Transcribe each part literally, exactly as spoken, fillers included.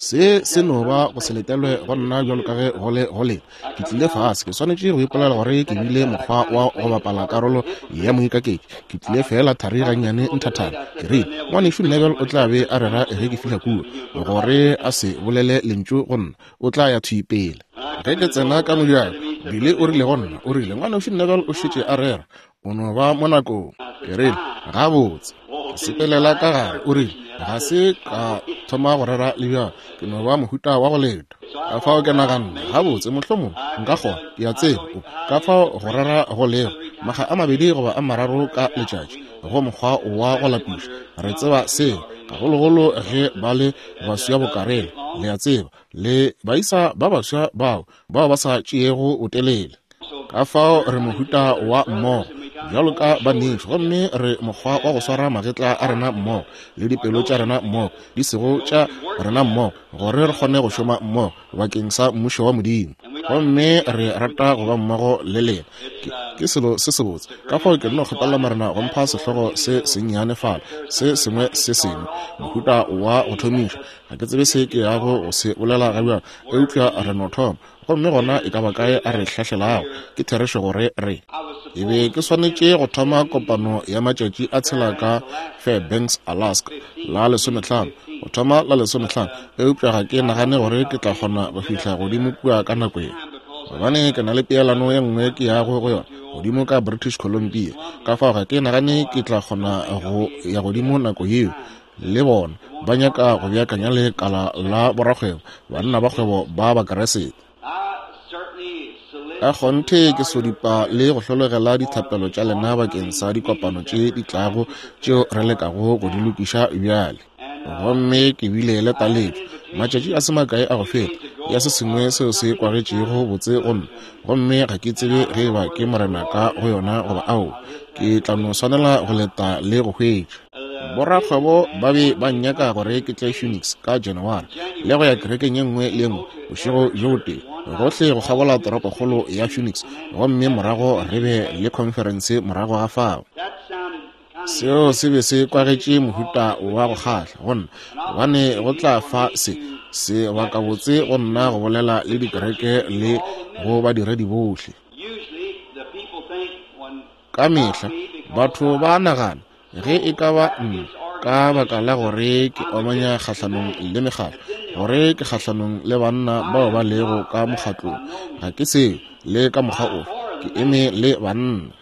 Se se no ba go se letelwe go nna bjalo ka ge go le go lena. Ke tlile fase, ke swanetše go ipolela gore ke bile mokgwa wa go bapala karolo ya moikaketši. Ke tlile feela thari gannyane nthathana. Ke rile, Ngwanešu Neville o tla be a rera ge ke fihla kua, gore a se bolele lentšu go nna, o tla ya thwi pele. Ge ke tsena ka mojako, Billy o rile go nna, o rile, Ngwanešu Neville o šetše a rera, o no ba mo nakong. Ke rile, gabotse. Ke sepelela ka gare, o rile, ga se ka thoma go rera le bjalo, ke no ba mohuta wa go leta. Ka fao ke naganne, gabotse, mohlomong nka kgona, ke a tseba, o ka fao go rera go lego makga a mabedi goba a mararo ka letšatši, go mokgwa wa go lapiša. Re tseba seo, gagologolo ge ba le baswa bokarele, le a tseba, le baisa ba baswa bao bao ba sa tšeego botelele. Ka fao re mohuta wa mmogo bjalo ka banešu, gomme re mokgwa wa go swara magetla a rena mmogo le dipelo tša rena mmogo, di sego tša rena mmogo, gore re kgone go šoma mmogo bakeng sa mmušo wa Modimo. Gomme re rata go ba mmogo le lena. Ke, ke selo se sebotse. Ka fao ke nno kgopela Morena go mpha sehlogo se sennyane fale, se sengwe se sengwe, mohuta wa go thomiša. Ga ke tsebe se ke yago go se bolela ga bjalo, eupša re no thoma. Gomme gona e ka ba kae a re hlahlelago, ke therešo gore re e be ke swanetše go thoma kopano ya matšatši a tshela ka Fairbanks, Alaska, la lesomehlano, go thoma la lesomehlano, eupša ga ke nagane gore ke tla kgona go fihla godimo kua ka nako ye, gobane ke na le peelano ye nngwe ke yago go yona godimo ka British Columbia. Ka fao ga ke nagane ke tla kgona go ya godimo nako yeo. Le bona ba nyaka go beakanya lekala la borakgwebo, banna ba kgwebo ba Bakeresete. Ka kgonthe ke sodipa le go hlologela dithapelo tša lena bakeng sa dikopano tše di tlago tšeo re lekago go di lokiša bjale. Gomme ke bile le taletšo matšatši a se makae a go feta ya se sengwe seo se kwagetšego botse go nna, gomme ga ke tsebe ge eba ke Morena ka go yona goba ao. Ke tla no swanela go leta le go hwetša. Borakgwebo ba be ba nnyaka gore ke tle Phoenix ka January le go ya kerekeng ye nngwe le nngwe bošego bjo botee, gohle go kgabola toropokgolo ya Phoenix, gomme morago re be le khonferense morago ga fao. Seo se be se kwagetše mohuta wa go kgahla go nna, gobane go tla fa se sebakabotse go nna go bolela le dikereke le go badiredi bohle. Ka mehla batho ba nagana ge e ka ba nna ka baka la gore ke omanya kgahlanong le mekgatlo, gore ke kgahlanong le banna bao ba lego ka mokgatlong. Ga ke seo le ka mokgwa ofe, ke eme le banna.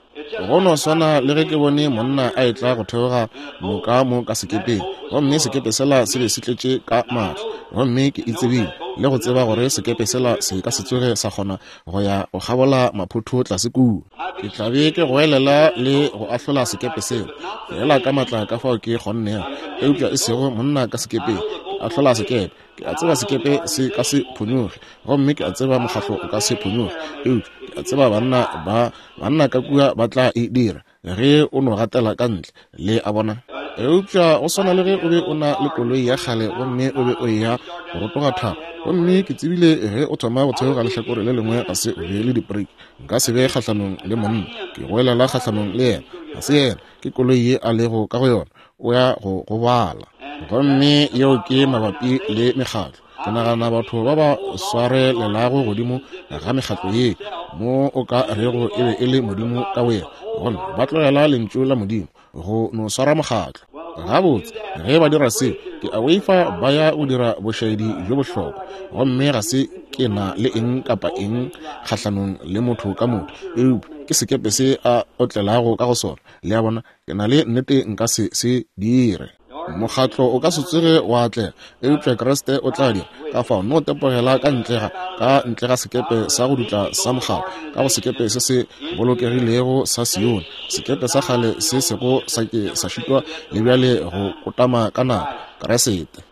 Go no swana le ge ke bone monna a etla go theoga noka mo ka sekepeng, gomme sekepe sela se be se tletše ka maatla, gomme ke itsebile le go tseba gore sekepe sela se ka se tsoge sa kgona go ya go kgabola maphotho tlase kua. Ke tla be ke goelela le go ahlola sekepe sela fela ka maatla ka fao ke kgonnego, eupša e sego monna ka sekepeng. Ke ahlola sekepe. Ke a tseba sekepe se ka se phonyoge, gomme ke a tseba mokgatlo o ka se phonyoge, eupša ke a tseba banna ba banna ka kua ba tla e dira ge o no gatela ka ntle, le a bona. Eupša go swana le ge o be o na le koloi ya kgale gomme o be o eya go rotoga thaba, gomme ke tsebile ge o thoma go theoga lehlakore le lengwe ga se o be le dibriki. Nka se be kgahlanong le monna, ke goelela kgahlanong le yena. Ga se yena, ke koloi ye a lego ka go yona, o ya go gobala. Gomme yeo ke mabapi le mekgatlo. Ke nagana batho ba ba swarelelago godimo ga mekgatlo ye mo o ka rego e be e le Modimo ka boyena, gomme ba tlogela lentšu la Modimo go no swara mokgatlo. Gabotse, ge ba dira seo, ke a boifa ba ya go dira bošaedi bjo bohlokwa. Gomme ga se ke na le eng kapa eng kgahlanong le motho ka motho, eupša ke sekepe se a otlelago ka go sona. Le a bona, ke na le nnete nka se se dire. Mokgatlo o ka se tsoge wa atlega, eupša Kriste o tla dira. Ka fao no tepogela ka ntle ga ka ntle ga sekepe sa go dutla sa mokgatlo, ka go sekepe se se bolokegilego sa Sione, sekepe sa kgale se sego sa ke sa šitwa le bjale go kotama ka nako, Kriste.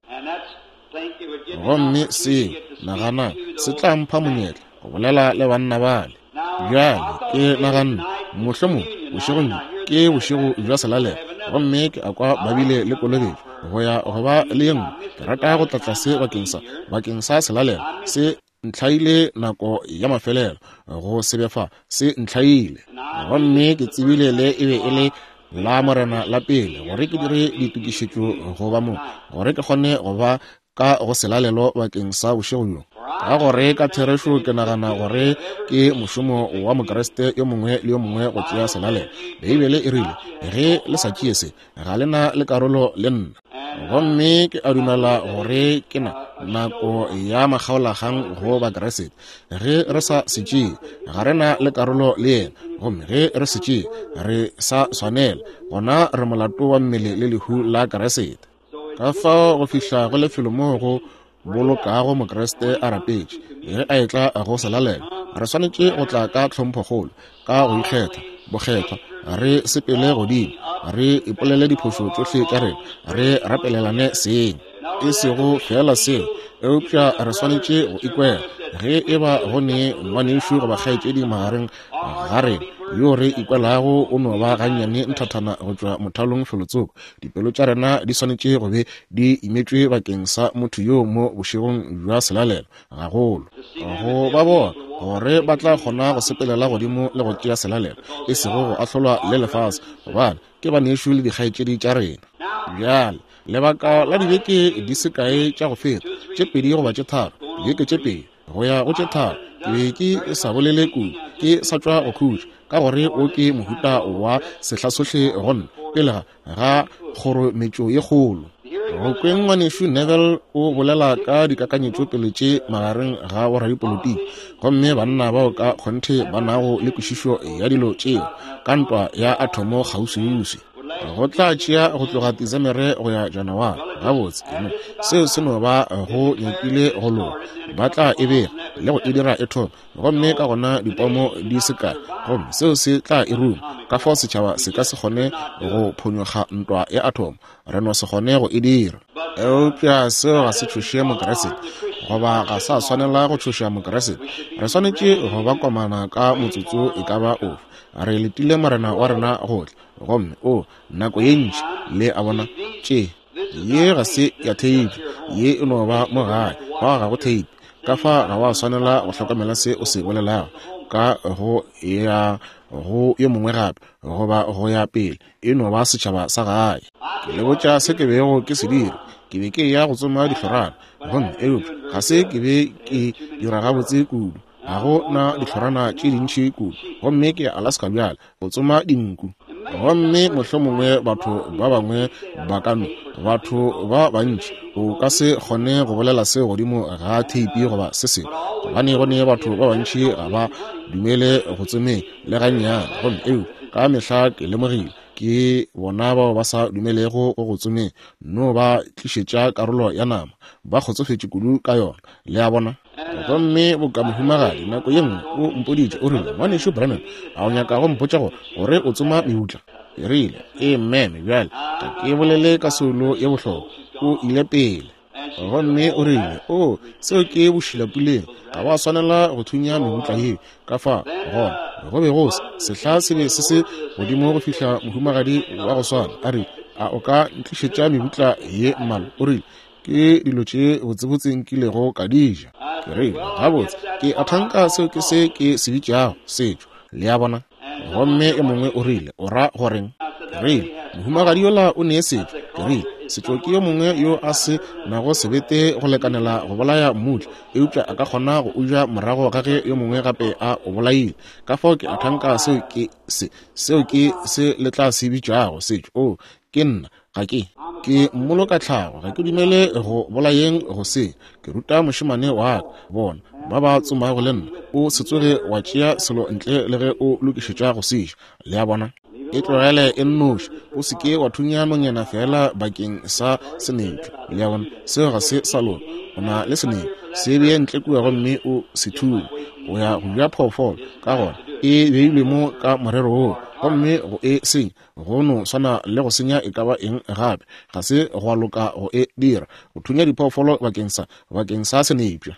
Gomme seo, nagana, se tla mpha monyetla go bolela le banna bale. Bjale ke naganne mohlomong bošegong bjo ke bošego bja selalelo, gomme ke a kwa ba bile le kolobetšo go ya go ba le ye nngwe. Ke rata go tla tlase bakeng sa bakeng sa selalelo. Se ntlhaile nako ya mafelelo go se be fa, se ntlhaile. Gomme ke tsebile le e be e le la Morena la pele gore ke dire ditokišetšo go ba mo, gore ke kgone go ba ka go selalelo bakeng sa bošego bjo. Ka gore ka therešo ke nagana gore ke mošomo wa Mokriste yo mongwe le yo mongwe go tšea selalelo. Beibele e rile, ge le sa tšee se, ga le na le karolo le nna. Gomme ke a dumela gore ke na nako ya makgaolakgang go Bakriste. Ge re sa se tšee, ga re na le karolo le yena. Gomme ge re se tšee, re sa swanela, gona re molato wa mmele le lehu la Kriste. Ka fao go fihla go lefelo moo go bolokago Mokriste a rapetše, ge a etla go selalelo, re swanetše go tla ka tlhomphokgolo, ka go ikgetha, bokgethwa, re sepele godimo, re ipolele diphošo tšohle tša rena, re rapelelane seng. E sego fela seo, eupša re swanetše go ikwela ge e ba go ne ngwanešu goba kgaetšedi magareng ga rena yo re ikwelago o no ba gannyane nthathana go tšwa mothalong felotsoko. Dipelo tša rena di swanetše go be di imetšwe bakeng sa motho yo mo bošegong bja selalelo, gagolo go ba bona gore ba tla kgona go sepelela godimo le go tšea selalelo, e sego go ahlolwa le lefase, gobane ke banešu le dikgaetšedi tša rena. Bjale lebaka la dibeke di se kae tša go feta, tše pedi goba tše tharo, dibeke tše pedi go ya go tše tharo, ke be ke sa bolele kudu, ke sa tšwa go khutša, ka gore o ke mohuta wa sehla sohle go nna pele ga kgorometšo ye kgolo. Go kweng ngwanešu Neville o bolela ka dikakanyetšo pele tše magareng ga boradipolotiki, gomme banna bao ka kgonthe ba nago le kwešišo ya dilo tšeo ka ntwa ya athomo kgauswiuswi. Go tla tšea go tloga Desemere go ya Janaware. Gabotse, no, seo se no ba go nyakile go loka. Ba tla e bega le go e dira e thome, gomme ka gona dipomo di se kae, gomme seo se tla e ruma. Ka fao setšhaba se ka se kgone go phonyokga ntwa ya athomo, re no se kgone go e dira. Eupša seo ga se tšhoše Mokriste, goba ga sa swanela go tšhoša Mokriste. Re swanetše go ba komana ka motsotso e ka ba ofe. Re letile Morena wa rena go tla, gomme o nako ye ntši le a bona tše ye ga se ya theipi, ye e no ba mo gae, fa ga go theipi. Ka fa ga wa swanela go hlokomela se o se bolelago ka go ya go yo mongwe gape goba go ya pele, e no ba setšhaba sa gae. Ke le botša se ke bego ke se dira. Ke be ke ya go tsoma dihlorana, gomme eupša ga se ke be ke dira gabotse kudu. Ga go na dihlorana tše dintši kudu, gomme ke ya Alaska bjale go tsoma dinku. Gomme mohlomongwe batho ba bangwe ba ka no, batho ba bantši o ka se kgone go bolela se godimo ga theipi goba se sengwe, gobane go ne batho ba bantši ga ba dumele go tsomeng le gannyane. Gomme eo ka mehla ke lemogile ke bona bao ba sa dumelego go go tsomeng, no ba tlišetša karolo ya nama, ba kgotsofetše kudu ka yona, le a bona. Gomme boka mohumagadi nako ye nngwe o mpoditše, o rile, ngwanešu Branham, a o nyaka go mpotša gore gore o tsoma mebutla? Ke rile, ee meme, bjale ga ke bolele ka soulo ye bohlokwa. O ile pele gomme o rile, o seo ke bošilapuleng, ga wa swanela go thunya mebutla yeo. Ka fa gona go be go se sehla se be se se godimo go fihla mohumagadi wa go swana a re, a o ka ntlišetša mebutla ye mmalwa? O rile, ke dilo tše botsebotse nkilego ka di ja. Ke rile, gabotse ke a thanka seo ke se ke se bitšago setšo, le a bona. Gomme e mongwe o rile, o ra goreng? Ke rile, mohumagadi yola o ne setšo. Ke rile, setšo ke yo mongwe yo a se nago sebete go lekanela go bolaya mmutla, eupša a ka kgona go uja morago ga ge yo mongwe gape a o bolaile. Ka fao ke a thanka seo ke se seo ke se le tla se bitšago setšo. O ke nna, ga ke ke mmoloka tlhago, ga ke dumele go bolayeng go se. Ke ruta mošemane wa ka, bona ba ba tsomago le nna, o se tsoge wa tšea selo ntle le ge o lokišetša go se ja, le a bona. E tlogele e nnoši, o se ke wa thunya nonyana fela bakeng sa senepša, le a bona. Seo ga se sa loka. O na le senepša, se bee ntle kua gomme o se thunye. O ya go ja phoofolo, ka gona e beilwe mo ka morero woo, gomme go e senya go no swana le go senya e ka ba eng gape. Ga se gwa loka go e dira, go thunya diphoofolo bakeng sa bakeng sa senepša.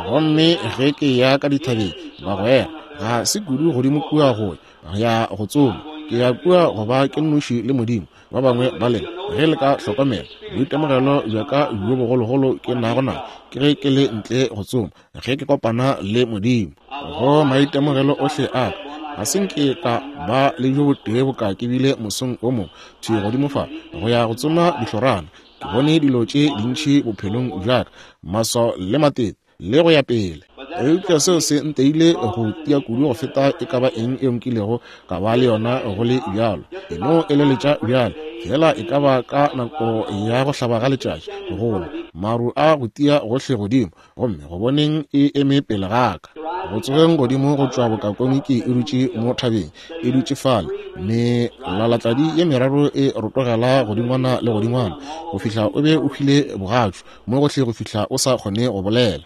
Gomme ge ke ya ka dithabeng bagwera, ga se kudu godimo kua go ya go tsoma, ke ya kua go ba ke nnoši le Modimo. Ba bangwe ba lena ge le ka hlokomela boitemogelo bja ka bjo bogologolo ke nago na ke ge ke le ntle go tsoma, ge ke kopana le Modimo. Go maitemogelo ohle a ka, ga se nke ka ba le bjo botee boka ke bile mosong o mongwe thwi godimo fa go ya go tsoma dihlorana. Ke bone dilo tše dintši bophelong bja ka, maswao le matete le go ya pele. Eupša seo se nteile go tia kudu go feta e ka ba eng e nkilego ka ba le yona go le bjalo. E no eleletša bjalo, fela e ka ba ka nako ya go hlaba ga letšatši, gola maru a go tia gohle godimo, gomme go boneng e eme pele ga ka. Go tsogeng godimo go tšwa bokakomiki e dutše mo thabeng, e dutše fale, melalatladi ye meraro e rotogela godingwana le godingwana, go fihla o be o hwile bogatšu mo gohle go fihla o sa kgone go bolela.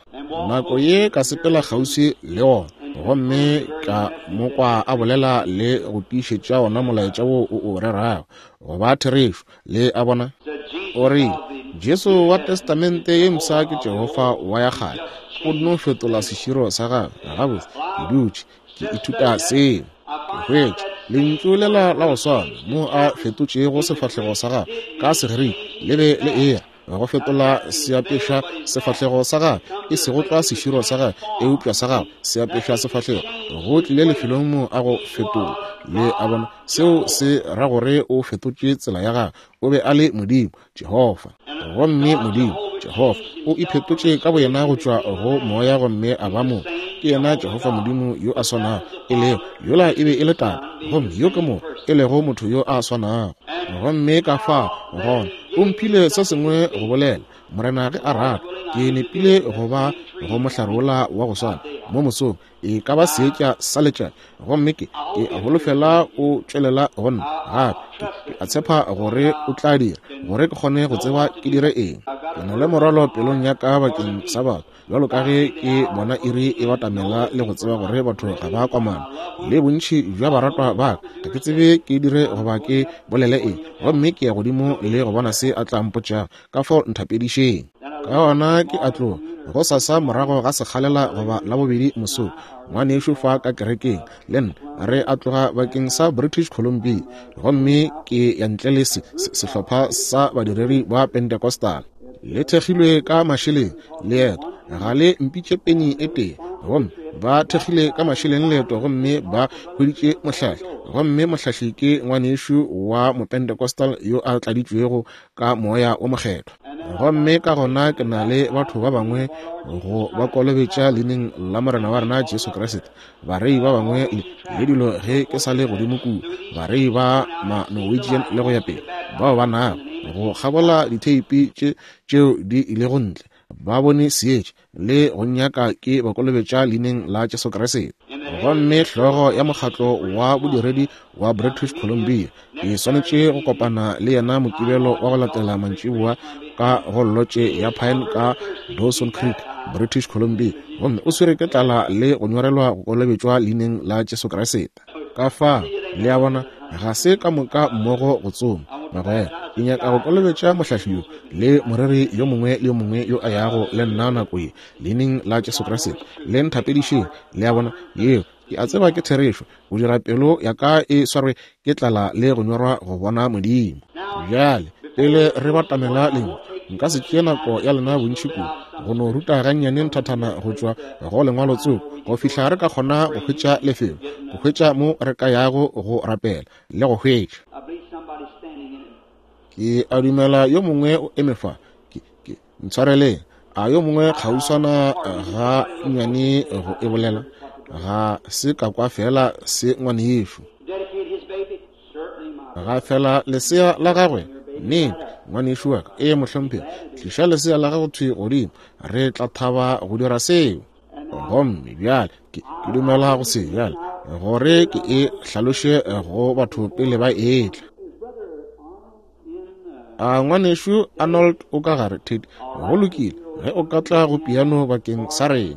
Nako ye ka sepela kgauswi le ona, gomme ka mo kwa a bolela le go tiišetša ona molaetša wo o o rerago go ba therešo. Le a bona? O rile, Jesu wa Testamente ye mpsha ke Jehofa wa ya kgale, o nno fetola seširo sa gagwe. Gabotse, ke dutše ke ithuta seo, ke hwetša lentšu lela la go swana mo a fetotšego sefahlego sa gagwe ka Segerike le be le era go fetola seapeša sefahlego sa gagwe, e sego tlwa seširo sa gagwe, eupša sa gagwe seapeša sefahlego. Go tlile lefelong mo a go fetola. Le a bona? Seo se ra gore o fetotše tsela ya gagwe. O be a le Modimo, Jehofa. Gomme Modimo, Jehofa, o iphetotše ka boyena go tšwa go moya gomme a ba motho. Ke yena Jehofa Modimo yo a swanago, e lego yola e be e le Tate, gomme yo ke motho, e lego motho yo a swanago. Gomme ka fa gona o mphile se sengwe go bolela, Morena ge a rata, ke nepile go ba go mohlarola wa go swana mo mosong, e ka ba seetša sa letšatši, gomme ke ke holofela o tšwelela go nna gape. Ke, ke a tshepa gore o tla dira gore ke kgone go tseba ke dire eng. Ke na le morwalo pelong ya ka bakeng sa batho, bjalo ka ge ke bona iri e batamela le go tseba gore batho ga ba kwamana le bontši bja baratwa ba ka. Ga ke tsebe ke dire goba ke bolele eng, gomme ke ya godimo le go bona se a tla mpotšago. Ka fao nthapedišeng. Ka gona ke a tloga go sasa morago ga sekgalela goba la bobedi mosong, ngwanešu fa ka kerekeng le nna re a tloga bakeng sa British Columbia, gomme ke ya ntle le se, se, sehlopha sa badiredi ba Pentecostal. Le thekgilwe ka mašeleng leeto, ga le mpitše penny e tee, gomme ba thekgile ka mašeleng leeto, gomme ba hweditše mohlahli, gomme mohlahli ke ngwanešu wa Mopentecostal yo a tladitšwego ka moya o mokgethwa. Gomme ka gona ke na le batho ba bangwe go ba kolobetša leineng la Morena wa rena Jesu Kriste, barei ba bangwe le, le dilo ge ke sa le godimo kua, barei ba ma Norwegian le go ya pele, bao ba nago go kgabola ditheipi tše tšeo di ilego ntle, ba bone seetša le go nyaka ke ba kolobetša leineng la Jesu Kriste. Gomme hlogo ya mokgatlo wa bodiredi wa British Columbia ke swanetše go kopana le yena Mokibelo wa go latela mantšiboa ka go lotše ya Pine ka Dawson Creek, British Columbia, gomme o swere ke tlala le go nyorelwa go kolobetšwa leineng la Jesu Kriste. Ka fa, le a bona, ga se ka moka mmogo go tsoma. Bagwera, ke nyaka go kolobetša mohlahli yo le moreri yo mongwe le yo mongwe yo a yago le nna nako ye leineng la Jesu Kriste. Le nthapedišeng. Le a bona, yeo ke a tseba ke therešo, go dira pelo ya ka e swarwe ke tlala le go nyorwa go bona Modimo. Bjale pele re batamela lengwe, nka se tšee nako ya lena bontši kudu go no ruta gannyane nthathana go tšwa go lengwalo tsoko go fihla re ka kgona go hwetša lefelo, go hwetša mo re ka yago go rapela le go hwetša. Ke a dumela yo mongwe o eme fa, ke, ke ntshwareleng, a yo mongwe kgauswana ga nnyane go e bolela, ga se ka kwa fela se ngwanešu. Ga fela lesea la gagwe, nnete ngwanešu wa ka, ee mohlomphegi, tliša lesea la gago thwi godimo, re tla thaba go dira seo. Gomme bjale ke, ke dumela go se bjale gore ke e hlaloše go batho pele ba etla. A ngwanešu Arnold o ka gare, Ted? Go lokile, ge o ka tla go piano bakeng sa rena.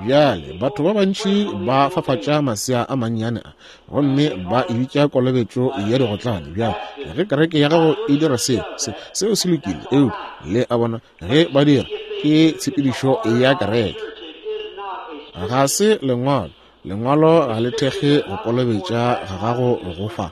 Bjale batho ba bantši ba fafatša masea a mannyane a, gomme ba e bitša kolobetšo ya digotlane. Bjale ge kereke ya gago e dira seo, se, seo se lokile, eupša le a bona ge ba dira ke tshepedišo ya kereke, ga se lengwalo. Lengwalo ga le thekge go kolobetša ga gago go fa.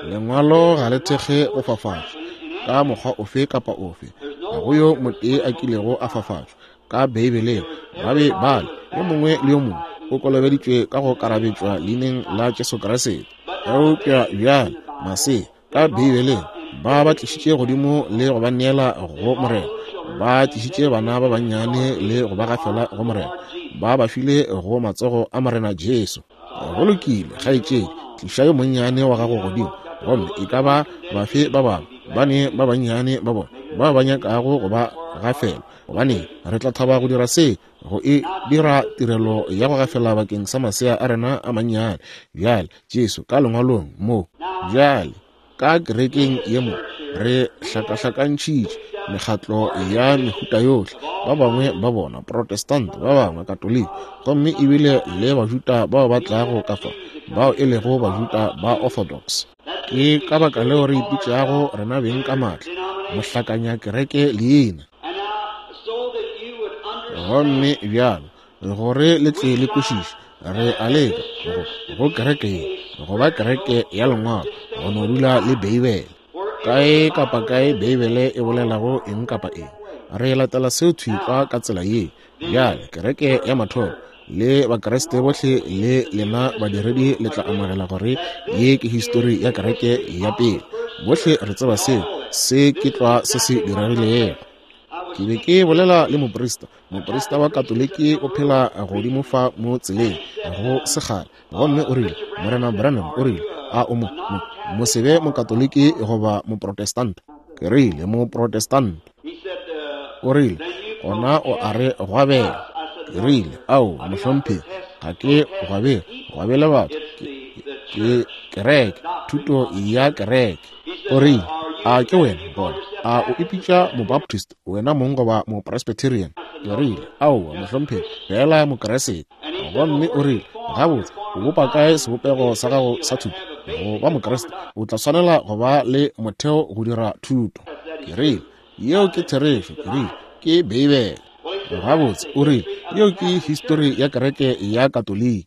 Lengwalo ga le thekge go fafatša ka mokgwa ofe kapa ofe. Ga go yo motee a kilego a fafatšwa ka Beibeleng. Ba be ba le yo mongwe le yo mongwe o kolobeditšwe ka go karabetšwa leineng la Jesu Kriste. Eupša bjale masea ka Beibeleng Ba ba tlišitše godimo le go ba neela go Morena. Ba tlišitše bana ba bannyane le go ba gafela go Morena. Ba ba file go matsogo a Morena Jesu. Go lokile, kgaetšedi, tliša yo monnyane wa gago godimo. Gomme e ka ba bafe ba bangwe ba ne ba bannyane ba bona ba ba nyakago go ba gafela, gobane re tla thaba go dira se, go e dira tirelo ya go gafela bakeng sa masea a rena a mannyane. Bjale Jesu ka lengwalong mo, bjale ka kerekeng ye mo, re hlakahlakantšhitše mekgatlo ya mehuta yohle, ba bangwe ba bona Protestant, ba bangwe Katoliki, gomme ebile le Bajuda bao ba tlago ka fa, bao e lego Bajuda ba Orthodox. Ke ka baka leo re ipitšago rena beng ka maatla mohlakanya kereke leina. Gomme bjalo gore le tle le kwešiše, re a leka go, go kereke ye go ba kereke ya lengwalo, go no dula le Beibele. Kae kapa kae Beibele e bolelago eng kapa eng, re latela seo thwi tlwa ka tsela ye. Bjale kereke ya mathomo le Bakreste bohle le lena badiredi le tla amogela gore ye ke histori ya kereke ya pele. Bohle re tseba seo, se ke tlwa se se diregilego. Ke be ke bolela le moprista, moprista wa Katoliki o phela godimo fa mo tseleng go sekgale, gomme o rile, Morena Branham o rile, a o mo, mo, mo sebe Mokatoliki goba Moprotestant? Ke rile, Moprotestant. O rile, gona o a re gwabela. Ke rile, ao, mohlomphegi, ga ke gwabele, gwabele batho, ke, ke kereke, thuto ya kereke. O rile, a ke wena gona, a o ipitša Mobaptist wena mong goba Mopresbyterian? Ke rile, aowa, mohlomphegi, fela Mokeresete. Gomme o rile, gabotse, o bopa kae sebopego sa gago sa thuto? Go ba Mokreste o tla swanela go ba le motheo go dira thuto. Ke rile, yeo ke therešo. Ke rile, ke Beibele. Gabotse, o rile, yeo ke histori ya kereke ya Katoliki.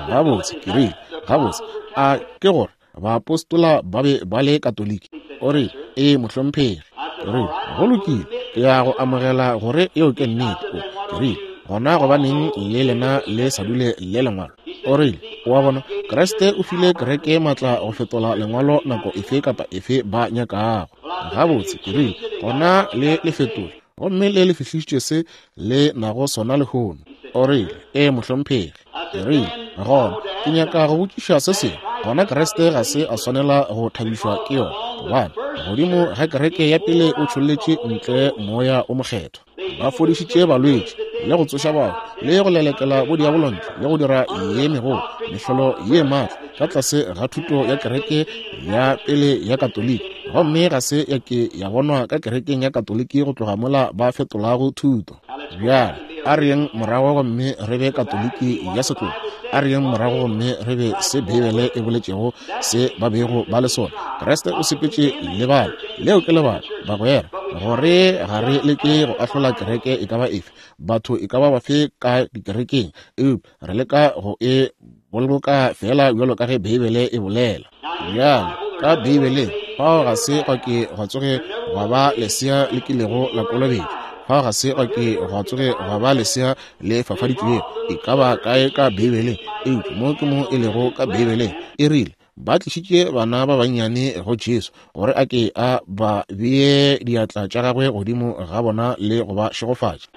Gabotse, ke rile, gabotse, a ke gore baapostola ba be ba le Katoliki? O rile, ee, mohlomphegi. Ke rile, go lokile, ke ya go amogela gore yeo ke nnete. Ke rile, gona gobaneng le lena le sa dule le lengwalo? O rile, wa bona, Kreste o file kereke maatla go fetola lengwalo nako efe kapa efe ba nyakago. Gabotse, ke rile, gona le le fetole, gomme le le fihlišitše se le nago sona lehono. O rile, ee, mohlomphegi. Ke rile, gona ke nyaka go botšiša se sengwe. Gona Kreste ga se a swanela go thabišwa ke yona, gobane godimo ga kereke ya pele o tšholletše ntle moya o mokgethwa. Ba fodišitše balwetši le go tsoša batho le go lelekela bodiabolo ntle le go dira ye megolo mehlolo ye maatla ka tlase ga thuto ya kereke ya pele ya Katoliki, gomme ga se ya ke ya bonwa ka kerekeng ya Katoliki go tloga mola ba fetolago thuto. Bjale a re yeng morago gomme re be Katoliki ya setlogo. A re yeng morago gomme re be se Beibele e boletšego se ba bego ba le sona. Kreste o sepetše lebala, leo ke lebala, bagwera, gore ga re leke go ahlola kereke e ka ba efe, batho e ka ba bafe ka dikerekeng, eupša re leka go e boloka fela bjalo ka ge Beibele e bolela. Bjale ka Beibeleng fao ga se gwa ke gwa tsoge gwa ba lesea le kilego la kolobetšwa, fao ga se gwa ke gwa tsoge gwa ba lesea le fafaditšwego e ka ba kae ka Beibeleng, eupša mo ke mo e lego ka Beibeleng. E rile ba tlišitše bana ba bannyane go Jesu gore a ke a ba bee diatla tša gagwe godimo ga bona le go ba šegofatša.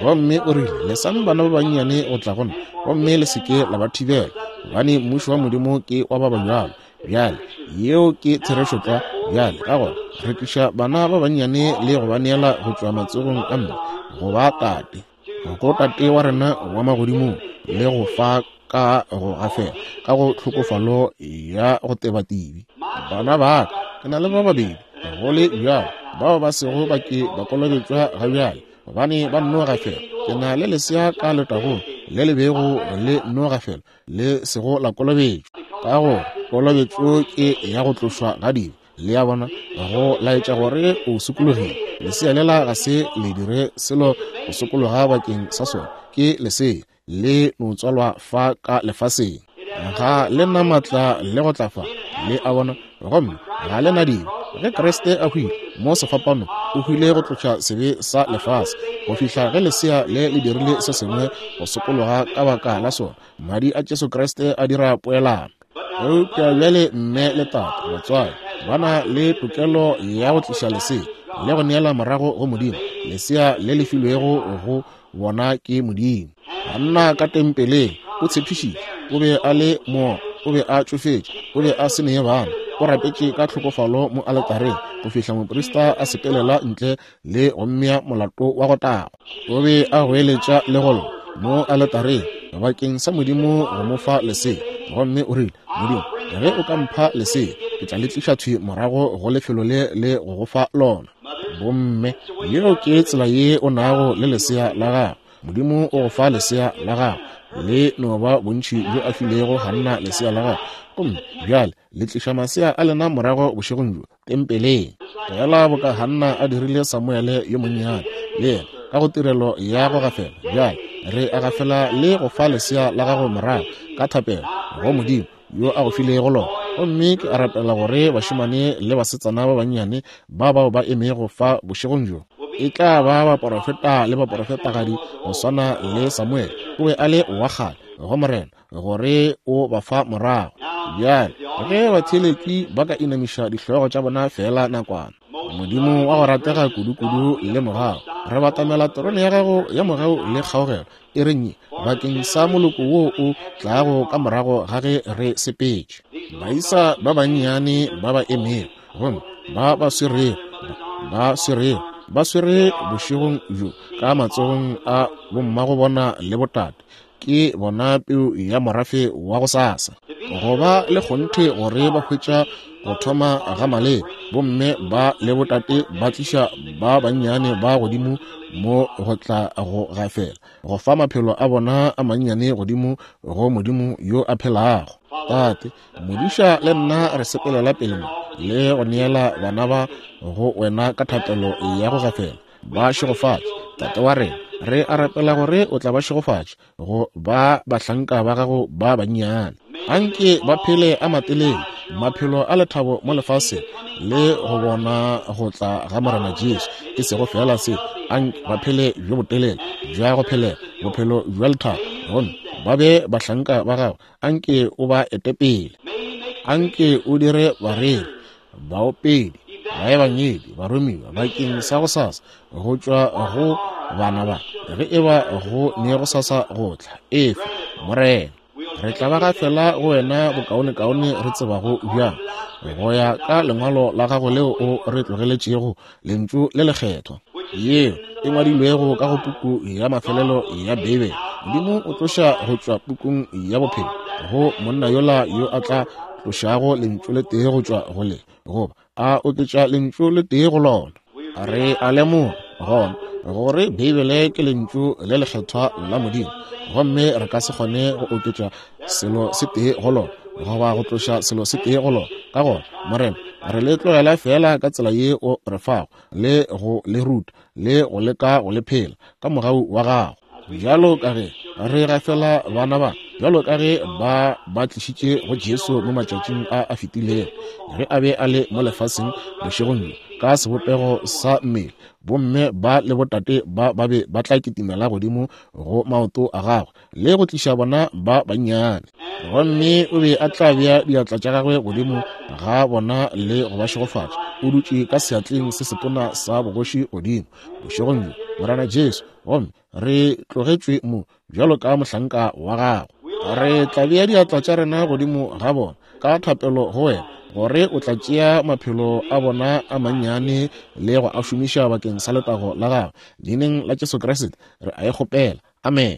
Gomme o rile, lesang bana ba bannyane go tla go nna, gomme le se ke la ba thibela, gobane mmušo wa Modimo ke wa ba bjalo. Bjale yeo ke therešo tlwa. Bjale ka gona re tliša bana ba bannyane le go ba neela go tšwa matsogong a mme go ba tate, go tate wa rena wa magodimong, le go fa ka go gafela ka go tlhokofalo ya go tebatibi. Bana ba ka, ke na le ba babedi go le bjalo bao ba sego ba ke ba kolobetšwa ga bjale, gobane ba nno gafela. Ke na le lesea ka letagong le le bego le nno gafela le sego la kolobetšwa, ka gore kolobetšo ke ya go tlošwa ga dibe. Le a bona, go laetša gore o sokologile. Lesea lela ga se le dire selo go sokologa bakeng sa sona, ke lesea le no tswalwa fa ka lefaseng, ga le na maatla le go tla fa. Le a bona, gomme ga le na dibe. Ge Kreste a hwile mo sefapanong, o hwile go tloša sebe sa lefase, go fihla ge lesea le le dirile se sengwe go sokologa ka baka la sona. Madi a Jesu Kreste a dira poelano. Eupša bjale mme le tate, batswadi Ba na le tokelo ya go tliša lesea le go neela morago go Modimo, lesea le le filwego go bona ke Modimo. Hanna ka tempeleng o tshepišitše, o be a le mo, o be a tšofetše, o be a se ne bana, o rapetše ka tlhokofalo mo aletareng go fihla moprista a sepelela ntle le go mmea molato wa go tagwa. O be a goeletša le go lla mo aletareng bakeng sa Modimo go mo fa lesea, gomme o rile, Modimo, ge o ka mpha lesea, ke tla le tliša thwi morago go lefelo le le go go fa lona. Bomme, yeo ke tsela ye o nago le lesea la gago. Modimo o go fa lesea la gago, le no ba bontši bjo a filego Hanna lesea la gago. Gomme bjale le tliša masea a lena morago bošegong bjo tempeleng, fela boka Hanna a dirile Samuele yo monnyane le yena ka go tirelo ya go gafela. Bjale re a gafela le go fa lesea la gago morago ka thapelo go Modimo yo a go filego lona. Gomme ke a rapela gore bašemane le basetsana ba bannyane ba bao ba emego fa bošegong bjo e tla ba baporofeta le baporofetagadi go swana le Samuele. O be a le wa kgale go Morena gore o ba fa morago. Bjale ge batheeletši ba ka inamiša dihlogo tša bona fela nakwana. Modimo wa go ratega kudu-kudu le mogau, re batamela terone ya gago ya mogau le kgaogelo e re nye bakeng sa moloko wo o tlago ka morago ga ge re sepetše. Baisa ba bannyane ba ba emego gomme ba ba swerego ba swerego ba swere bošegong bjo ka matsogong a bommago bona le botate, ke bona peu ya morafe wa go sasa. Go ba le kgonthe gore ba hwetša go thoma ga maleba, bomme ba le botate ba tliša ba bannyane ba godimo mo go tla go gafela, go fa maphelo a bona a mannyane godimo go Modimo yo a phelago. Tate, modiša le nna re sepelela pele mo le go neela bana ba go wena ka thapelo ya go gafela. Ba šegofatše, Tate wa rena. Re a rapela gore o tla ba šegofatše go ba bahlanka ba gago ba bannyane. Anke ba phele a matelele maphelo a lethabo mo lefaseng le go bona go tla ga Morena Jesu. E sego fela se, anke ba phele bjo botelele bja go phelela bophelo bja lethabo, gomme ba be bahlanka ba gago. Anke o ba ete pele, anke o dire bareri, baopedi, baebangedi, baromiwa bakeng sa go sasa go tšwa go bana ba, ge e ba go ne go sasa go tla. Efe Morena, re tla ba gafela go wena bokaonekaone re tsebago bjang, go ya ka lengwalo la gago leo o re tlogeletšego, lentšu le lekgethwa, yeo e ngwadilwego ka go puku ya mafelelo ya Beibele. Modimo o tloša go tšwa pukung ya bophelo go monna yola yo a tla tlošago lentšu le tee go tšwa go le, goba a oketša lentšu le tee go lona. Re a lemoga gona gore Beibele ke lentšu le lekgethwa la Modimo, gomme re ka se kgone go oketša selo se tee go lona goba go tloša selo se tee go lona. Ka gona Morena, re le tlogela fela ka tsela ye o re fago, le go le ruta le go leka go le phela ka mogau wa gago. Bjalo ka ge re gafela bana ba, bjalo ka ge ba ba tlišitše go Jesu mo matšatšing a a fetilego, ge a be a le mo lefaseng bošegong bjo ka sebopego sa mmele, bomme ba le botate ba ba be ba tla kitimela godimo go maoto a gagwe le go tliša bona ba bannyane, gomme o be a tla bea diatla tša gagwe godimo ga bona le go ba šegofatša. O dutše ka seatleng se setona sa bogoši godimo bošegong bjo, Morena Jesu, gomme re tlogetšwe mo bjalo ka mohlanka wa gago. Re tla bea diatla tša rena godimo ga bona ka thapelo go wena, gore o tla tšea maphelo a bona a mannyane le go a šomiša bakeng sa letago la gago. Leineng la Jesu Kriste re a e kgopela, amen.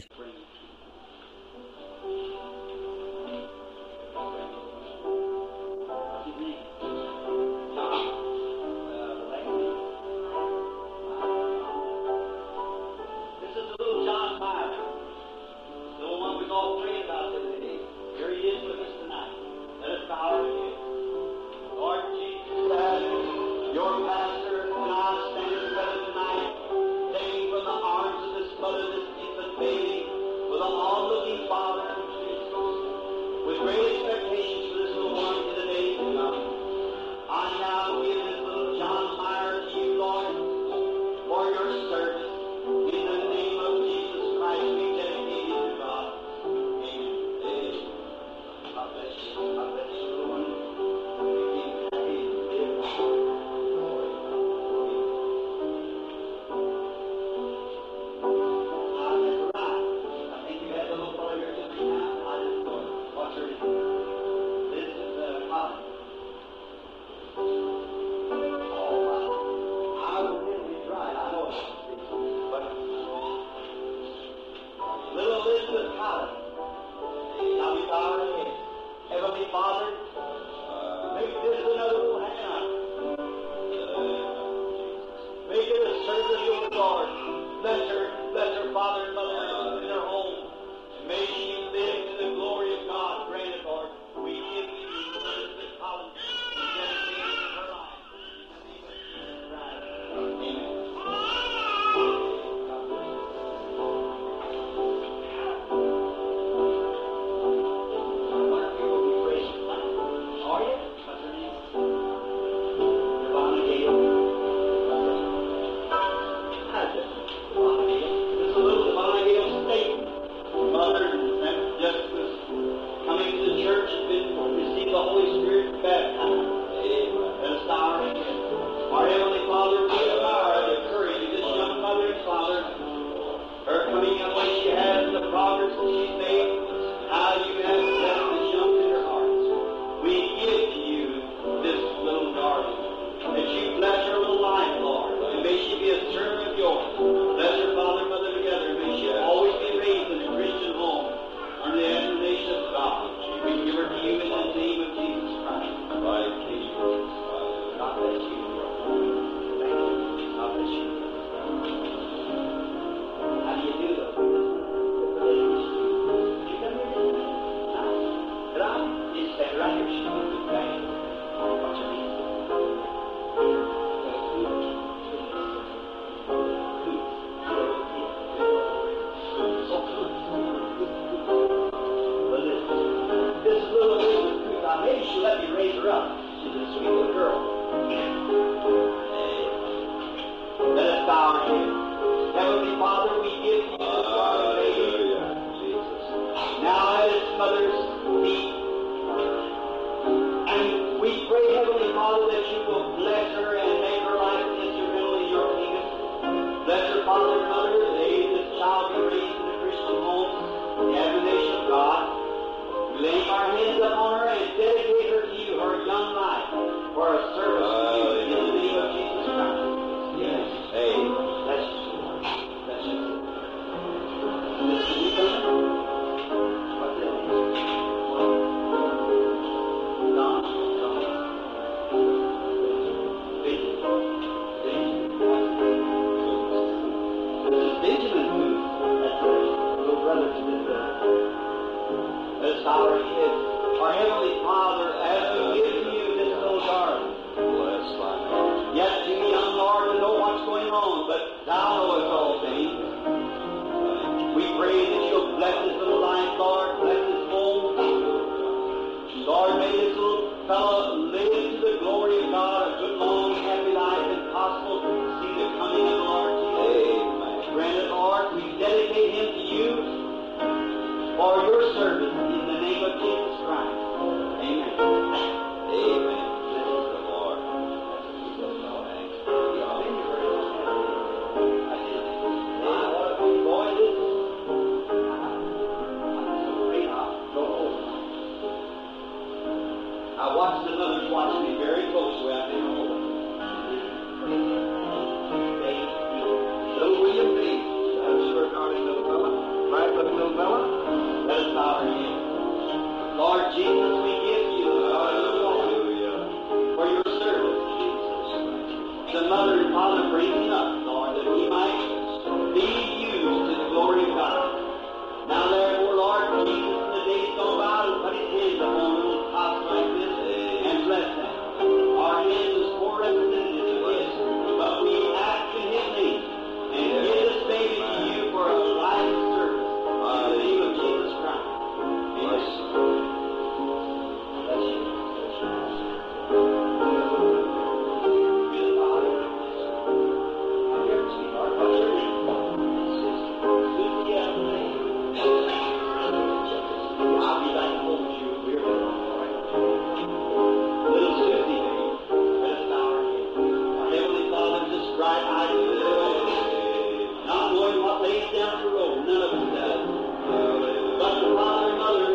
Your pastor and I stand together tonight, taking from the arms of this mother this infant baby. bow our heads. Our Heavenly Father, as we give to you this little garden, Bless thy name. yet too young, Lord, to know what's going on, but thou knowest all things. We pray that you'll bless this little life, Lord, bless this home. Lord, may this little fellow live to the glory of God, a good, long, happy life, and possible see the coming of the Lord Jesus. Amen. Grant it, Lord, we dedicate him to you for your service in the name of Jesus Christ. Amen. Amen. Bless the Lord. Thanks be to God. My, what a good boy this is. I'm so afraid I'll go over. I watched the mothers watch me very closely. I think, oh, Little William Bates. That's sure darling little fella. Bright looking little fella. Let us bow our heads. Lord Jesus, we give you our little boy Hallelujah. for your service. Jesus, thank you. The mother and father bring him up, Lord, that he might be used to the glory of God. Now therefore, Lord Jesus, in the days gone by, will put his hands upon little tots like this and bless them. Our hands is poor representatives of his, but we ask in his name and give this baby to you for a life of service. In the name of Jesus Christ. Amen. Bless Bless you. Good Father. Here, sweetheart, what's your name? Susie Ellen. I'll be back to hold you. We're all right. Little Susie, baby. Let us bow our heads. Our Heavenly Father, this bright-eyed little girl, not knowing what lays down the road, none of us does. But the father and mother,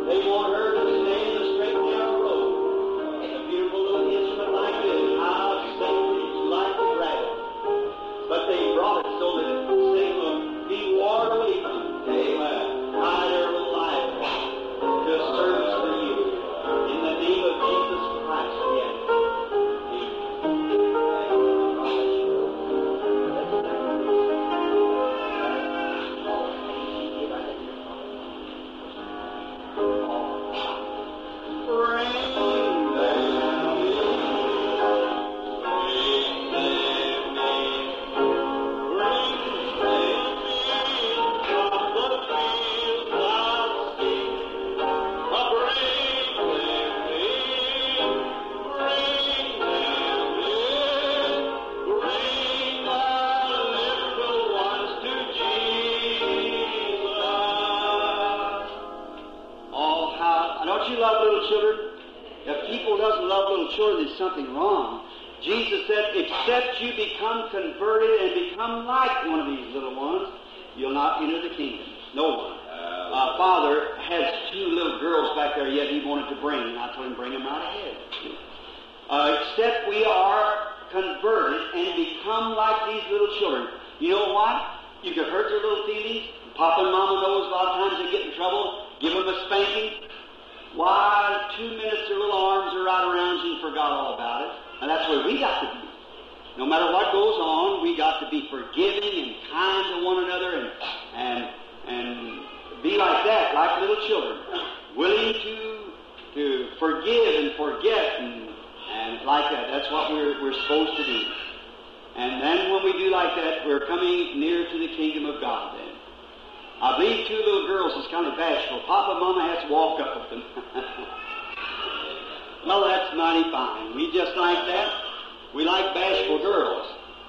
they want her to stay in the straight and narrow road. A beautiful little instrument like this, how Satan is like to grab it. But they brought it so that Satan will be warned away from it. Amen. Hide her little life to a service for you. In the name of Jesus Christ, we ask. Amen. Oh, how, don't you love little children? If people doesn't love little children, there's something wrong. Jesus said, except you become converted and become like one of these little ones, you'll not enter the kingdom. No one. Uh, Father has two little girls back there yet he wanted to bring, and I told him, bring them right ahead. Uh, except we are converted and become like these little children. You know what? You could hurt their little feelings. Papa and Mama knows a lot of times they get in trouble. Give them a spanking. Why, two minutes their little arms are right around you and forgot all about it. And that's where we got to be. No matter what goes on, we got to be forgiving and kind to one another and and and be like that, like little children, willing to to forgive and forget and and like that. That's what we're we're supposed to do. And then when we do like that, we're coming near to the kingdom of God then. I believe two little girls is kind of bashful. Papa and Mama has to walk up with them. Well, that's mighty fine. We just like that. We like bashful girls.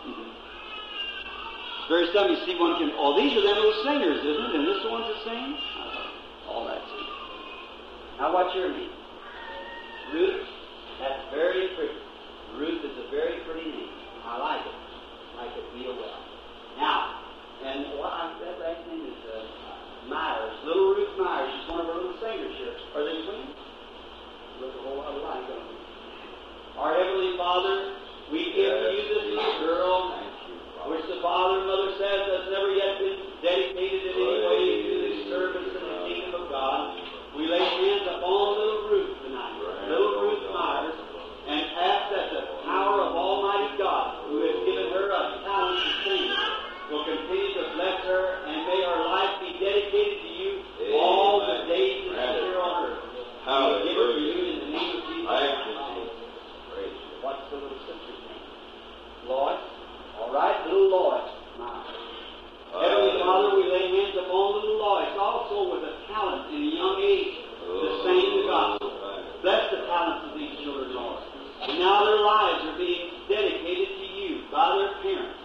It's very seldom you see one can... Oh, these are them little singers, isn't it? And this the ones that sing? Oh, that's it. Now, what's your name? Ruth? That's very pretty. Ruth is a very pretty name. I like it. I like it real well. Now, and what I, that last name is uh, Myers. Little Ruth Myers. She's one of our little singers here. Are they twins? Look a whole lot alike, don't they? Our Heavenly Father, we give to you this little girl, which the father and mother says has never yet been dedicated in any way to the service in the kingdom of God. We lay hands upon little Ruth tonight, little Ruth Myers, and ask that the power of Almighty God, who has given her a talent to sing, will continue to bless her, and may her life be dedicated to you all the days upon little Lois also with a talent in a young age to sing the gospel. Bless the talents of these children, Lord. And now their lives are being dedicated to you by their parents.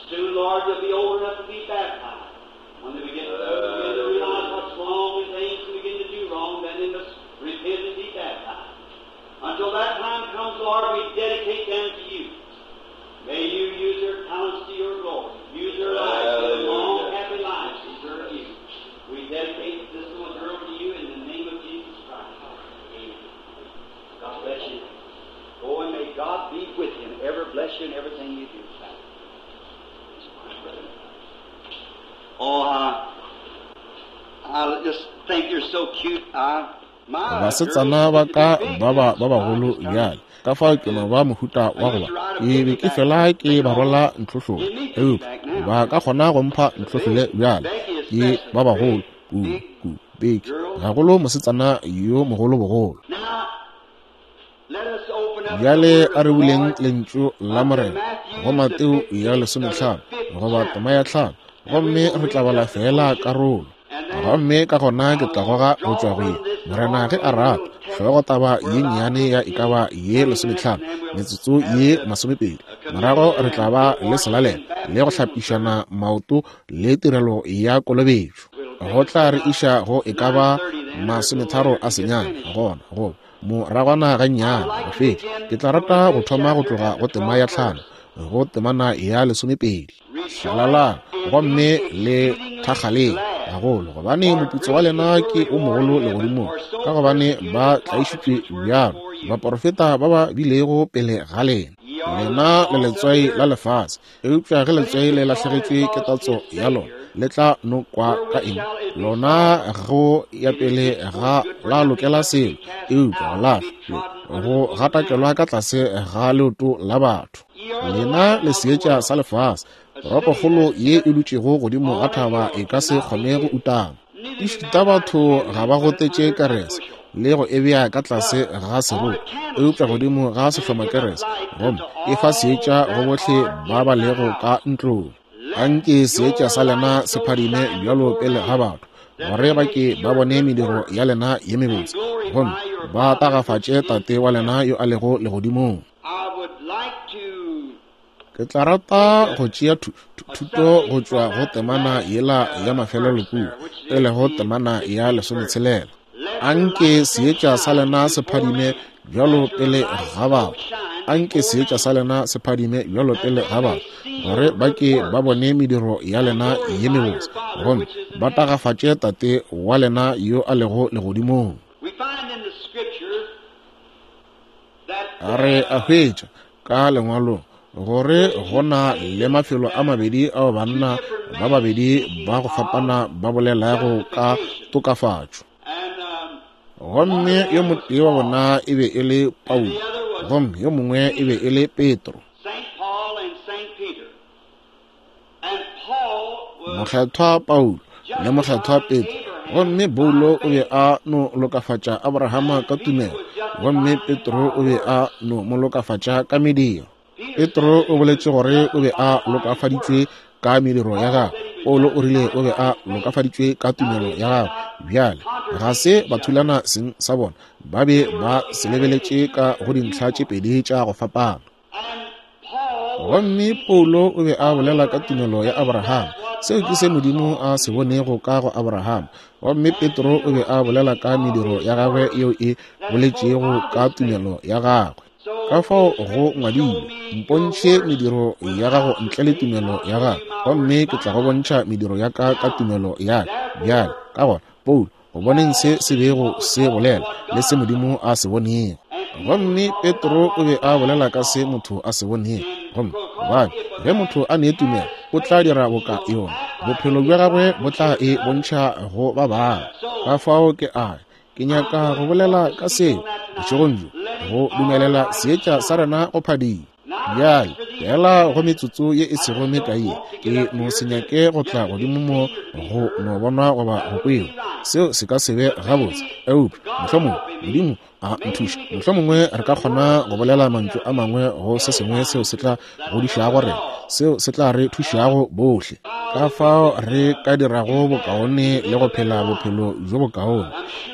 Soon, Lord, they'll be old enough to be baptized. When they begin to, begin to realize what's wrong and things and begin to do wrong, then they must repent and be baptized. Until that time comes, Lord, we dedicate them to you. May you use their talents to your glory. Use their lives, their long, happy lives to serve you. We dedicate this little girl to you in the name of Jesus Christ. Amen. God bless you. Go and may God be with you and ever bless you in everything you do. Oh, I, I just think you're so cute. I, my Basetsana ba ka ba ba ba bagolo bjale ka fao ke no ba mohuta wa go ba ke be ke fela ke ba rwala ntlhohlolo, eupša ba ka kgona go mpha ntlhohlole bjale ke ba bagolo kudu kudu. Beke gagolo mosetsana yo mogolo bogolo. Now, let us open up Bjale the word a re of the buleng Lord lentšu la Morena go Mateo ya lesomehlano goba tema ya hlano, gomme re tla bala fela karolo. Gomme ka gona ke tla goga go tšwa go ye Morena ge a rata hlogotaba ye nnyane ya e ka ba ye lesomehlano metsotso ye masomepedi. Morago re tla ba le selalelo le go hlapišana maoto le tirelo ya kolobetšo. Go tla re iša go e ka ba masometharo a senyane gona goba moragwana gannyane go fetša. Ke tla rata go thoma go tloga go tema ya hlano go temana ya lesomepedi. Hlalalang gomme le thakgaleng gagolo, gobane moputso wa lena ke o mogolo legodimong, ka gobane ba tlaišitšwe bjalo baporofeta ba ba bilego pele ga lena. Lena le letswai la lefase, eupša ge letswai le lahlegetšwe ke tatso ya lona, le tla nokwa ka eng? Lona go ya pele ga la lokela selo, eupša go lahlwa le go gatakelwa ka tlase ga leoto la batho. Lena le seetša sa lefase. Toropokgolo ye e dutšego godimo ga thaba e ka se kgone go utama. Ešita batho ga ba gotetše kerese le go e bea ka tlase ga seroto, eupša godimo ga sehlomakerese, gomme e fa seetša go bohle ba ba lego ka ntlong. Anke seetša sa lena se phadime bjalo pele ga batho, gore ba ke ba bone mediro ya lena ye mebotse, gomme ba tagafatše Tate wa lena yo a lego legodimong. I would like to Ke tla rata go tšea thu- thu- thuto go tšwa go temana yela ya mafelelo kua, e lego temana ya lesometshelela. Anke seetša sa lena se phadime bjalo pele ga batho. Anke seetša sa lena se phadime bjalo pele ga batho, gore ba ke ba bone mediro ya lena ye mebotse, gomme ba tagafatše Tate wa lena yo a lego legodimong. we find in the scripture that Re a hwetša ka lengwalong gore go na le mafelo a mabedi ao banna ba babedi ba go fapana ba bolelago ka tokafatšo. and um, Gomme yo motee wa bona e be e le Paulo, gomme yo mongwe e be e le Petro. Saint Paul and Saint Peter. And Paul was Mokgethwa Paulo le mokgethwa Petro. Gomme Paulo o be a no lokafatša Abrahama ka tumelo, gomme Petro o be a no mo lokafatša ka mediro. Petro o boletše gore o be a lokafaditšwe ka mediro ya gagwe. Paulo o rile o be a lokafaditšwe ka tumelo ya gagwe. Bjale ga se ba thulana seng sa bona, ba be ba se lebeletše ka go dintlha tše pedi tša go fapana. and Paul Gomme Paulo o be a bolela ka tumelo ya Abraham. Seo ke se Modimo a se bonego ka go Abraham. Gomme Petro o be a bolela ka mediro ya gagwe yeo e boletšego ka tumelo ya gagwe. Ka fao go ngwadilwe, mpontšhe mediro ya gago ntle le tumelo ya gago, gomme ke tla go bontšha mediro ya ka ka tumelo ya ka. Bjale ka gona Paulo go boneng se se bego se bolela le se Modimo a se bonego. Gomme Petro o be a bolela ka se motho a se bonego. Gomme gobane ge motho a ne tumelo, o tla dira boka yona, bophelo bja gagwe bo tla e bontšha go ba bangwe. Ka fao ke a ke nyaka go bolela ka seo bošegong bjo, go dumelela seetša sa rena go phadima. Bjale fela go metsotso ye e sego mekae, ke no se nyake go tla godimo mo go no bonwa goba go kwewa. Seo se ka se be gabotse, eupša mohlomongwe Modimo a nthuša, mohlomongwe re ka kgona go bolela mantšu a mangwe go se sengwe seo se tla godišago rena, seo se tla re thušago bohle, ka fao re ka dirago bokaone le go phela bophelo bjo bokaone.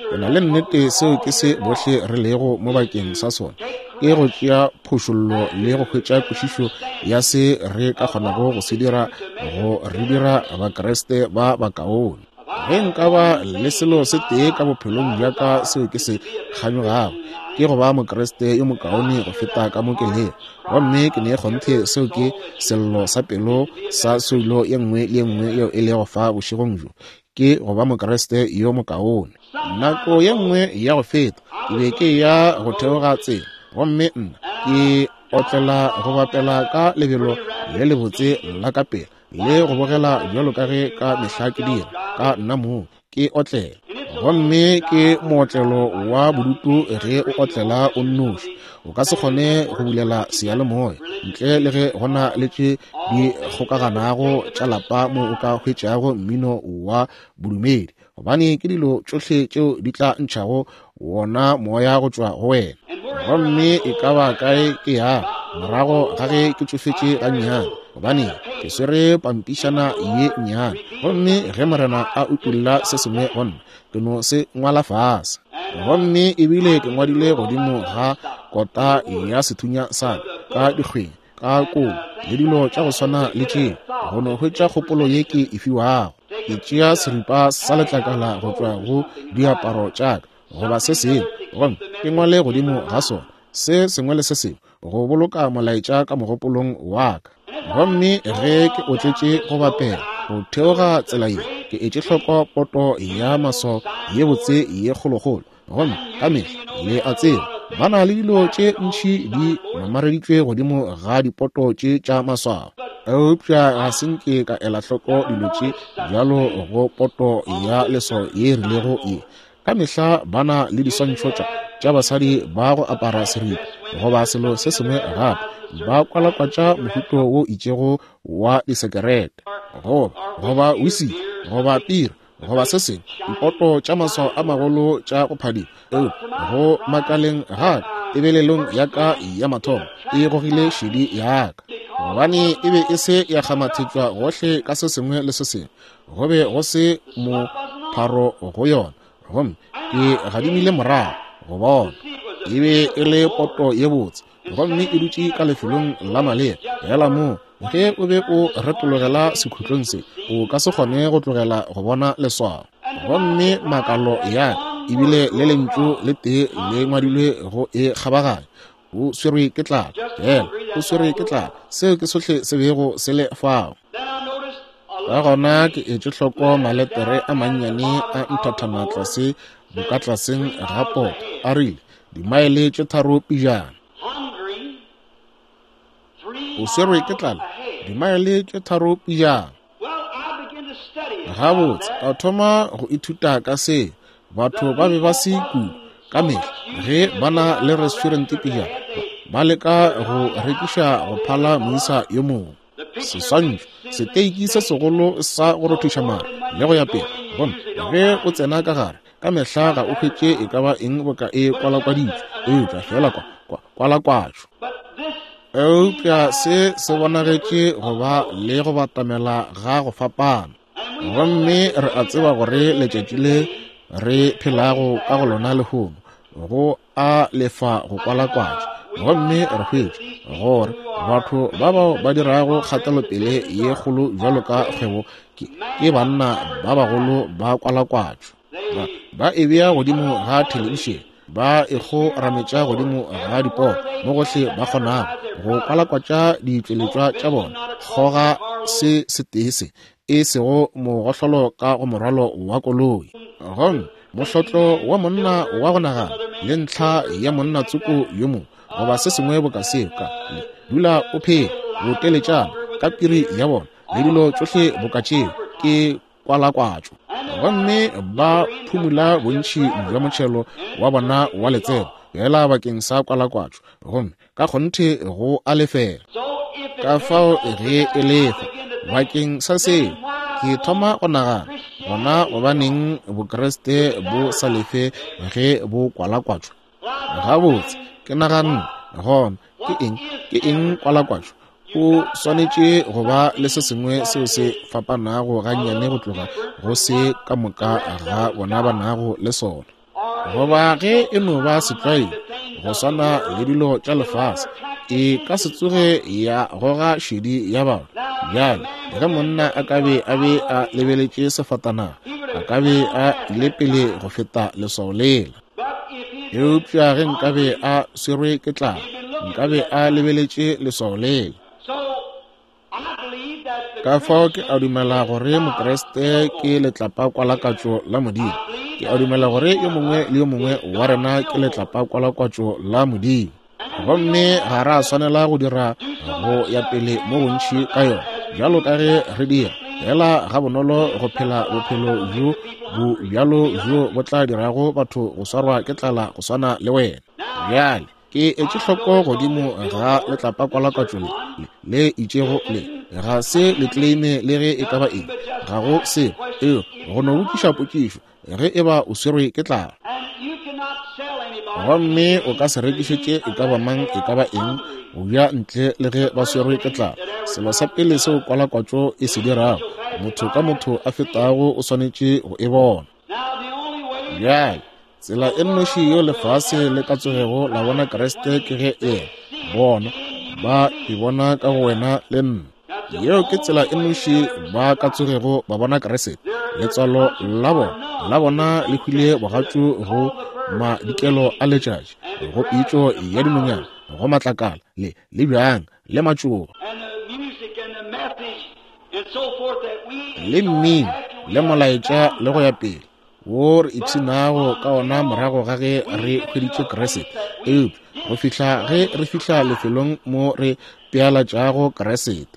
Ke na le nnete seo ke se bohle re lego mo bakeng sa sona, ke go tšea phošollo le go hwetša kwešišo ya se re ka kgonago go se dira go re dira Bakriste ba bakaone. Ge nka ba le selo se tee ka bophelong bja ka seo ke se kganyogago, ke go ba Mokriste yo mokaone go feta ka mo ke lego. Gomme ke ne kgonthe seo ke sello sa pelo sa soulo ye nngwe le ye nngwe yeo e lego fa bošegong bjo, ke go ba Mokriste yo mokaone. Nako ye nngwe ya go feta ke be ke ya go theoga tsela, gomme nna ke otlela go bapela ka lebelo le lebotse la ka pele le go bogela bjalo ka ge ka mehla ke dira ka nna moo ke otlela. Gomme ke mootlelo wa bodutu ge o otlela o nnoši, o ka se kgone go bulela seyalemoya ntle le ge go na le tše di kgokaganago tša lapa mo o ka hwetšago mmino wa bodumedi, gobane ke dilo tšohle tšeo di tla ntšhago wona moya go tšwa go wena. Gomme e ka ba kae ke ya morago ga ge ke tšofetše gannyane, gobane ke swere pampišana ye nnyane, gomme ge Morena a utolla se sengwe go nna, ke no se ngwala fase. Gomme ebile ke ngwadile godimo ga kota ya sethunya sa ka dikgweng, ka kolo le dilo tša go swana le tšeo, go no hwetša kgopolo ye ke e fiwago. Ke tšea seripa sa letlakala go tšwa go diaparo tša ka goba se sengwe, gomme ke ngwale godimo ga sona se sengwe le se sengwe go boloka molaetša ka mogopolong wa ka. Gomme ge ke otletše go bapela go theoga tsela ye, ke etše hloko poto ya maswao ye botse ye kgolokgolo. Gomme ka mehla le a tseba ba na le dilo tše ntši di mamareditšwe godimo ga dipoto tše tša maswao, eupša ga se nke ka ela hloko dilo tše bjalo go poto ya leswao ye e rilego ye. Ka mehla ba na le diswantšho tša tša basadi ba go apara seripa goba selo se sengwe gape, ba kwalakwatša mohuto wo itšego wa disekerete goba goba whisky goba pira goba se sengwe, dipoto tša maswao a magolo tša go phadima. Eupša go makaleng ga ka, tebelelong ya ka ya mathomo e gogile šedi ya ka, gobane e be e se ya kgamathetšwa gohle ka se sengwe le se sengwe, go be go se mopharo go yona. Gomme ke gadimile morago go bona e be e le poto ye botse, gomme e dutše ka lefelong la maleba. Fela moo ge o be o retologela sekhutlong se, o ka se kgone go tlogela go bona leswao. Gomme makalo ya ka ebile le lentšu le tee le ngwadilwe go e kgabaganya, o swerwe ke tlala, fela o swerwe ke tlala. Seo ke sohle se bego se le fao. Ka gona ke etše hloko maletere a mannyane a nthathana tlase bokatlaseng ga poto, a rile dimaele tše tharo pejana. O swerwe ke tlala dimaele tše tharo pejana. Gabotse ka thoma go ithuta ka se. Batho ba be ba se kudu ka mehla ge ba na le restaurant pejana, ba leka go rekiša go phala moisa yo mongwe. Seswantšho, seteiki se segolo sa go rothiša mare le go ya pele. Gomme ge o tsena ka gare, ka mehla ga o hwetše e ka ba eng boka e kwalakwaditšwe, eupša fela kwa kwalakwatšo. Eupša se se bonagetše go ba le go batamela ga go fapana. Gomme re a tseba gore letšatši le re phelago ka go lona lehono go a lefa go kwalakwatša. Gomme re hwetša gore batho ba bao ba dirago kgatelopele ye kgolo bjalo ka kgwebo ke, ke banna ba bagolo ba kwalakwatšo. Ba, ba e bea godimo ga thelebišene, ba e kgorametša godimo ga diporo mo gohle ba kgonago go kwalakwatša ditšweletšwa tša bona. Kgoga se setee se e sego mogohlolo ka go morwalo wa koloi. Gomme mohlotlo wa monna wa go nagana le ntlha ya monna tsoko yo mongwe goba se sengwe boka seo, ka le dula o phela boteletšana ka piri ya bona le dilo tšohle boka tšeo ke kwalakwatšo. Gomme ba phumula bontši bja motšhelo wa bona wa letseno fela bakeng sa kwalakwatšo, gomme ka kgonthe go a lefela. Ka fao ge e lefa bakeng sa seo, ke thoma go nagana Gona gobaneng Bokriste bo sa lefe ge bo kwalakwatšwa? Gabotse, ke naganne, gona ke eng, ke eng kwalakwatšo? O swanetše go ba le se sengwe seo se fapanago gannyane go tloga go se ka moka ga bona ba nago le sona. Goba ge e no ba setlwaedi, go swana le dilo tša lefase, e ka se tsoge ya goga šedi ya batho. Bjale, ge monna a ka be a be a lebeletše sefatanaga, a ka be a ile pele go feta leswao lela. Eupša ge nkabe a swerwe ke tlala, nkabe a lebeletše leswao lela. Ka fao ke a dumela gore Mokriste ke letlapa-kwalakwatšo la Modimo. Ke a dumela gore yo mongwe le yo mongwe wa rena ke letlapa-kwalakwatšo la Modimo. Gomme ga ra swanela go dira go ya pele mo bontši ka yona, bjalo ka ge re dira, fela ga bonolo go phela bophelo bjo bo bjalo bjo bo tla dirago batho go swarwa ke tlala go swana le wena. Bjale, ke etše hloko godimo ga letlapa-kwalakwatšo le, le itšego le, ga se le claime le ge e ka ba eng, ga go selo, eo go no botšiša potšišo ge e ba o swerwe ke tlala. Gomme o ka se rekišetše e ka ba mang e ka ba eng go ja ntle le ge ba swerwe ke tlala. Selo sa pele seo kwalakwatšo e se dirago, motho ka motho a fetago o swanetše go e bona. Bjale, tsela e nnoši yeo lefase le ka tsogego la bona Kriste ke ge e bona, ba e bona ka go wena le nna. Yeo ke tsela e nnoši ba ka tsogego ba bona Kriste. Letswalo la bona, la bona le hwile bogatšu go madikelo a letšatši, go pitšo ya dinonyana, go matlakala, le le bjang, le matšoba, le mmino, le molaetša, le go ya pele, wo re ipshinago ka ona morago ga ge re hweditše Kriste. Eupša go fihla ge re fihla lefelong mo re pealatšago Kriste.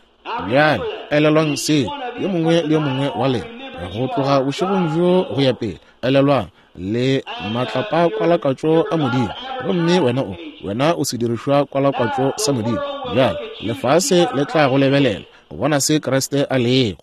Bjale, elelwang seo, yo mongwe le yo mongwe wa lena, go tloga bošegong bjo go ya pele, elelwang le matlapa-kwalakwatšo a Modimo, gomme wena o, wena o sedirišwa kwalakwatšo sa Modimo. Bjale, lefase le tla go lebelela go bona se Kriste a lego.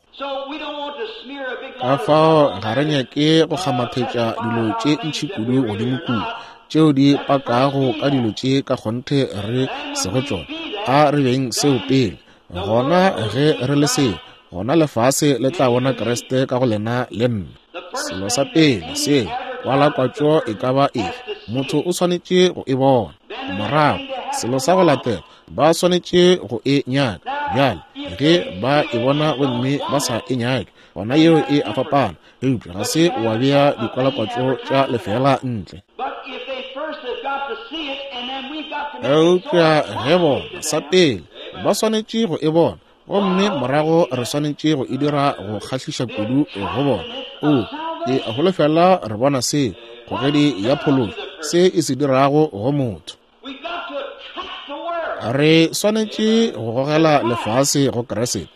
Ka fao ga re nyake go kgamathetša dilo tše ntši kudu godimo kudu, tšeo di pakago ka dilo tše ka kgonthe re sego tšona. A re beng seo pele. Gona ge re le seo, gona lefase le tla bona Kriste ka go lena le nna. Selo sa pele seo, kwalakwatšo e ka ba efe, motho o swanetše go e bona. Morago, selo sa go latela, ba swanetše go e nyaka. Bjale, ge ba e bona gomme ba sa e nyake, gona yeo e a fapana, eupša ga se wa bea dikwalakwatšo tša lefela ntle. Eupša ge bona sa pele, ba swanetše go e bona, gomme morago re swanetše go e dira go kgahliša kudu go bona. O, ke a holofela re bona se, kgogedi ya phološo, se e se dirago go motho. Re swanetše go gogela lefase go Kriste,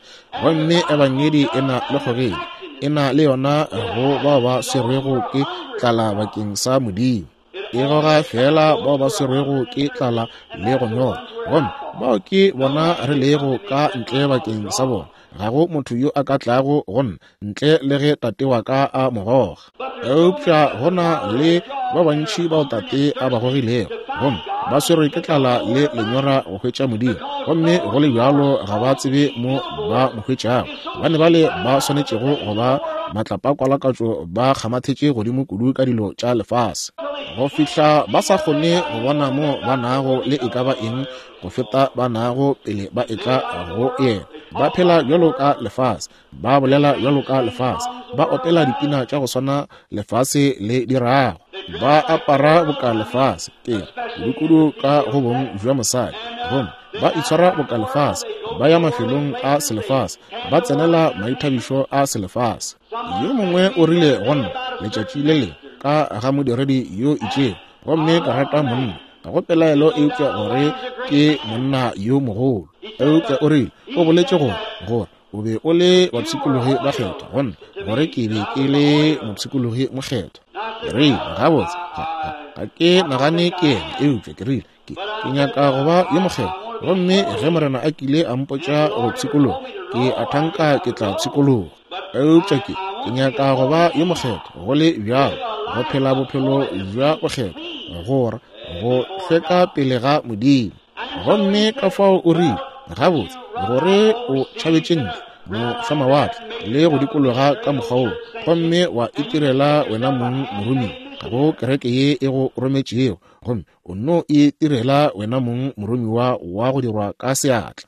gomme ebangedi e na le kgogedi, e na le yona go bao ba swerwego ke tlala bakeng sa Modimo. E goga fela bao ba swerwego ke tlala le go nyorwa, gomme bao ke bona re lego ka ntle bakeng sa bona. Ga go motho yo a ka tlago go nna ntle le ge tate wa ka a mo goga. Eupša go na le ba bantši bao tate a ba gogilego, gomme ba swerwe ke tlala le lenyora go hwetša Modimo, gomme go le bjalo ga ba tsebe mo ba mo hwetšago. Gobane bale ba swanetšego go ba matlapa-kwalakwatšo ba kgamathetše godimo kudu ka dilo tša lefase, go fihla ba sa kgone go bona mo ba nago le e ka ba eng go feta ba nago pele ba etla go yena. Ba phela bjalo ka lefase, ba bolela bjalo ka lefase, ba opela dipina tša go swana lefase le dirago, ba apara boka lefase, ke kudu-kudu ka go bong bja mosadi, gomme ba itshwara boka lefase, ba ya mafelong a selefase, ba tsenela maithabišo a selefase. Yo mongwe o rile go nna letšatši le lengwe ka ga modiredi yo itšego, gomme ka rata monna, ga go pelaelo eupša gore ke monna yo mogolo. Eupša o rile, o boletše gore gore o be o le bapshikologi ba kgethwa, go nna gore ke be ke le mopshikologi mokgethwa. Ke rile, gabotse, ga, ga, ga ke nagane ke yena, eupša ke rile, ke, ke nyaka go ba yo mokgethwa, gomme ge Morena a kile a mpotša go pshikologa, ke a thanka ke tla pshikologa. Eupša ke, Ke nyaka go ba yo mokgethwa, go le bjalo, go phela bophelo bja bokgethwa, gore go hlweka pele ga Modimo. Gomme ka fao o rile, gabotse, gore o tšhabetše ntle mošwamawatle le go dikologa ka mokgwa woo, gomme wa itirela wena mong moromiwa go kereke ye e go rometšego, gomme o nno itirela wena mong moromiwa wa go dirwa ka seatla.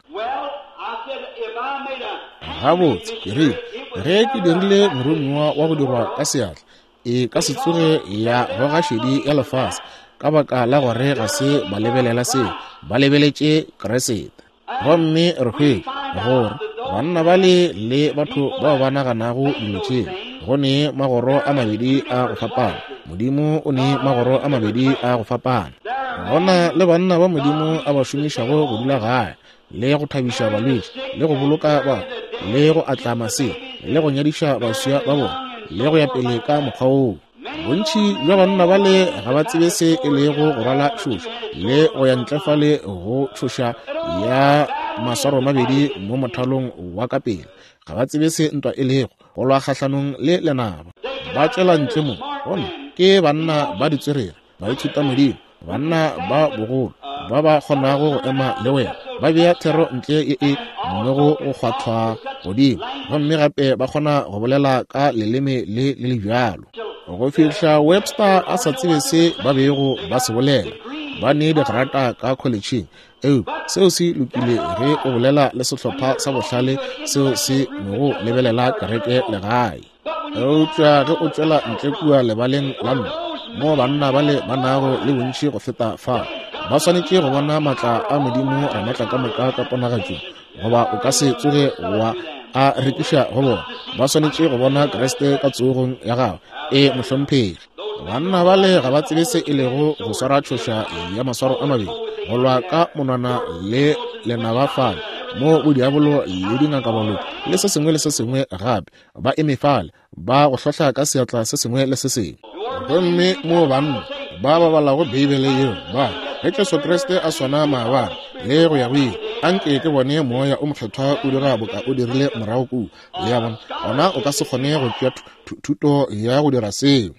Gabotse, ke rile, ge ke dirile moromiwa wa go dirwa ka seatla, e ka se tsoge ya goga šedi ya lefase, ka baka la gore ga se ba lebelela seo, ba lebeletše Kriste. Gomme re hwetša gore banna bale le batho bao ba naganago dilo tšeo, go ne magoro a mabedi a go fapana. Modimo o ne magoro a mabedi a go fapana. Gona le banna ba Modimo a ba šomišago go dula gae, le go thabiša balwetši, le go boloka batho, le go atla masea, le go nyadiša baswa ba bona, le go ya pele ka mokgwa woo. Bontši bja banna bale ga ba tsebe se e lego go rwala tšhoša, le go ya ntle fale go tšhoša ya maswaro mabedi mo mothalong wa ka pele. Ga ba tsebe se ntwa e lego, go lwa kgahlanong le lenaba. Ba tšwela ntle mo, gomme ke banna ba ditswerere, baithuta Modimo, banna ba bogolo, ba ba kgonago go ema le wena, ba bea thero ntle ye e nnogo go kgwathwa godimo, gomme gape ba kgona go bolela ka leleme le le le bjalo. Go fihla Webster a sa tsebe se ba bego ba se bolela, ba ne digrata ka kholetšheng. Eupša seo se lokile ge o bolela le sehlopha sa bohlale seo se nogo lebelela kereke legae. Eupša ge o tšwela ntle kua lebaleng la ntwa, mo banna bale ba nago le bontši go feta fao, ba swanetše go bona maatla a Modimo Ramaatlakamoka ka ponagatšong, goba o ka se tsoge wa a rekiša go bona. Ba swanetše go bona Kriste ka tsogong ya gagwe. E mohlomphegi. Banna bale ga ba tsebe se e lego go swara tšhoša ya maswaro a mabedi, go lwa ka monwana le lenaba fale, mo bodiabolo le dingakabaloi le se sengwe le se sengwe gape ba eme fale, ba go hlohla ka seatla se sengwe le se sengwe. Gomme mo banna ba ba balago Beibele yeo ba ge Jesu Kriste a swana maabane le go ya go ile, anke ke bone moya o mokgethwa o dira boka o dirile morago kua. Le a bona, gona o ka se kgone go tšea thuto ya go dira seo.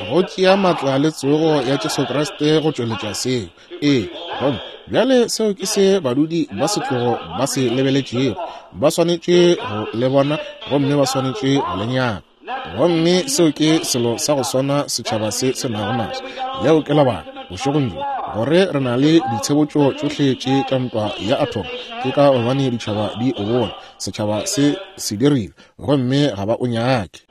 Go tšea maatla le tsogo ya Jesu Kriste go tšweletša seo. Ee, gomme bjale seo ke se badudi ba setlogo ba se lebeletšego. Ba swanetše go le bona, gomme ba swanetše go le nyaka. Gomme seo ke selo sa go swana setšhaba se se nago naso. Leo ke lebaka bošegong bjo gore re na le ditshebotšo tšohle tše tša ntwa ya atom, ke ka gobane ditšhaba di o bona setšhaba se se dirile, gomme ga ba o nyake.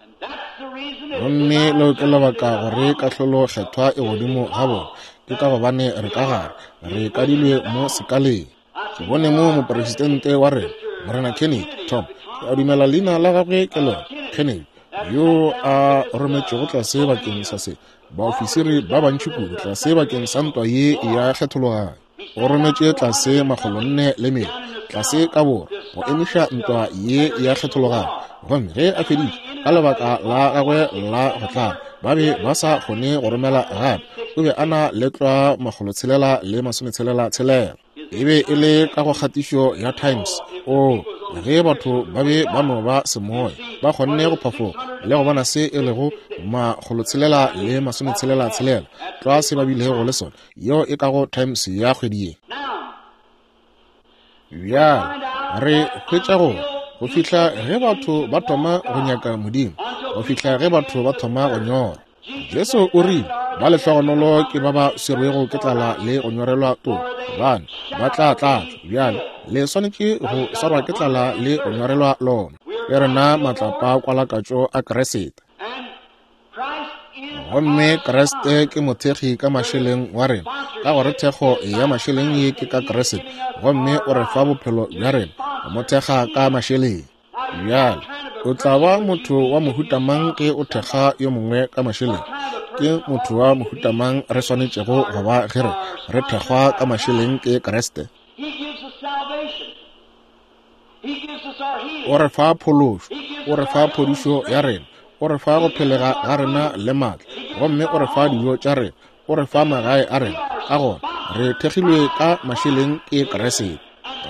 Gomme leo ke lebaka gore kahlolo kgethwa e godimo ga bona, ke ka gobane re ka gare, re kadilwe mo sekaleng. Ke bone mo mopresidente wa rena, Morena Kennedy, Tom, ke a dumela leina la gagwe ke lona, Kennedy, yo a rometšego tlase bakeng sa se, baofisiri ba bantši kudu tlase bakeng sa ntwa ye ya kgethologanyo. O rometše tlase makgolonne le mene tlase ka borwa go emiša ntwa ye ya kgethologanyo. Gomme ge a feditše ka lebaka la gagwe la go tlala, ba be ba sa kgone go romela gape. O be a na le tlwa makgolotshelela le masometshelela tshelela. E be e le ka go kgatišo ya Times. O ge batho ba be ba no ba semoya, ba kgonne go phafoga le go bona se e lego makgolotshelela le masometshelela tshelela, tlwa se ba bilego le sona, yeo e ka go Times ya kgwedi ye. Bjale re hwetša gore go fihla ge batho ba thoma go nyaka Modimo, go fihla ge batho ba thoma go nyora. Jesu o rile, ba lehlogonolo ke ba ba swerwego ke tlala le go nyorelwa toka, gobane ba tla tlatšwa. Bjale le swanetše go swarwa ke tlala le go nyorelwa lona. Ke rena matlapa kwalakatšo a Kriste. Gomme Kriste ke mothekgi ka mašeleng wa rena, ka gore thekgo ya mašeleng ye ke ka Kriste, gomme o re fa bophelo bja rena, mo thekga ka mašeleng. Bjale o tla ba motho wa mohuta mang ge o thekga yo mongwe ka mašeleng? Ke motho wa mohuta mang re swanetšego go ba ge re re thekgwa ka mašeleng ke Kriste? O re fa phološo, o re fa phodišo ya rena, o re fa go phelega ga rena le maatla, gomme o re fa dijo tša rena, o re fa magae a rena. Ka gona re thekgilwe ka mašeleng ke Kriste.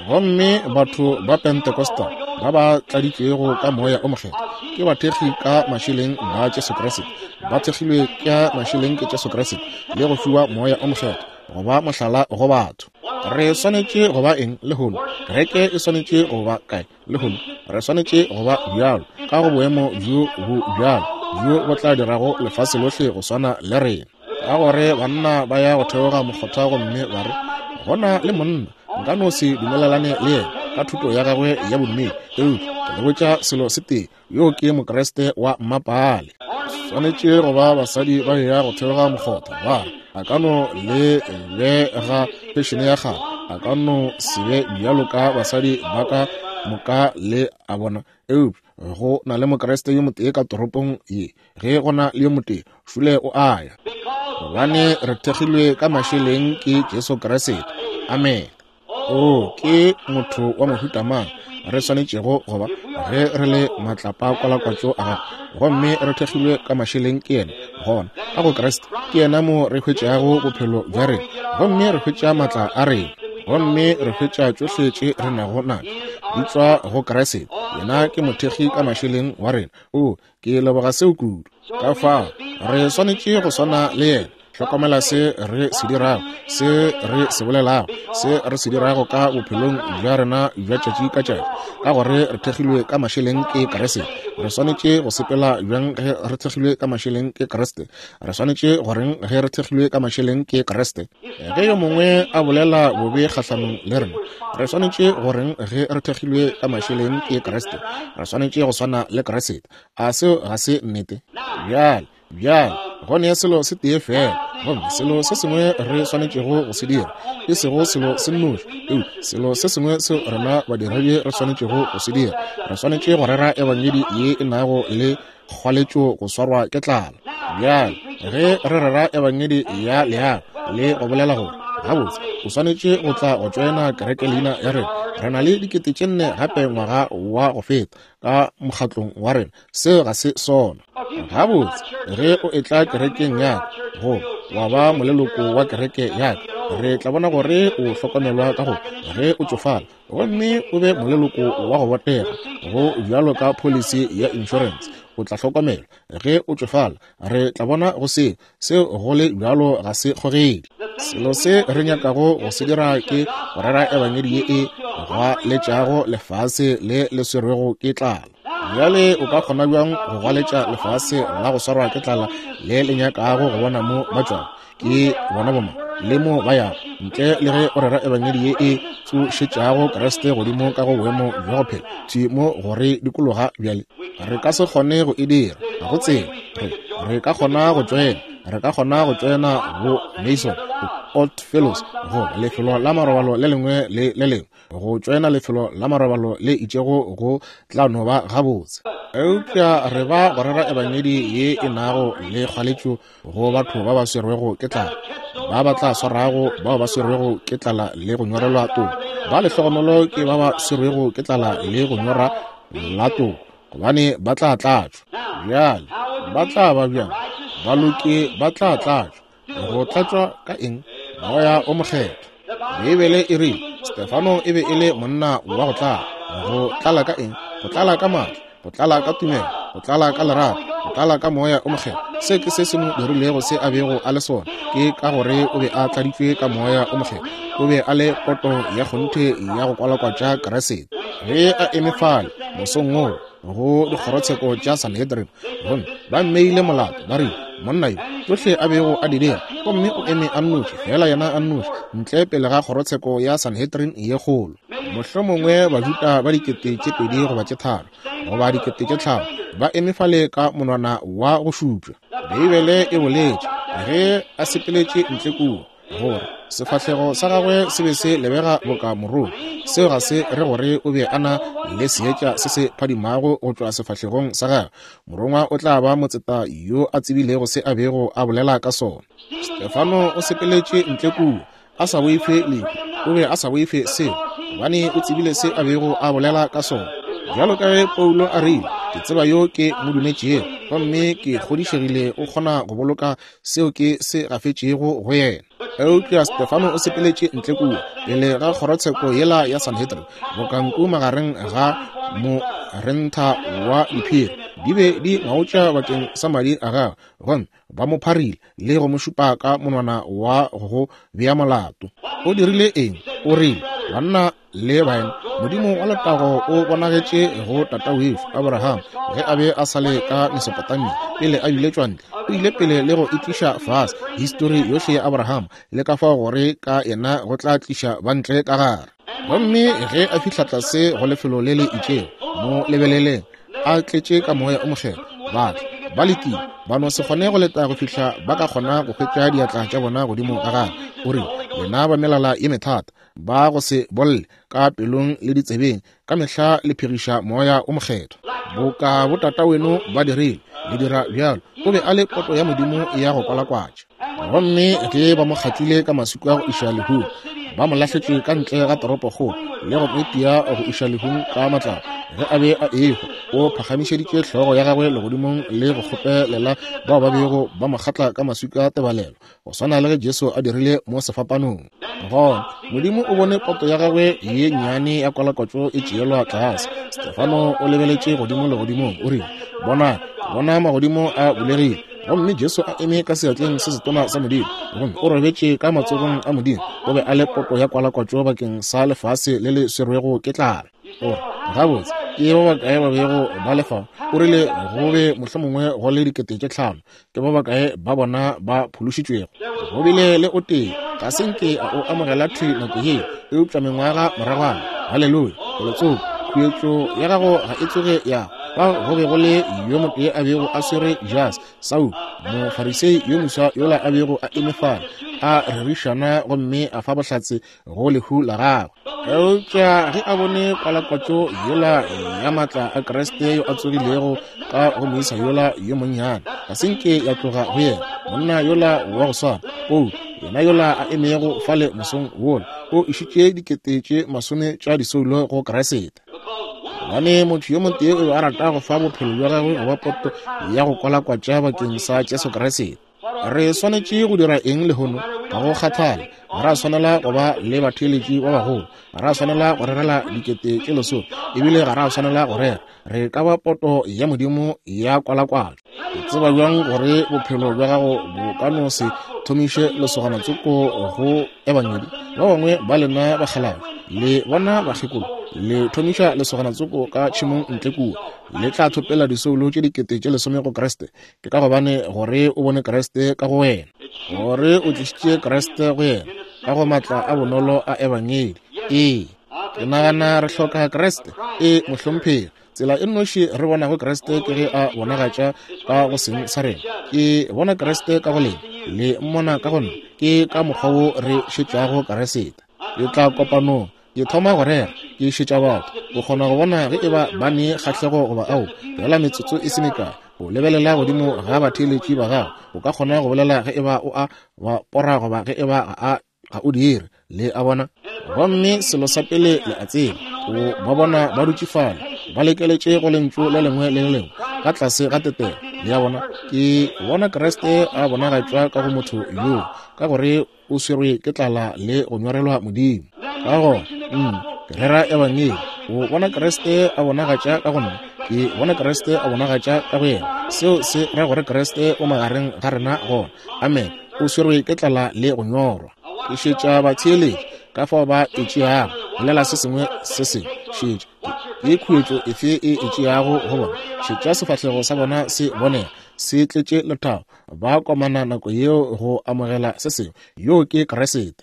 Gomme batho ba Pentecostal ba ba tladitšwego ka moya o mokgethwa Ke bathekgi ka mašeleng ba Jesu Kriste. Ba thekgilwe ka mašeleng ke Jesu Kriste le go fiwa Moya o Mokgethwa go ba mohlala go batho. Re swanetše go ba eng lehono? Kereke e swanetše go ba kae lehono? Re swanetše go ba bjalo ka go boemo bjo bo bjalo bjo bo tla dirago lefase lohle go swana le rena. Ka gore banna ba ya go theoga mokgotha gomme ba re, gona le monna nka no se dumelelane le yena ka thuto ya gagwe ya bodumedi, eupša ke le botša selo se tee, yo ke Mokriste wa mmapaale. Swanetše go ba basadi ba ya go theoga mokgotha ba re, a ka no le bega fešene ya kgale, a ka no se be bjalo ka basadi ba ka moka le a bona, eupša go na le Mokriste yo motee ka toropong ye. Ge go na le yo motee, šule o a ya. Gobane re thekgilwe ka mašeleng ke Jesu Kriste. Amen. O ke motho wa mohuta mang re swanetšego go ba ge re le matlapa kwalakwatšo a gagwe, gomme re thekgilwe ka mašeleng ke yena? Gona ka go Kriste ke yena mo re hwetšago bophelo bja rena, gomme re hwetša maatla a rena, gomme re hwetša tšohle tše re nago natšo di tšwa go Kriste. Yena ke mothekgi ka mašeleng wa rena. O ke leboga seo kudu. Ka fao re swanetše go swana le yena. Hlokomela se re se dirago, se re se bolelago, se re se dirago ka bophelong bja rena bja tšatši ka tšatši, ka gore re thekgilwe ka mašeleng ke Kriste. Re swanetše go sepela bjang ge re thekgilwe ka mašeleng ke Kriste? Re swanetše goreng ge re thekgilwe ka mašeleng ke Kriste? Ge yo mongwe a bolela bobe kgahlanong le rena, re swanetše goreng ge re thekgilwe ka mašeleng ke Kriste? Re swanetše go swana le Kriste. A seo ga se nnete? Bjale, bjale go ne selo se tee fela, gomme selo se sengwe re swanetšego go se dira, e sego selo se nnoši, eupša selo se sengwe seo rena badiredi re swanetšego go se dira. Re swanetše go rera ebangedi ye e nago le kgwaletšo go swarwa ke tlala. Bjale ge re rera ebangedi ya leago le go bolela gore gabotse o swanetše go tla go tšoena kereke leina ya rena, re na le dikete tše nne gape ngwaga wa go feta ka mokgatlong wa rena, seo ga se sona. Gabotse ge o etla kerekeng ya ka, go wa ba moleloko wa kereke ya ka, re tla bona gore o hlokomelwa ka go ge o tšofala, gomme o be moleloko wa go botega go bjalo ka policy ya insurance. O tla hlokomelwa ge o tšofala, re tla bona go seo seo go le bjalo ga se kgogedi. Selo se re nyakago go se dira ke go rera ebangedi ye e gwaletšago lefase le le swerwego ke tlala. Bjale o ka kgona bjang go gwaletša lefase la go swarwa ke tlala le le nyakago go bona mo ba tšwago, ke bona boma le mo ba yago, ntle le ge o rera ebangedi ye e tsošetšago Kriste godimo ka go boemo bja go phela thwi mo go re dikologa? Bjale re ka se kgone go e dira, ga go tsela. Re re ka kgona go tšoena, re ka kgona go tšoena bo Mason, Old Fellows, go lefelo la marobalo le lengwe le le lengwe, go tšoena lefelo la marobalo le itšego go tla no ba gabotse. Eupša re ba go rera ebangedi ye e nago le kgwaletšo go batho ba ba swerwego ke tlala, ba ba tla swarago bao ba swerwego ke tlala le go nyorelwa toko. Ba lehlogonolo ke ba ba swerwego ke tlala le go nyora la toko, gobane ba tla tlatšwa. Bjale ba tla ba bjang? Baloki ba tla tlatšwa. Go tlatšwa ka eng? Moya o Mokgethwa. Beibele e rile Stefano e be e le monna wa go tlala. Go tlala ka eng? Go tlala ka maatla, go tlala ka tumelo, go tlala ka lerato, go tlala ka Moya o Mokgethwa. Se ke se se mo dirilego se a bego a le sona, ke ka gore o be a tladitšwe ka Moya o Mokgethwa. O be a le poto ya kgonthe ya go kwalakwatša Kriste. Ge a eme fale mosong woo go dikgorotsheko tša Sanhedrin, gomme ba mmeile molato, ba rile monna yo tšohle a bego a di dira, gomme o eme a nnoši, fela yena a nnoši, ntle pele ga kgorotsheko ya Sanhedrin ye kgolo. Mohlomongwe Bajuda ba dikete tše pedi goba tše tharo goba dikete tše tlhano ba eme fale ka monwana wa go šupša. Beibele e boletše ge a sepeletše ntle kua gore sefahlego sa gagwe se be se lebega boka morolo. Seo ga se re gore o be a na le seetša se se phadimago go tšwa sefahlegong sa gagwe. Morongwa o tla ba motseta yo a tsebilego se a bego a bolela ka sona. Stefano o sepeletše ntle kua a sa boife lehu. O be a sa boife seo, gobane o tsebile se a bego a bolela ka sona. Bjalo ka ge Paulo a rile, ke tseba yo ke mo dumetšego, gomme ke kgodišegile o kgona go boloka seo ke se gafetšego go yena. Eupša Stefano o sepeletše ntle kua pele ga kgorotsheko yela ya Sanhedrin, bokanku magareng ga morentha wa diphiri. Di be di ngaotša bakeng sa madi a gagwe, gomme ba mo pharile le go mo šupa ka monwana wa go bea molato. O dirile eng? O rile, banna le baena, Modimo wa letago o bonagetše go tatawešu Abraham ge a be a sa le ka Mesopotamia pele a biletšwa ntle. O ile pele le go itliša fase histori yohle ya Abraham le ka fao gore ka yena go tla tliša bantle ka gare. Gomme ge a fihla tlase go lefelo le le itšego, mo lebeleleng a tletše ka moya o mokgethwa, batho ba letile ba no se kgone go leta go fihla ba ka kgona go hwetša diatla tša bona godimo ga gagwe. O rile, lena ba melala ye methata, ba go se bolle ka pelong le ditsebeng, ka mehla le phiriša moya o mokgethwa boka botata weno ba dirile, le dira bjalo. O be a le poto ya Modimo ya go kwalakwatša. Gomme ge ba mo kgatlile ka maswika go iša lehung, ba mo lahletše ka ntle ga toropokgolo le go mo itia go iša lehung ka matlapa. Ge a be a ehwa, o phagamišeditše hlogo ya gagwe legodimong le go kgopelela bao ba bego ba mo kgatla ka maswika tebalelo, go swana le ge Jesu a dirile mo sefapanong. Gona Modimo o bone poto ya gagwe ye nnyane ya kwalakwatšo e tšeelwa tlase. Stefano o lebeletše godimo legodimong, o rile, bona, bona magodimo a bulegile, gomme Jesu a eme ka seatleng se setona sa Modimo, gomme o robetše ka matsogong a Modimo. O be a le poto ya kwalakwatšo bakeng sa lefase le le swerwego ke tlala. O re, gabotse, ke ba bakae ba bego ba le fao? O rile go be mohlomongwe go le dikete tše tlhano. Ke ba bakae ba bona ba phološitšwego? Go bile le o tee, ga se nke a o amogela thwi nako yeo, eupša mengwaga moragwana. Haleluya! Felotsoko, khuetšo ya gago ga e tsoge ya fa. Go be go le yo motee a bego a swere jase, Saulo, mofarisei yo moswa yola a bego a eme fale a rerišana gomme a fa bohlatse go lehu la gagwe. Eupša ge a bone kwalakwatšo yola ya maatla a Kriste yo a tsogilego ka go moisa yola yo monnyane, ga se nke ya tloga go yena. Monna yola wa go swana, Paulo, yena yola a emego fale mosong wola, o išitše dikete tše masome tša disoulo go Kriste. Gobane motho yo motee o be a rata go fa bophelo bja gagwe go ba poto ya go kwalakwatša bakeng sa Jesu Kriste. Re swanetše go dira eng lehono? Ga go kgathale, ga ra swanela go ba le batheeletši ba bagolo, ga ra swanela go rerela dikete tše lesome, ebile ga ra swanela go rera. Re ka ba poto ya Modimo ya kwalakwatšo. O tseba bjang gore bophelo bja gago bo ka no se thomiše lesogana tsoko go ebangedi? Ba bangwe ba lena bakgalabje le bona bakgekolo, le thomiša lesogana tsoko ka tšhemong ntle kua, le tla thopela disoulo tše dikete tše lesome go Kriste. Ke ka gobane gore o bone Kriste ka go wena, gore o tlišitše Kriste go yena ka go maatla a bonolo a ebangedi. Ee, ke nagana re hloka Kriste. Ee, mohlomphegi. Tsela e nnoši re bonago Kriste ke ge a bonagatša ka go seng sa rena. Ke bona Kriste ka go lena, le mmona ka go nna. Ke ka mokgwa wo re šetšago Kriste. Ke tla kopanong, ke thoma go rera, ke šetša batho. O kgona go bona ge eba ba ne kgahlego goba ao. Fela metsotso e se mekae, o lebelela godimo ga batheeletši ba gago, o ka kgona go bolela ge eba o a ba pora goba ge eba ga a ga o dire. Le a bona? Gomme selo sa pele le a tseba, o ba bona ba dutše fale ba lekeletše go lentšu le lengwe le le lengwe ka tlase ga tetelo. Le a bona? Ke bona Kriste a bonagatšwa ka go motho yoo, ka gore o swerwe ke tlala le go nyorelwa Modimo. Ka gona mm, ke rera ebangedi, o bona Kriste a bonagatša ka go nna, ke bona Kriste a bonagatša ka go yena. Seo se ra gore Kriste o magareng ga rena gona. Amen. O swerwe ke tlala le go nyorwa. Ke šetša batheeletši ka fao ba e tšeago, bolela se sengwe se sengwe. Šetša ke khuetšo efe e e tšeago go bona. Šetša sefahlego sa bona se bonega se tletše lethabo, ba komana nako yeo go amogela se sengwe. Yoo ke Kriste.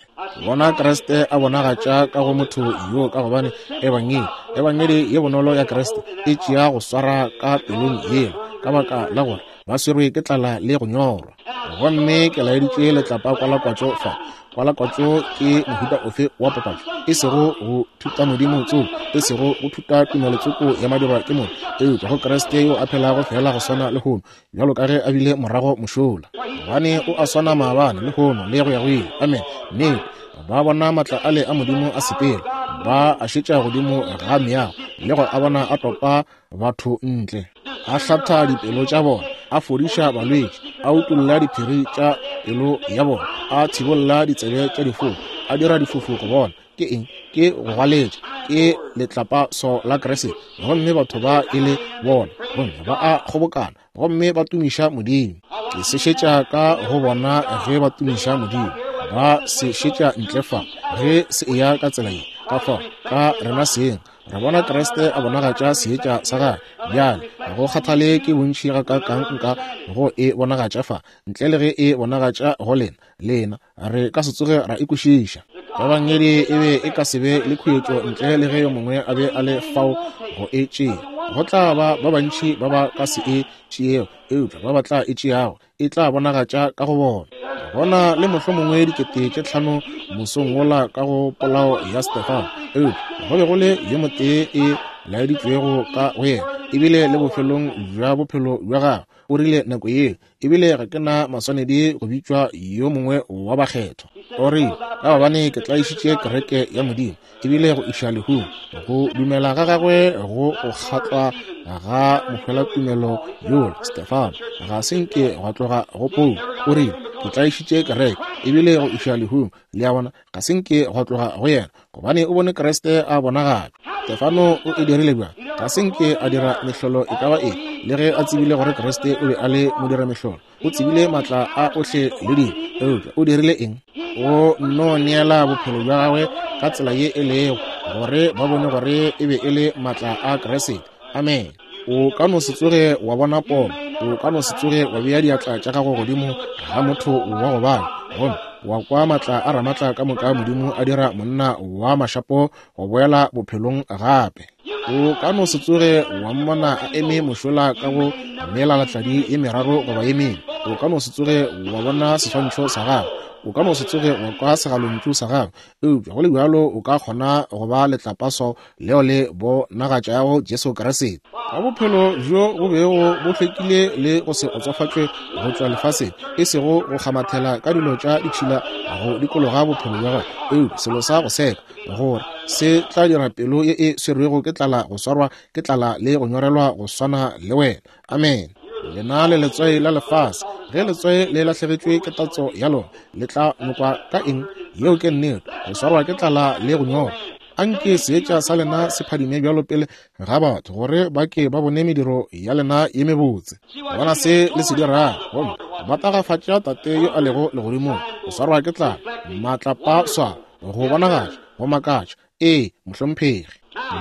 Bona Kriste a bonagatša ka go motho yoo, ka gobane ebangedi, ebangedi ye bonolo ya Kriste e tšea go swara ka pelong yeo, ka baka la gore ba swerwe ke tlala le go nyorwa. Gomme ke laeditše letlapa kwalakwatšo fa. Kwalakwatšo ke mohuta ofe wa papatšo? E sego go thuta Modimo tsoko, e sego go thuta tumelo tsoko ya madirwa ke motho, eupša go Kriste yo a phelago fela go swana lehono bjalo ka ge a bile morago mošola. Gobane o a swana maabane, lehono le go ya go ile. Amen. Nnete, ba bona maatla ale a Modimo a sepela, ba a šetša godimo ga meago le go a bona a topa batho ntle, a hlatha dipelo tša bona, a fodiša balwetši, a utolla diphiri tša pelo ya bona, a thibolla ditsebe tša difofu, a dira difofu go bona. Ke eng? Ke go gwaletša, Ke letlapaso la Kriste, gomme batho ba e le bona, gomme ba a kgobokana, gomme ba tumiša Modimo. Ke se šetša ka go bona ge ba tumiša Modimo. Ba se šetša ntle fa, ge se eya ka tsela ye, ka fao, ka rena seng, re bona Kriste a bonagatša seetša sa gagwe. Bjale, ga go kgathale ke bontši gakaakang nka go e bonagatša fa, ntle le ge e bonagatša go lena, lena, re ka se tsoge ra e kwešiša. Ebangedi e be e ka se be le khuetšo ntle le ge yo mongwe a be a le fao go e tšea. Go tla ba ba bantši ba ba ka se e tšeego, eupša ba ba tla e tšeago, e tla bonagatša ka go bona. Gona le mohlomongwe dikete tše tlhano mosong wola ka go polao ya Stefano, eupša go be go le yo motee e laeditšwego ka go yena, ebile le bofelong bja bophelo bja gagwe. O rile nako yeo, ebile ga ke na maswanedi go bitšwa yo mongwe wa bakgethwa. O rile, ka gobane ke tlaišitše kereke ya Modimo, ebile go iša lehung. Go dumela ga gagwe go go kgatlwa ga mohwelatumelo yola Stefano ga se nke gwa tloga go Paulo. O rile, ke tlaišitše kereke, ebile go iša lehung. Le a bona, ga se nke gwa tloga go yena, gobane o bone Kriste a bonagatšwa. Stefano o e dirile bjang? Ga se nke a dira mehlolo e ka ba eng, le ge a tsebile gore Kriste o be a le modira mehlolo. O tsebile matla a ohle le dilo, eupša o dirile eng? O nno neela bophelo bja gagwe ka tsela ye e lego, gore ba bone gore e be e le matla a Kriste. Amen. O ka no se tsoge wa bona pono, o ka no se tsoge wa bea diatla tša gago godimo ga motho wa go bala, gomme wa kwa matla a ramatla ka moka Modimo a dira monna wa mašapo go boela bophelong gape. O ka no se tsoge wa mmona a eme mošola ka go melalatladi ye meraro goba ye mene. O ka no se tsoge wa bona seswantšho sa gagwe, o ka no se tsoge wa kwa segalontšu sa gagwe, eupša go le bjalo o ka kgona go ba letlapaso leo le bonagatšago Jesu Kriste. Ka bophelo bjo bo bego bo hlwekile le go se otsofatšwe go tšwa lefaseng, e sego go kgamathela ka dilo tša ditšhila go dikologa bophelo bja gagwe, eupša selo sa go seka, gore se tla dira pelo ye e swerwego ke tlala go swarwa ke tlala le go nyorelwa go swana le wena. Amen. Lena le letswai la lefase. Ge letswai le lahlegetšwe ke tatso ya lona, le tla nokwa ka eng? Yeo ke nnete, go swarwa ke tlala le go nyorwa. Anke seetša sa lena se phadime bjalo pele ga batho, gore ba ke ba bone mediro ya lena ye mebotse. Bona se le se dirago, gomme ba tagafatša Tate yo a lego legodimong. Go swarwa ke tlala, matlapaswa, go bonagatša, go makatša. Ee, mohlomphegi.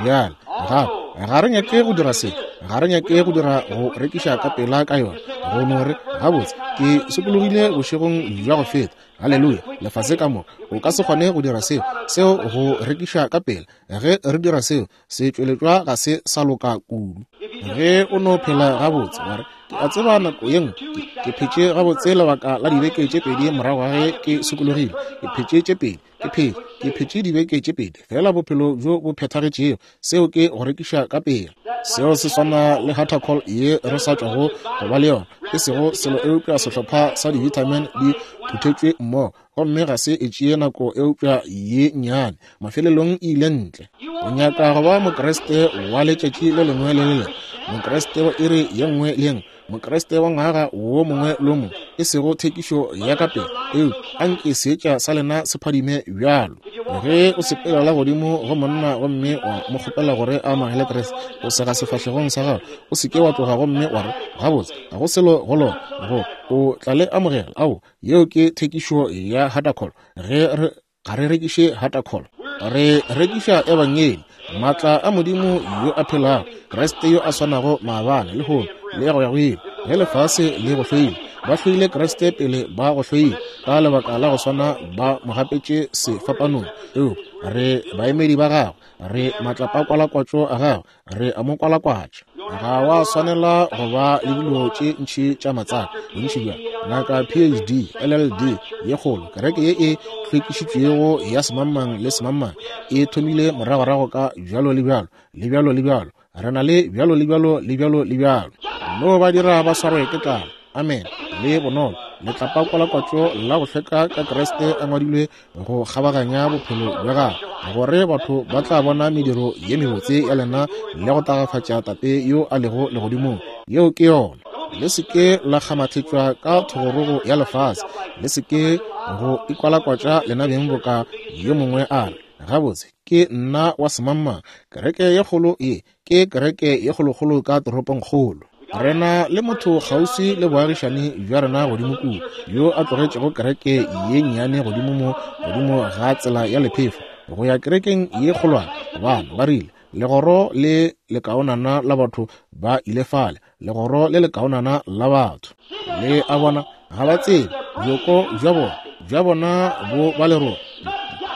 Bjale gape ga re nyake go dira se, ga re nyake go dira go rekiša ka pela ka yona, go no re gabotse ke sokologile bošegong bja go feta. Haleluya, lefase ka moka. O ka se kgone go dira seo, seo go rekiša ka pela. Ge re dira seo, setšweletšwa ga se sa loka kudu. Ge o no phela gabotse, wa re, ke a tseba nako ye nngwe ke phetše gabotse lebaka la dibeke tše pedi morago ga ge ke sokologile. Ke phetše tše pedi, ke phetše, ke phetše dibeke tše pedi, fela bophelo bjo bo phethagetšego. Seo ke go rekiša ka pela. Seo se swana le Hatacol ye re sa tšwago go ba le yona, e sego selo eupša sehlopha sa di-vitamin di phuthetšwe mmogo, gomme ga se e tšee nako eupša ye nnyane, mafelelong e ile ntle. O nyaka go ba Mokriste wa letšatši le lengwe le le lengwe, Mokriste wa iri ye nngwe le ye nngwe, Mokriste wa ngwaga wo mongwe le mongwe, e sego thekišo ya ka pele, eupša anke seetša sa lena se phadime bjalo. Ge o sepelela godimo go monna gomme wa mo kgopela gore a amogele Kriste, o sega sefahlegong sa gago, o se ke wa tloga gomme wa re, gabotse ga go selo go lona, go o tla le amogela. Ao, yeo ke thekišo ya Hatacol. Ge re ga re rekiše Hatacol, re rekiša Ebangedi, matla a Modimo yo a phelago, Kriste yo a swanago maabane, lehono le go ya go ile. Ge lefase le go hloile, ba hloile Kriste pele ba go hloile, ka lebaka la go swana ba mo gapetše sefapanong. Eupša re baemedi ba gagwe, re matlapakwalakwatšo a gagwe, re a mo kwalakwatša. Ga wa swanela go ba le dilo tše ntši tša matsaka, bontši bja ngaka P H D, L L D ye kgolo, kereke ye e hlwekišitšwego ya semangmang le semangmang e thomile moragorago ka bjalo le bjalo le bjalo le bjalo. Re na le bjalo le bjalo le bjalo le bjalo. No ba dira ba swarwe ke tlala. Amen. Le bonolo, letlapakwalakwatšo la go hlweka ka Kriste a ngwadilwe go kgabaganya bophelo bja gagwe, gore batho ba tla bona mediro ye mebotse ya lena le go tagafatša Tate yo a lego legodimong. Yeo ke yona. Le se ke la kgamathetšwa ka thogorogo ya lefase, le se ke go ikwalakwatša lena beng boka yo mongwe a re, Gabotse, ke nna wa semangmang. Kereke ye kgolo ye ke kereke ye kgolokgolo ka toropongkgolo. Re na le motho kgauswi le boagišani bja rena godimo kua, yo a tlogetšego kereke ye nnyane godimo mo godimo ga tsela ya lephefo go ya kerekeng ye kgolwane, gobane ba rile legoro le lekaonana la batho ba ile fale, legoro le lekaonana la batho. Le a bona, ga ba tsebe bjoko bja bona, bja bona bo ba lerogo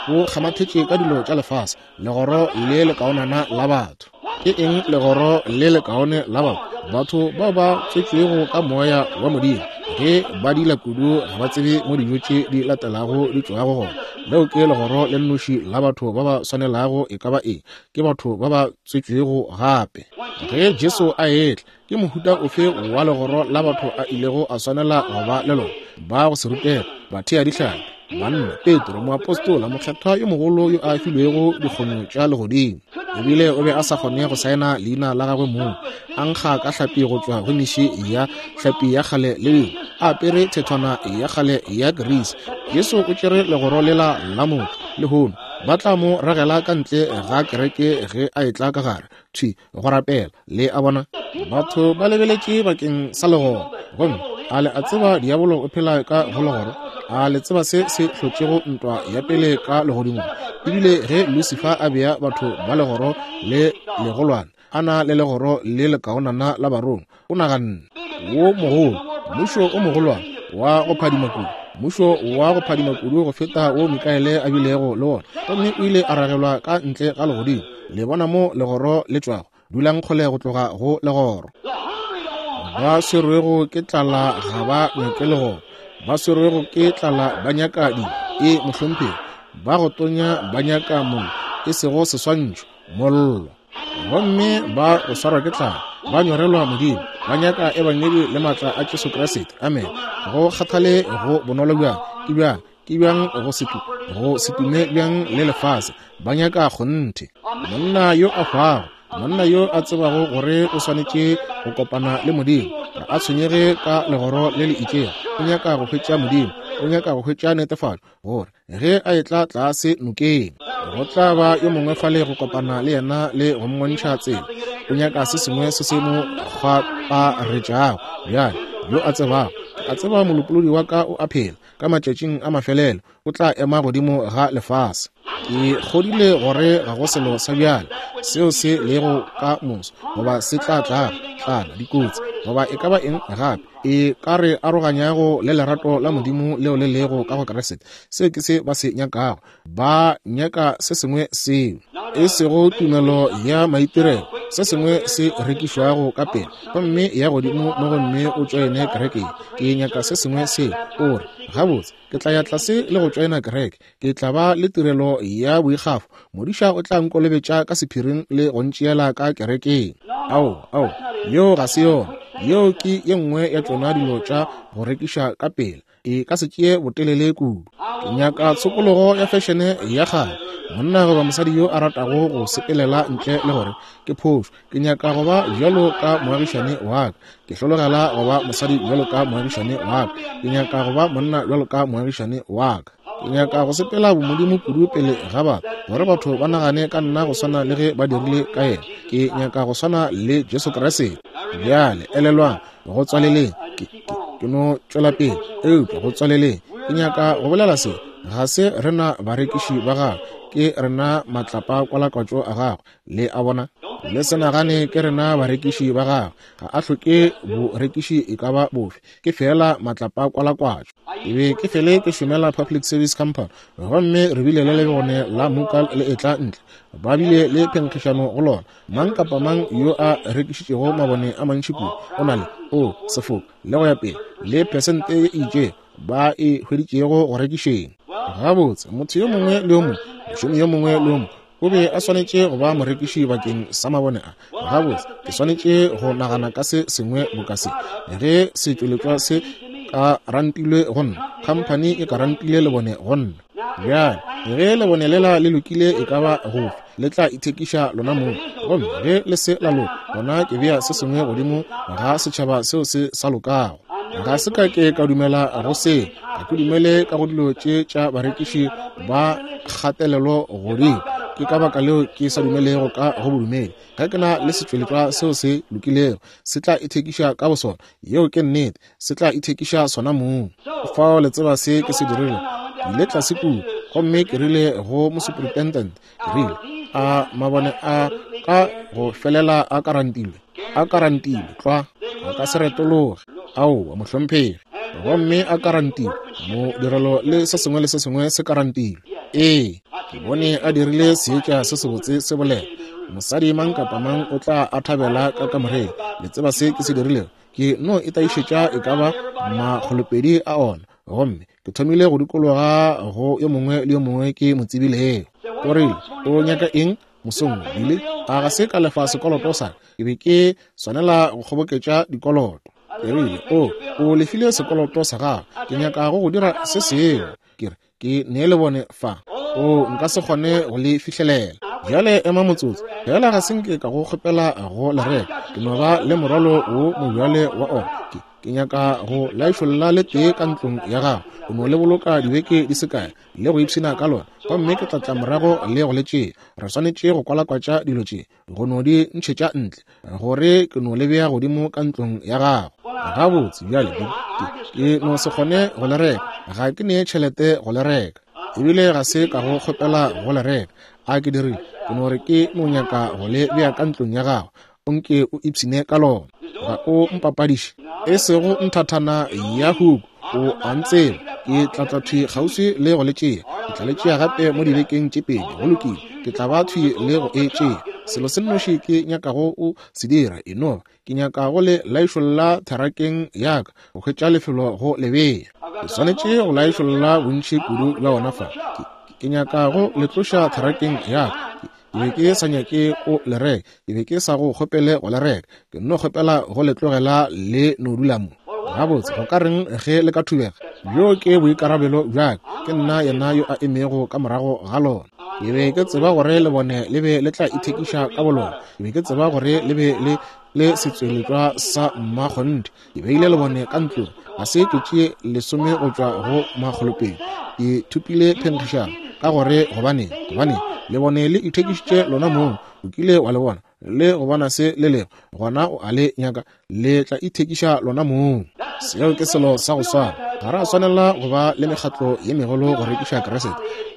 bo kgamathetše ka dilo tša lefase. Legoro le lekaonana la batho. Ke eng legoro le lekaone la batho? Batho bao ba tswetšwego ka moya wa Modimo, ge ba dila kudu ga ba tsebe mo dijo tše di latelago di tšwago gona. Leo ke legoro le nnoši la batho ba ba swanelago e ka ba eng, ke batho ba ba tswetšwego gape. Ge Jesu a etla, ke mohuta ofe wa legoro la batho a ilego a swanela go ba le lona? Ba go se rutega, bathea dihlapi, banna, Petro, moapostola, mokgethwa yo mogolo yo a filwego dikgonyo tša legodimo, ebile o be a sa kgone go saena leina la gagwe mong, a nkga ka hlapi go tšwa go meši ya hlapi ya kgale le dingwe, a apere thethwana ya kgale ya Greece. Jesu o tšere legoro lela la motho. Lehono ba tla mo ragela ka ntle ga kereke ge a etla ka gare thwi go rapela. Le a bona, batho ba lebeletše bakeng sa legoro, gomme a le a tseba diabolo o phela ka go legoro? A le tseba se se hlotšego ntwa ya pele ka legodimong? Ebile ge Lucifer a bea batho ba legoro le legolwane, a na le legoro le lekaonana la barongwa, o naganne wo mogolo, mmušo o mogolwane wa go phadima kudu, mmušo wa go phadima kudu go feta wo Mikaele a bilego le wona, gomme o ile a ragelwa ka ntle ga legodimo. Le bona mo legoro le tšwago? Dulang kgole go tloga go legoro. Ba swerwego ke tlala ga ba nyake legoro, ba swerwego ke tlala ba nyaka dijo. E mohlomphegi, ba go tonya ba nyaka mollo, e sego seswantšho, mollo. Gomme ba go swarwa ke tlala ba nyorelwa Modimo, ba nyaka ebangedi le maatla a Jesu Kriste. Amen. Go kgathale go bonolo bjang, ke bjang, ke bjang go se go se tume bjang le lefase, ba nyaka kgonthe. Monna yo a hwago, monna yo a tsebago gore o swanetše go kopana le Modimo, ga a tshwenyege ka legoro le le itšego. O nyaka go hwetša Modimo, o nyaka go hwetša netefatšo gore ge a etla tlase nokeng, go tla ba yo mongwe fale go kopana le yena le go mmontšha tsela. O nyaka se sengwe se se mo kgwaparetšago. Bjale yo a tsebago, a tseba molopolodi wa ka o a phela, ka matšatšing a mafelelo o tla ema godimo ga lefase. Ke kgodile gore ga go selo sa bjale seo se lego ka moso, goba se tla tlago, tlala, dikotsi, goba e ka ba eng gape e ka re aroganyago le lerato la Modimo leo le lego ka go Kriste. Seo ke se ba se nyakago. Ba nyaka se sengwe seo e sego tumelo ya maitirelo, se sengwe se rekišwago ka pele, gomme ya godimo mo gomme o tšoene kereke. Ke nyaka se sengwe seo o re, gabotse, ke tla ya tlase le go tšoena kereke, ke tla ba le tirelo ya boikgafo, modiša o tla nkolobetša ka sephiring le go ntšeela ka kerekeng. Ao, ao, yeo ga se yona. Yeo ke ye nngwe ya tšona dilo tša go rekiša ka pele. E ka se tšee botelele kudu. Ke nyaka tshokologo ya fešene ya kgale, monna goba mosadi yo a ratago go sepelela ntle le gore ke phošo. Ke nyaka go ba bjalo ka moagišane wa ka, ke hlologela go ba mosadi bjalo ka moagišane wa ka, ke nyaka go ba monna bjalo ka moagišane wa ka. Ke nyaka go sepela bomodimo kudu pele ga batho, gore batho ba nagane ka nna go swana le ge ba dirile ka yena. Ke nyaka go swana le Jesu Kriste. Bjale elelwang, go tswaleleng, ke, ke, ke no tšwela pele, eupša go tswaleleng ke nyaka go bolela se. Ga se rena barekiši ba gagwe, ke rena matlapa kwalakwatšo a gagwe. Le a bona? Le se nagane ke rena barekiši ba gagwe. Ga a hloke borekiši e ka ba bofe, ke fela matlapa kwalakwatšo. Ke be ke fele ke šomela Public Service Company, gomme re bile le lebone la Mukal le etla ntle. Ba bile le phenkgišano go lona. Mang kapa mang yo a rekišitšego mabone a mantši kudu o na le o sefoka le go ya pele le pesente ye itšego ba e hweditšego go rekišeng. Gabotse, motho yo mongwe le yo mongwe, mošomi yo mongwe le yo mongwe o be a swanetše go ba morekiši bakeng sa mabone a. Gabotse, ke swanetše go nagana ka se sengwe boka se. Ge setšweletšwa se ka rantilwe go nna, khamphani e ka rantile lebone go nna. Bjale ge lebone lela le lokile e ka ba gofe, le tla ithekiša lona mong. Gomme ge le se la loka, gona ke bea se sengwe godimo ga setšhaba seo se sa lokago. Ga se ka ke ka dumela go se, Ga ke dumele ka go dilo tše tša barekiši ba kgatelelo godimo. Ke ka baka leo ke sa dumelego ka go bodumedi. Ga ke na le setšweletšwa seo se lokilego, se tla ithekiša ka bosona. Yeo ke nnete, se tla ithekiša sona mong. Fao le tseba se ke se dirile. Ke ile tlase kua, gomme ke rile go mosuperintendent, ke rile, a mabone a ka go felela a karantilwe, a karantilwe tlwa, a ka se retologe. Aowa, mohlomphegi. Gomme a karantilwe, modirelo le se sengwe le se sengwe se karantilwe. Ee, ke bone a dirile seetša se sebotse se bolela. Mosadi mang kapa mang o tla a thabela ka kamoreng. Le tseba se ke se dirilego? Ke no itaišetša e ka ba makgolopedi a ona. Gomme ke thomile go dikologa go yo mongwe le yo mongwe ke mo tsebilego. O rile, o nyaka eng mosong wo, Billy? A ga se ka lefa sekoloto sa ka? Ke be ke swanela go kgoboketša dikoloto. Ke rile, o, o lefile sekoloto sa gago. Ke nyaka go go dira se sengwe. Ke re, ke nee lebone fa. O, nka se kgone go le fihlelela. Bjale ema motsotso. Fela ga se nke ka go kgopela go le reka. Ke no ba le morwalo wo mobjale wa ona. Ke, ke nyaka go laišolla le tee ka ntlong ya gago. O no le boloka dibeke di se kae le go ipshina ka lona, gomme ke tla tla morago le go le tšea. Re swanetše go kwalakwatša dilo tše, go no di ntšhetša ntle, gore ke no le bea godimo ka ntlong ya gago. Gabotse bjale, ke, ke no se kgone go le reka. Ga ke nee tšhelete go le reka, ebile ga se ka go kgopela go le reka. A ke dirile, ke no re ke no nyaka go le bea ka ntlong ya gago, o nke o ipshine ka lona. Ga o mpapadiše, e sego nthathana ya huku. O a ntseba, ke tla tla thwi kgauswi le go le tšea. Ke tla le tšea gape mo dibekeng tše pedi. Go lokile, ke tla ba thwi le go e tšea. Selo se nnoši ke nyakago o se dira e no ba, ke nyaka go le laišolla therakeng ya ka, go hwetša lefelo go le bea. Ke swanetše go laišolla bontši kudu bja ona fa. Ke, ke nyaka go le tloša therakeng ya ka. Ke be ke sa nyake o le reka, ke be ke sa go kgopele go le reka. Ke nno kgopela go le tlogela le no dula mo. Gabotse, go ka reng ge le ka thubega? Bjo ke boikarabelo bja ka. Ke nna yena yo a emego ka morago ga lona. Ke be ke tseba gore lebone le be le tla ithekiša ka bolona. Ke be ke tseba gore le be le le setsweletšwa sa mmakgonthe. Ke beile lebone ka ntlong, ga se ke tšee lesome go tšwa go makgolopedi. Ke thopile phenkgišano ka gore gobaneng, gobaneng lebone le ithekišitše lona mong. O kile wa le bona le go bona se le lego, gona o a le nyaka, le tla ithekiša lona mong. Seo ke selo sa go swana. Ga re a swanela go ba le mekgatlo ye megolo go rekiša Kriste.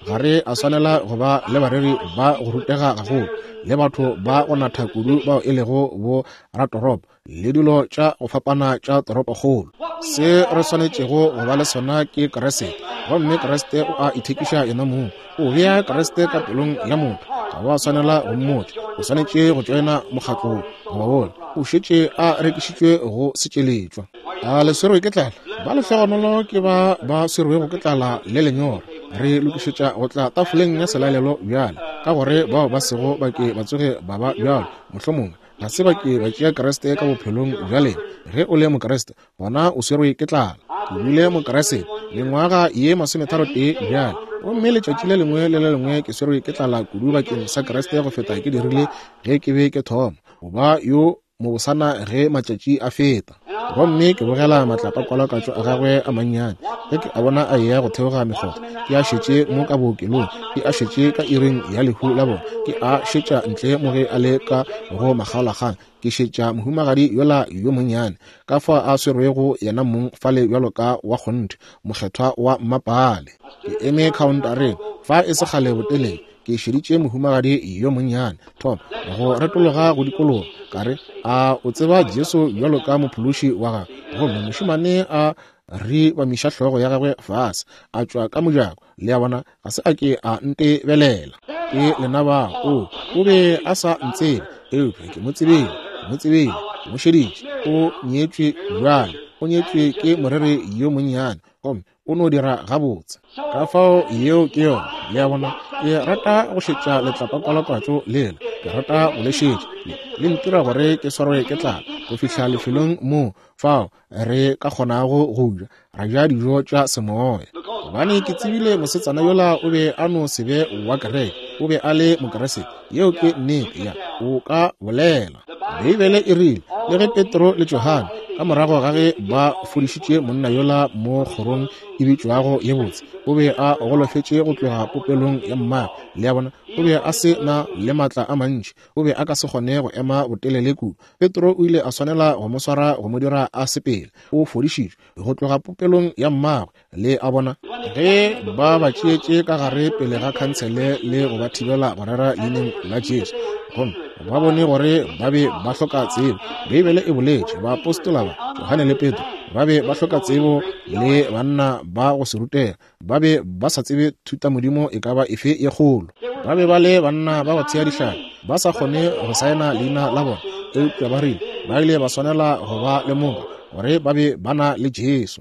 Ga re a swanela go ba le bareri ba go rutega gagolo, le batho ba go natha kudu bao e lego bo ratoropo, le dilo tša go fapana tša toropokgolo. Se re swanetšego go ba le sona ke Kriste, gomme Kriste o a ithekiša yena mong. O bea Kriste ka pelong ya motho. Ga wa swanela go mmotša, o swanetše go tšoena mokgatlo goba wola. O šetše a rekišitšwe go setšweletšwa. A le swerwe ke tlala? Ba lehlogonolo ke ba ba swerwego ke tlala le lenyora. Re lokišetša go tla tafoleng ya selalelo bjale, ka gore bao ba sego ba ke ba tsoge ba ba bjalo, mohlomongwe ga se ba ke ba tšea Kriste ka bophelong bja lena. Ge o le Mokriste, gona o swerwe ke tlala. Ke bile Mokriste mengwaga ye masometharo tee bjale, gomme letšatši le lengwe le le lengwe ke swerwe ke tlala kudu bakeng sa Kriste go feta ke dirile ge ke be ke thoma go ba yo mobosana ge matšatši a feta. Gomme ke bogela matlapa-kwalakwatšo a gagwe a mannyane ge ke a bona a eya go theoga mekgotha. Ke a šetše mo ka bookelong, ke a šetše ka iring ya lehu la bona, ke a šetša ntle mo ge a le ka go makgaolakgang. Ke šetša mohumagadi yola yo monnyane, ka fao a swerwego yena mong fale bjalo ka wa kgonthe, mokgethwa wa mmapale. Ke eme khaontareng fa e se kgale botelele, ke šeditše mohumagadi yo monnyane thoma go retologa go dikologa. Ka re, a o tseba Jesu bjalo ka mophološi wa gago? Gomme mošemane a re bamiša hlogo ya gagwe fase, a tšwa ka mojako. Le a bona, ga se a ke a ntebelela. Ke lena bao. O, o be a sa ntsebe, eupša ke mo tsebile, ke mo tsebile, ke mo šeditše. O nyetšwe bjale, o nyetšwe ke moreri yo monnyane, gomme o no dira gabotse. Ka fao yeo ke yona. Le a bona, ke rata go šetša letlapa-kwalakwatšo lela. Ke rata go le šetša. Le, le ntira gore ke swarwe ke tlala go fihla lefelong moo fao re ka kgonago go ja, ra ja dijo tša semoya. Gobane ke tsebile mosetsana yola o be a no se be wa kereke, o be a le Mokriste. Yeo ke nnete ya o ka bolela. Beibele e rile, le ge Petro le Johane Ka morago ga ge ba fodišitše monna yola mo kgorong e bitšwago ye botse, o be a golofetše go tloga popelong ya mmagwe. Le a bona, o be a se na le maatla a mantši, o be a ka se kgone go ema botelele kudu. Petro o ile a swanela go mo swara go mo dira a sepele. O fodišitšwe go tloga popelong ya mmagwe. Le a bona, ge ba ba tšeetše ka gare pele ga khansele le go ba thibela go rera leineng la Jesu, gomme ba bone gore ba be ba hloka tsebo. Beibele e boletše, baapostola ba Johane le Petro ba be ba hloka tsebo le banna ba go se rutega, ba be ba sa tsebe thutamodimo e ka ba efe ye kgolo. Ba be ba le banna ba go thea dihlare, ba sa kgone go saena leina la bona, eupša ba rile ba ile ba swanela go ba lemoga gore ba be ba na le Jesu.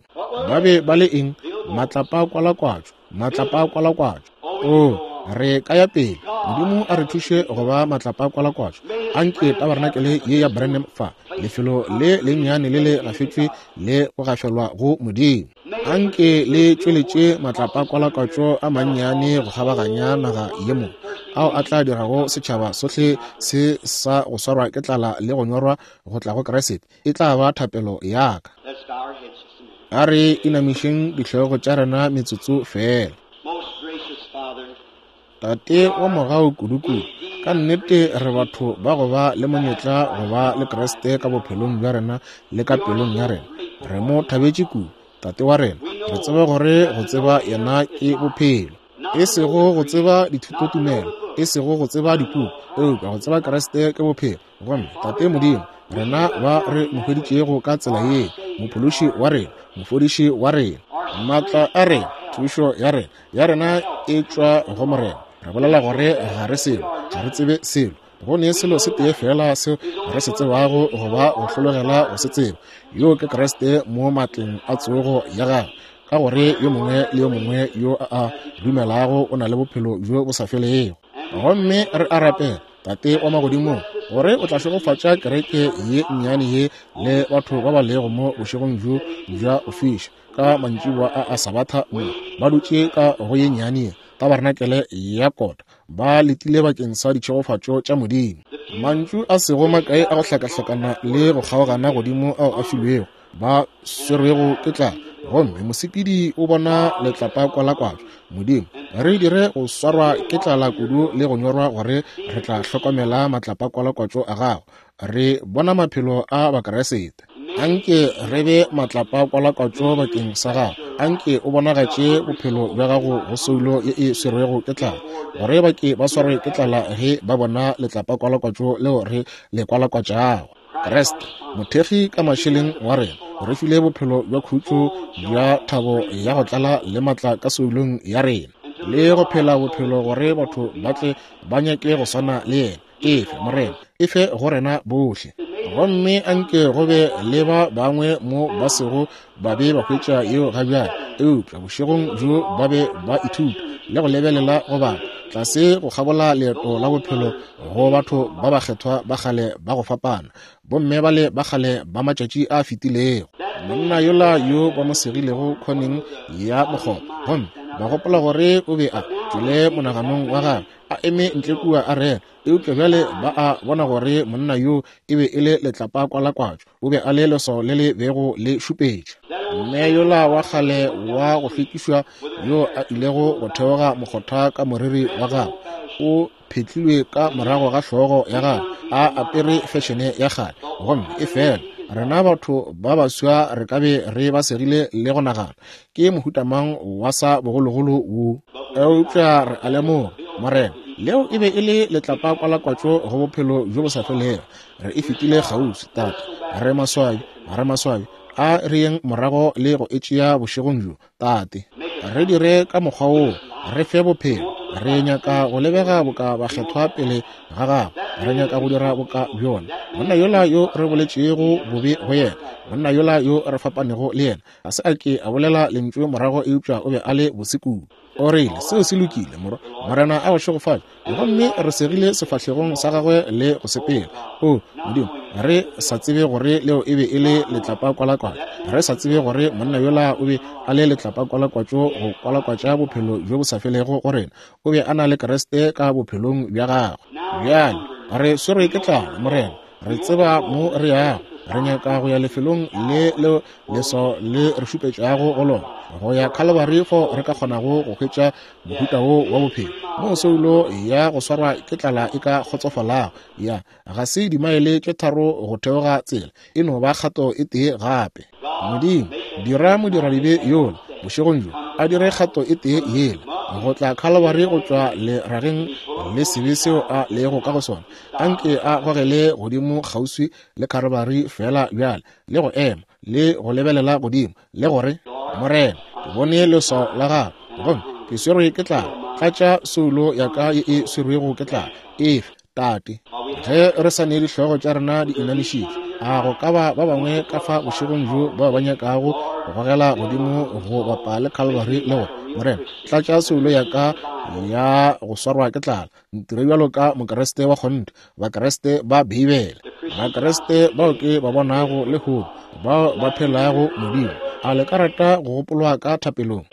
Ba be ba le eng? Matlapa kwalakwatšo, matlapa kwalakwatšo. O, re ka ya pele. Modimo a re thuše go ba matlapa kwalakwatšo. Anke tabarenakele ye ya Branham fa, lefelo le lennyane le le gafetšwe le go gafelwa go Modimo, anke le tšweletše matlapa kwalakwatšo a mannyane go kgabaganya naga ye mo, ao a tla dirago setšhaba sohle se sa go swarwa ke tlala le go nyorwa go tla go Kriste. E tla ba thapelo ya ka. A re inamišeng dihlogo tša rena metsotso fela. Tate wa mogau kudu-kudu, ka nnete re batho ba go ba le monyetla go ba le Kriste ka bophelong bja rena le ka pelong ya rena. Re mo thabetše kudu, Tate wa rena. Re tseba gore go tseba yena ke bophelo, e sego go tseba dithutotumelo, e sego go tseba dipuku, eupša go tseba Kriste ke bophelo. Gomme Tate Modimo, rena ba re mo hweditšego ka tsela ye, mophološi wa rena, mofodiši wa rena, maatla a rena, thušo ya rena, ya rena e tšwa go Morena. Re bolela gore ga re selo, ga re tsebe selo. Go ne selo se tee fela seo re se tsebago goba go hlologela go se tseba, yo ke Kriste mo matleng a tsogo ya gagwe, ka gore yo mongwe le yo mongwe yo a a dumelago o na le bophelo bjo bo sa felego. Gomme re a rapela, Tate wa magodimong, gore o tla šegofatša kereke ye nnyane ye le batho ba ba lego mo bošegong bjo bja go fiša ka mantšiboa a a Sabatha mo, ba dutše ka go ye nnyane ye tabarenakele ya kota, ba letile bakeng sa ditšhegofatšo tša Modimo. Mantšu a sego makae a go hlakahlakana le go kgaogana godimo ao a filwego ba swerwego ke tlala, gomme mosepedi o bona letlapa kwalakwatšo. Modimo, re dire go swarwa ke tlala kudu le go nyorwa gore re tla hlokomela matlapa kwalakwatšo a gago. Re bona maphelo a Bakriste. Anke re be matlapa kwalakwatšo bakeng sa gago. Anke o bonagatše bophelo bja gago go soulo ye e swerwego ke tlala, gore ba ke ba swarwe ke tlala ge ba bona letlapa kwalakwatšo leo re le kwalakwatšago. Kriste, mothekgi ka mašeleng wa rena, o re file bophelo bja khutšo bja thabo ya go tlala le maatla ka soulong ya rena, le go phela bophelo gore batho ba tle ba nyake go swana le yena. Efe Morena, efe go rena bohle. Gomme anke go be le ba bangwe mo ba sego ba be ba hwetša yeo ga bjale, eupša bošegong bjo ba be ba ithuta le go lebelela go bala tlase go kgabola leeto la bophelo go batho ba bakgethwa ba kgale ba go fapana, bomme bale ba kgale ba matšatši a fetilego, monna yola yo ba mo segilego khoneng ya mokgopa, gomme ba gopola gore o be a tšwele monaganong wa gagwe a eme ntle kua a rera, eupša bjale ba a bona gore monna yo e be e le letlapa kwalakwatšo, o be a le leswao le le bego le šupetša. Mme yola wa kgale wa go hlwekišwa yo a ilego go theoga mokgotha ka moriri wa gagwe o phetlilwe ka morago ga hlogo ya gagwe a apere fešene ya kgale, gomme e fela rena batho ba baswa re ka be re ba segile le go nagana ke mohuta mang wa sa bogologolo wo. Eupša re a lemoga, Morena, leo e be e le letlapa kwalakwatšo go bophelo bjo bo sa felego. Re e fetile kgauswi, Tate. Re maswabi, re maswabi. A re yeng morago le go e tšea bošegong bjo, Tate. Re dire ka mokgwa woo, re fe bophelo. Re nyaka go lebega boka bakgethwa pele ga gago. Re nyaka go dira boka bjona. Monna yola yo re boletšego bobe go yena, monna yola yo re fapanego le yena, ga se a ke a bolela lentšu morago, eupša o be a le bose kudu. O rile, seo se lokile, morwa. Morena a go šegofatše. Gomme re segile sefahlegong sa gagwe le go sepela. O Modimo, re sa tsebe gore leo e be e le letlapa kwalakwatšo. Re sa tsebe gore monna yola o be a le letlapa kwalakwatšo go kwalakwatša bophelo bjo bo sa felego go rena. O be a na le Kriste ka bophelong bja gagwe. Bjale re swerwe ke tlala, Morena. Re tseba mo re yago. Re nyaka go ya lefelong le leo leswao le re šupetšago go lona, go ya Calvary fo re ka kgonago go hwetša mohuta wo wa bophelo, moo soulo ya go swarwa ke tlala e ka kgotsofalago. Ya ga se dimaele tše tharo go theoga tsela, e no ba kgato e tee gape. Modimo, dira modiradibe yola bošegong bjo a dire kgato e tee yela go tla Calvary go tšwa lerageng le sebe seo a lego ka go sona. Anke a gogele godimo kgauswi le Calvary fela bjale, le go ema le go lebelela godimo le gore, Morena, ke bone leswao la gago gomme ke swerwe ke tlala. Tlatša soulo ya ka ye e swerwego ke tlala. Efe, Tate, ge re sa ne dihlogo tša rena di inamišitše, a go ka ba ba bangwe ka fa bošegong bjo bao ba nyakago go gogela godimo go bapa le Calvary le gore, Morena, tlatša soulo ya ka ya go swarwa ke tlala, ntire bjalo ka Mokriste wa kgonthe, Bakriste ba Beibele, Bakriste bao ke ba bonago lehono, bao ba phelago Modimo. A le ka rata go gopolwa ka thapelong?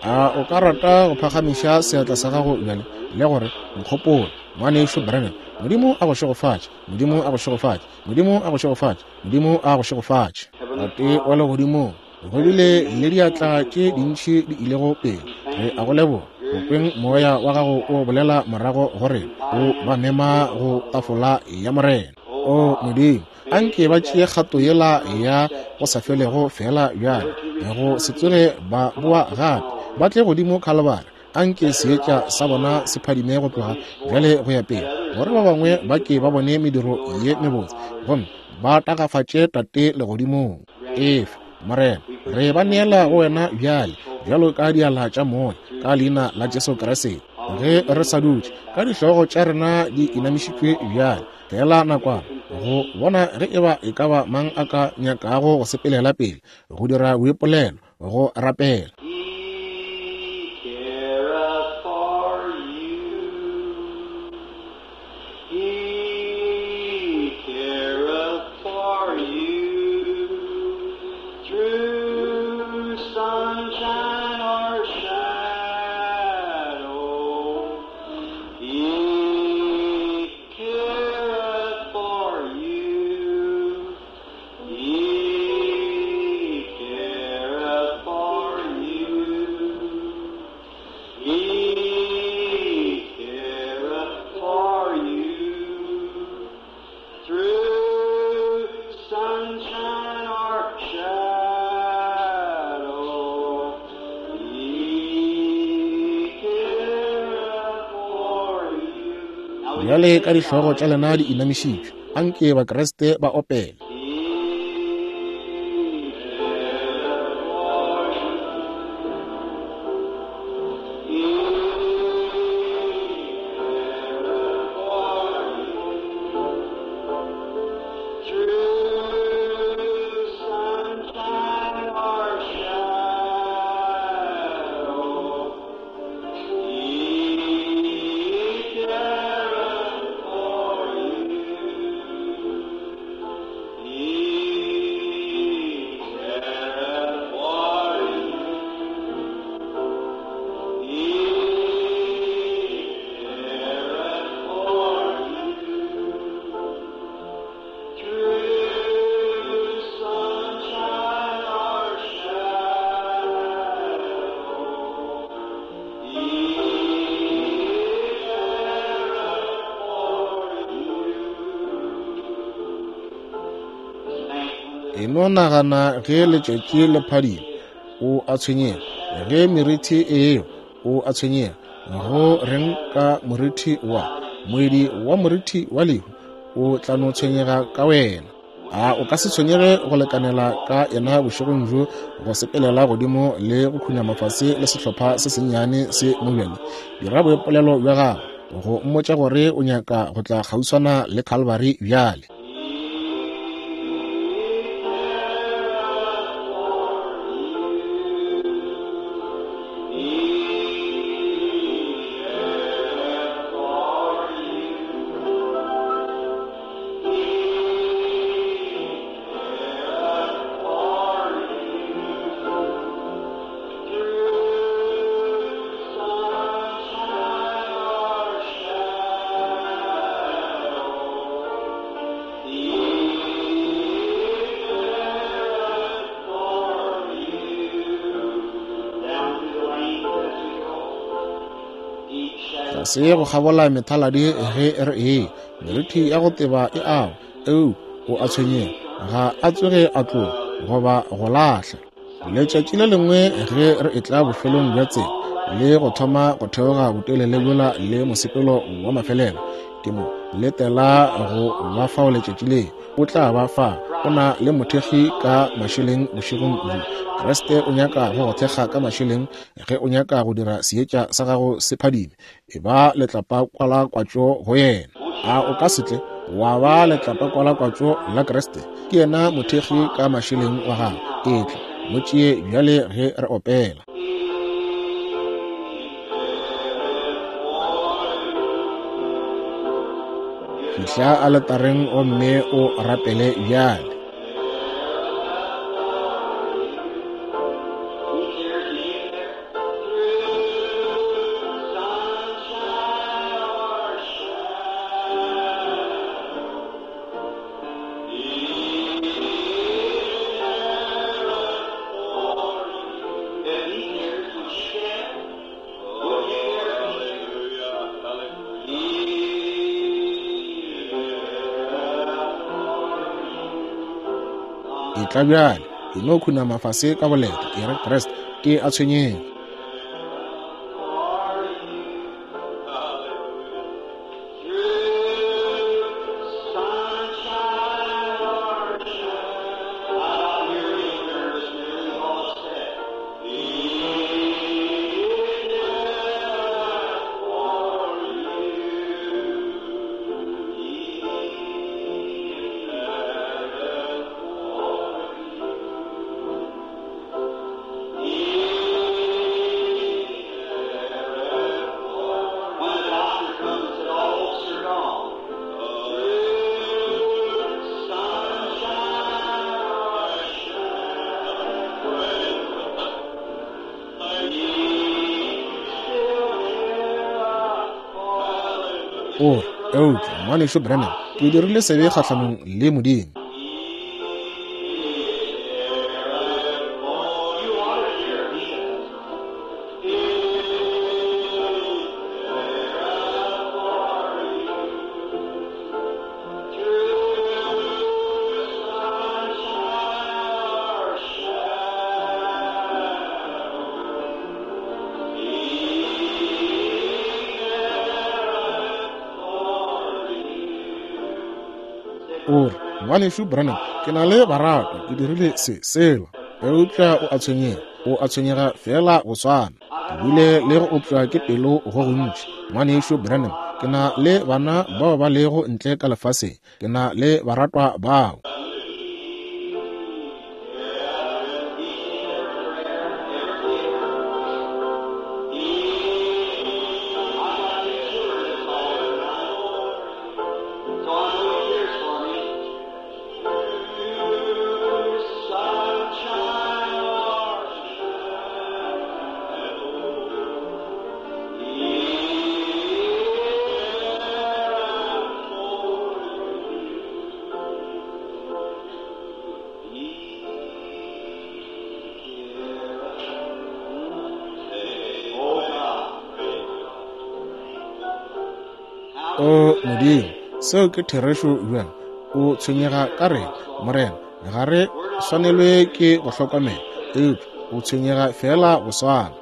A o ka rata go phagamiša seatla sa gago bjale le gore, nkgopole, ngwanešu Branham? Modimo a go šegofatše, Modimo a go šegofatše, Modimo a go šegofatše, Modimo a go šegofatše. Tate wa legodimong, go bile le diatla tše dintši di ilego pele. Re a go leboga go kweng moya wa gago o bolela morago go rena, o ba mema go tafola ya Morena. O Modimo, anke ba tšee kgato yela ya go sa felego fela bjale, go se tsoge ba boa gape, ba tle godimo Calvary. Anke seetša sa bona se phadime go tloga bjale go ya pele, gore ba bangwe ba ke ba bone mediro ye mebotse gomme ba tagafatše Tate legodimong. Efe, Morena, re ba neela go wena bjale bjalo ka diala tša moya, ka leina la Jesu Kriste. Ge re sa dutše ka dihlogo tša rena di inamišitšwe bjale, fela nakwana go bona ge eba e ka ba mang a ka nyakago go sepelela pele, go dira boipolelo, go rapela. He careth for you. Bjale ka dihlogo tša lena di inamišitšwe, anke Bakriste ba opele. E no nagana ge letšatši le phadima, o a tshwenyega. Ge merithi e ewa, o a tshwenyega. Go reng ka morithi wa moedi wa morithi wa lehu, o tla no tshwenyega ka wena. A o ka se tshwenyege go lekanela ka yena bošegong bjo go sepelela godimo le go khunama fase le sehlopha se sennyane se mo bjale. Dira boipolelo bja gago go mmotša gore o nyaka go tla kgauswana le Calvary bjale. Se go kgabola methaladi ge re e merithi ya go teba e awa, eo o a tshwenyega, ga a tsoge a tloga goba go lahla. Letšatši le lengwe ge re etla bofelong bja tsela le go thoma go theoga botelele bjola le mosepelo wa mafelelo, ke mo letela go ba fao letšatši le o tla ba fa. O na le mothekgi ka mašeleng bošegong bjo. Kriste o nyaka go go thekga ka mašeleng ge o nyaka go dira seetša sa gago se phadime. E ba letlapa-kwalakwatšo go yena. A o ka se tle wa ba letlapa-kwalakwatšo la Kriste? Ke yena mothekgi ka mašeleng wa gago. Etla mo tšee bjale ge re opela. Fihla aletareng gomme o rapele bjale. Etla bjale, e no khunama fase ka boleta, e re Kriste, ke a tshwenyega. O re, eupša ngwanešu Branham, ke dirile sebe kgahlanong le Modimo. O re, Ngwanešu Branham, ke na le baratwa, ke dirile se sela. Eupša o a tshwenyega, o a tshwenyega fela go swana. Ke bile le go opša ke pelo go gontši. Ngwanešu Branham, ke na le bana bao ba lego ntle ka lefaseng, ke na le baratwa bao. O Modimo, seo ke therešo bjang. O tshwenyega ka rena, Morena. Ga re swanelwe ke go hlokomela, eupša o tshwenyega fela go swana.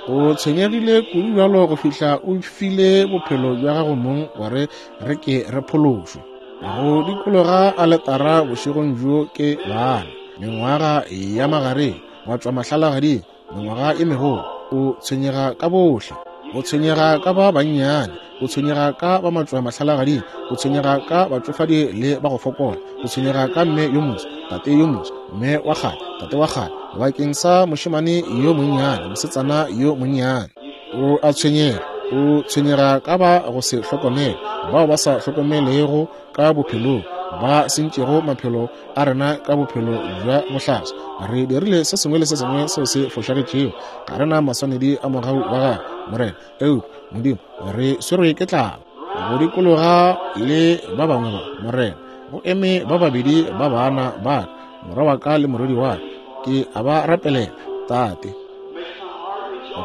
O tshwenyegile kudu bjalo go fihla o file bophelo bja gago mong gore re ke re phološwe. Go dikologa aletara bošegong bjo ke bana, mengwaga ya magareng, wa tšwa mahlalagading, mengwaga e megolo. O tshwenyega ka bohle. O tshwenyega ka ba bannyane, o tshwenyega ka ba matšwa mahlalagading, o tshwenyega ka batšofadi le ba go fokola, o tshwenyega ka mme yo moso, tate yo moso, mme wa kgale, tate wa kgale, bakeng sa mošemane yo monnyane, mosetsana yo monnyane. O a tshwenyega, o tshwenyega ka ba go se hlokomele, bao ba sa hlokomelego ka bophelong, ba sentšego maphelo a rena ka bophelo bja bohlaswa. Re dirile se sengwe le se sengwe seo se fošagetšego, ga re na maswanedi a mogau wa gago, Morena. Eupša Modimo, re swerwe ke tlala. Go dikologa le ba bangwe ba, Morena, go eme ba babedi ba bana ba ka, morwa wa ka le morwedi wa ka. Ke a ba rapelela, Tate.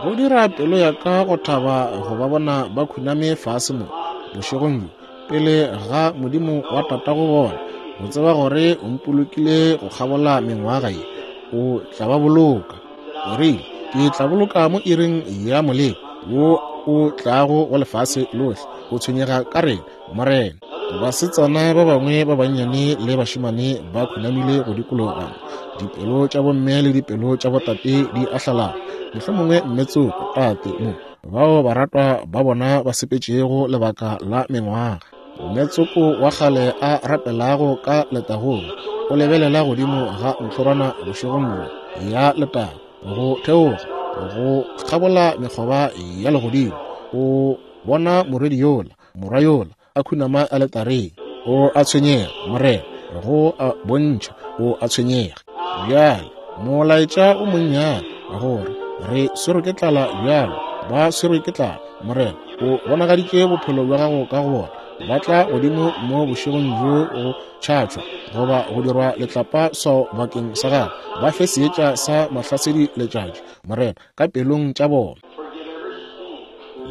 Go dira pelo ya ka go thaba go ba bona ba khuname fase mo bošegong bjo pele ga Modimo wa tatago bona, go tseba gore o mpolokile go kgabola mengwaga ye, o tla ba boloka. O rile, ke tla boloka mo iring ya moleko wo o tlago go lefase lohle. O tshwenyega ka rena, Morena. Basetsana ba bangwe ba bannyane le bašemane ba khunamile go dikologa, dipelo tša bomme le dipelo tša botate di ahlalana. Mohlomongwe mme tsoko, tate mo, bao baratwa ba bona ba sepetšego lebaka la mengwaga. Mme tsoko wa kgale a rapelago ka letagong, o lebelela godimo ga ntlhorwana bošegong bjo ya letago, go theoga go kgabola mekgoba ya legodimo. O bona morwedi yola, morwa yola a khunama aletareng. O a tshwenyega, Morena, go a bontšha o a tshwenyega. Bjale molaetša o monnyane gore re swerwe ke tlala bjalo, ba swerwe ke tlala, Morena. O bonagaditše bophelo bja gago ka go bona. Ba tla godimo mo bošegong bjo go tšhatšwa goba go dirwa letlapa swao bakeng sa gago. Ba fe seetša sa mahlasedi letšatši, Morena, ka pelong tša bona.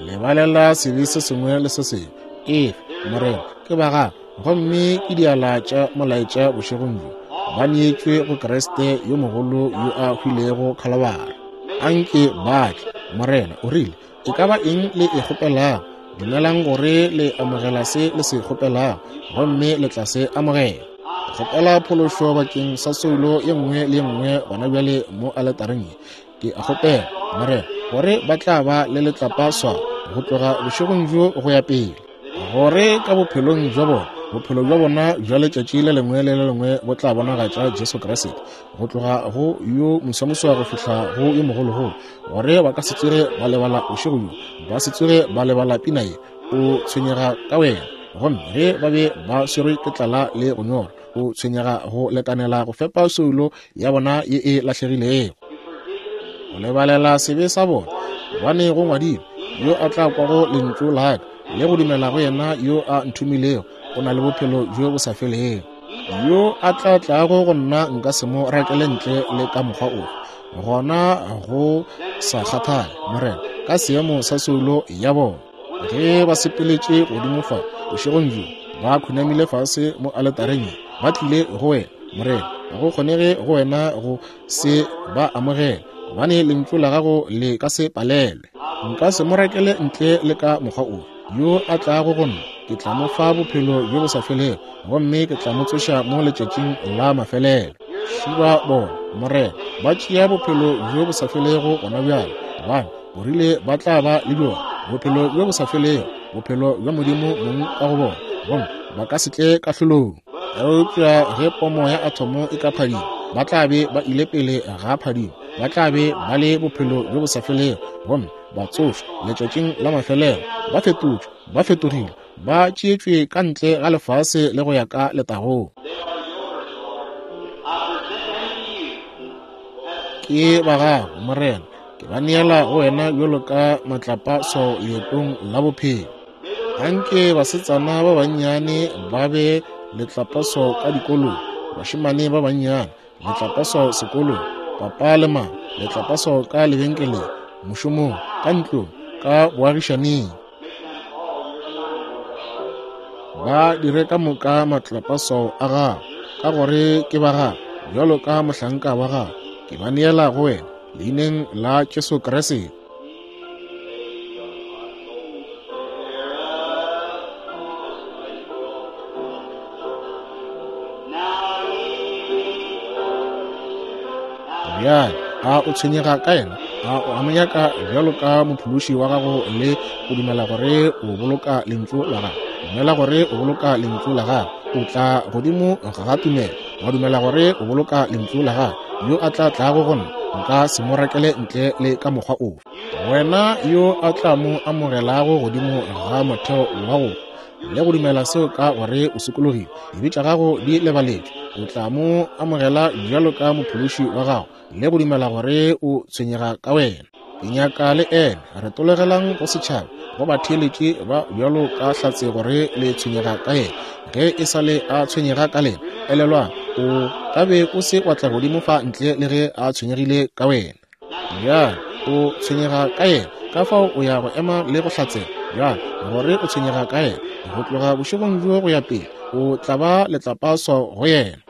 Lebalela sebe se sengwe le se sengwe. Efe, Morena, ke ba gago, gomme ke diala tša molaetša bošegong bjo. Ba neetšwe go Kriste yo mogolo yo a hwilego Khalabara. Anke ba tle, Morena. O rile, e ka ba eng le e kgopelago, dumelang gore le amogela se le se kgopelago, gomme le tla se amogela. Kgopela phološo bakeng sa soulo ye nngwe le ye nngwe gona bjale mo aletareng ye. Ke a kgopela, Morena, gore ba tla ba le letlapa swao go tloga bošegong bjo go ya pele, gore ka bophelong bja bona, bophelo bja bona bja letšatši le lengwe le le lengwe bo tla bonagatša Jesu Kriste, go tloga go yo moswamosa go fihla go yo mogologolo, gore ba ka se tsoge ba lebala bošego bjo, ba se tsoge ba lebala pina ye. O tshwenyega ka wena, gomme ge ba be ba swerwe ke tlala le go nyorwa, o tshwenyega go lekanela go fepa soulo ya bona ye e lahlegilego. O lebalela sebe sa bona, gobane go ngwadilwe, yo a tla kwago lentšu la ka le go dumela go yena yo a nthomilego o na le bophelo bjo bo sa felego. Yo a tla tlago go nna nka se mo rakele ntle le ka mokgwa ofe. Gona go sa kgathale, Morena, ka seemo sa soulo ya bona. Ge ba sepeletše godimo fa bošegong bjo, ba khunamile fase mo aletareng ye, ba tlile go wena, Morena. Ga go kgonege go wena go se ba amogela, gobane lentšu la gago le ka se palelwe. Nka se mo rakele ntle le ka mokgwa ofe. Yo a tlago go nna ke tla mo fa bophelo bjo bo sa felego, gomme ke tla mo tsoša mo letšatšing la mafelelo. Šiba bona, Morena, ba tšea bophelo bjo bo sa felego gona bjale, gobane o rile ba tla ba le bjona, bophelo bjo bo sa felego, bophelo bja Modimo mong ka go bona, gomme ba ka se tle kahlolong. Eupša ge pomo ya athomo e ka phadima, ba tla be ba ile pele ga phadimo, ba tla be ba le bophelo bjo bo sa felego, gomme ba tsošwa letšatšing la mafelelo, ba fetotšwe, ba fetogile, ba tšeetšwe ka ntle ga lefase le go ya ka letagong. Ke ba gago, Morena, ke ba neela go wena bjalo ka matlapaswao leetong la bophelo. Anke basetsana ba bannyane ba be letlapaswao ka dikolong, bašemane ba bannyane letlapaswao sekolong, papa le mama letlapaswao ka lebenkeleng, mošomong, ka ntlong, ka boagišaneng. Ba dire ka moka matlapaswao a gago, ka gore ke ba gago, bjalo ka mohlanka wa gago. Ke ba neela go wena leineng la Jesu Kriste. Bjale a o tshwenyega ka yena? A o a mo nyaka bjalo ka mophološi wa gago le go dumela gore o boloka lentšu la gago? Dumela gore o boloka lentšu la gago. O tla godimo ga tumelo, wa dumela gore o boloka lentšu la gago. Yo a tla tlago go nna, nka se mo rakele ntle le ka mokgwa ofe. Wena yo a tla mo amogelago godimo ga motheo wa go le go dumela seo ka gore o sokologile, dibe tša gago di lebaletšwe, o tla mo amogela bjalo ka mophološi wa gago le go dumela gore o tshwenyega ka wena. Ke nyaka le ene re tologelang go setšhaba, go batheeletši ba bjalo ka hlatse gore le tshwenyega ka yena. Ge e sa le a tshwenyega ka lena, elelwang, o ka be o se wa tla godimo fa ntle le ge a tshwenyegile ka wena. Bjale o tshwenyega ka yena, ka fao o ya go ema le go hlatsela bjale gore o tshwenyega ka yena. Go tloga bošegong bjo go ya pele, o tla ba letlapaswao go yena.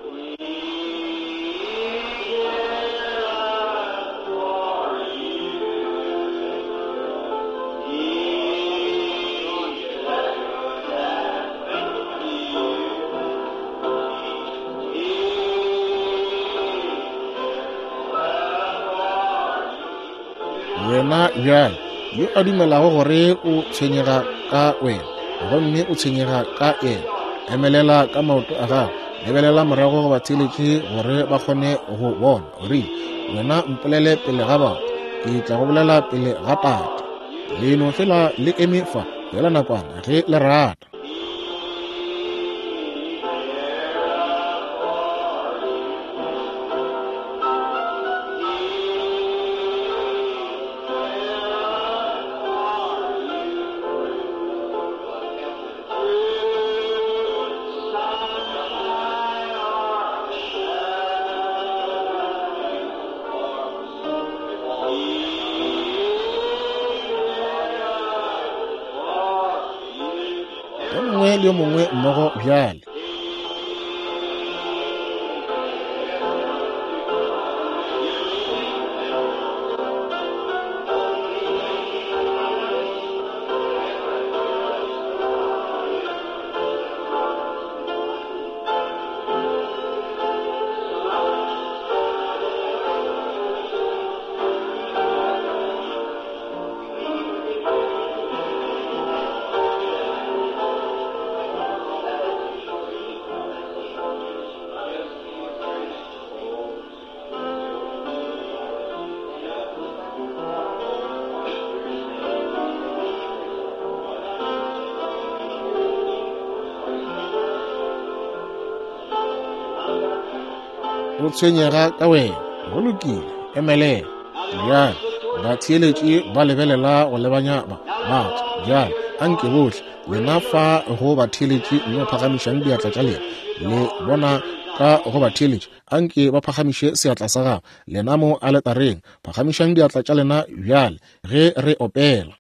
Wena bjale yo a dumelago gore o tshwenyega ka wena, gomme o tshwenyega ka yena, emelela ka maoto a gago, lebelela morago go batheeletši gore ba kgone go bona. O rile, wena mpolele pele ga batho, ke tla go bolela pele ga Tate. Le no fela le eme fa fela nakwana ge le rata. Le yo mongwe mmogo bjale. O tshwenyega ka wena. Go lokile, emelela. Bjale batheeletši ba lebelela go lebanya ba batho. Bjale anke bohle lena fa go batheeletši mme phagamišang diatla tša lena. Le bona ka go batheeletši, anke ba phagamiše seatla sa gago. Lena mo aletareng, phagamišang diatla tša lena bjale ge re opela.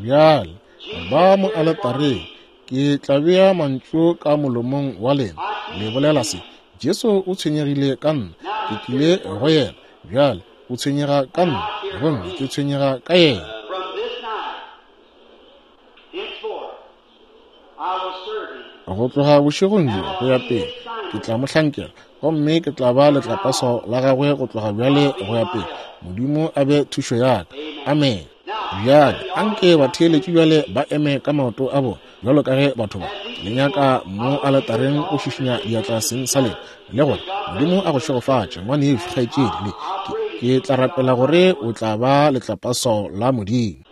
Bjale ba mo aletareng, ke tla bea mantšu ka molomong wa lena. Le bolela se: Jesu o tshwenyegile ka nna, ke tlile go yena. Bjale o tshwenyega ka nna, gomme ke tshwenyega ka yena. Go tloga bošegong bjo go ya pele, ke tla mo hlankela, gomme ke tla ba letlapaswao la gagwe go tloga bjale go ya pele. Modimo a be thušo ya ka. Amen. Bjale anke batheeletši bjale ba eme ka maoto a bona, bjalo ka ge batho ba le nyaka mo aletareng go šišinya diatla seng sa lena, le gore Modimo a go šegofatše, ngwanešu, kgaetšedi. Le ke, ke tla rapela gore o tla ba letlapaswao la Modimo.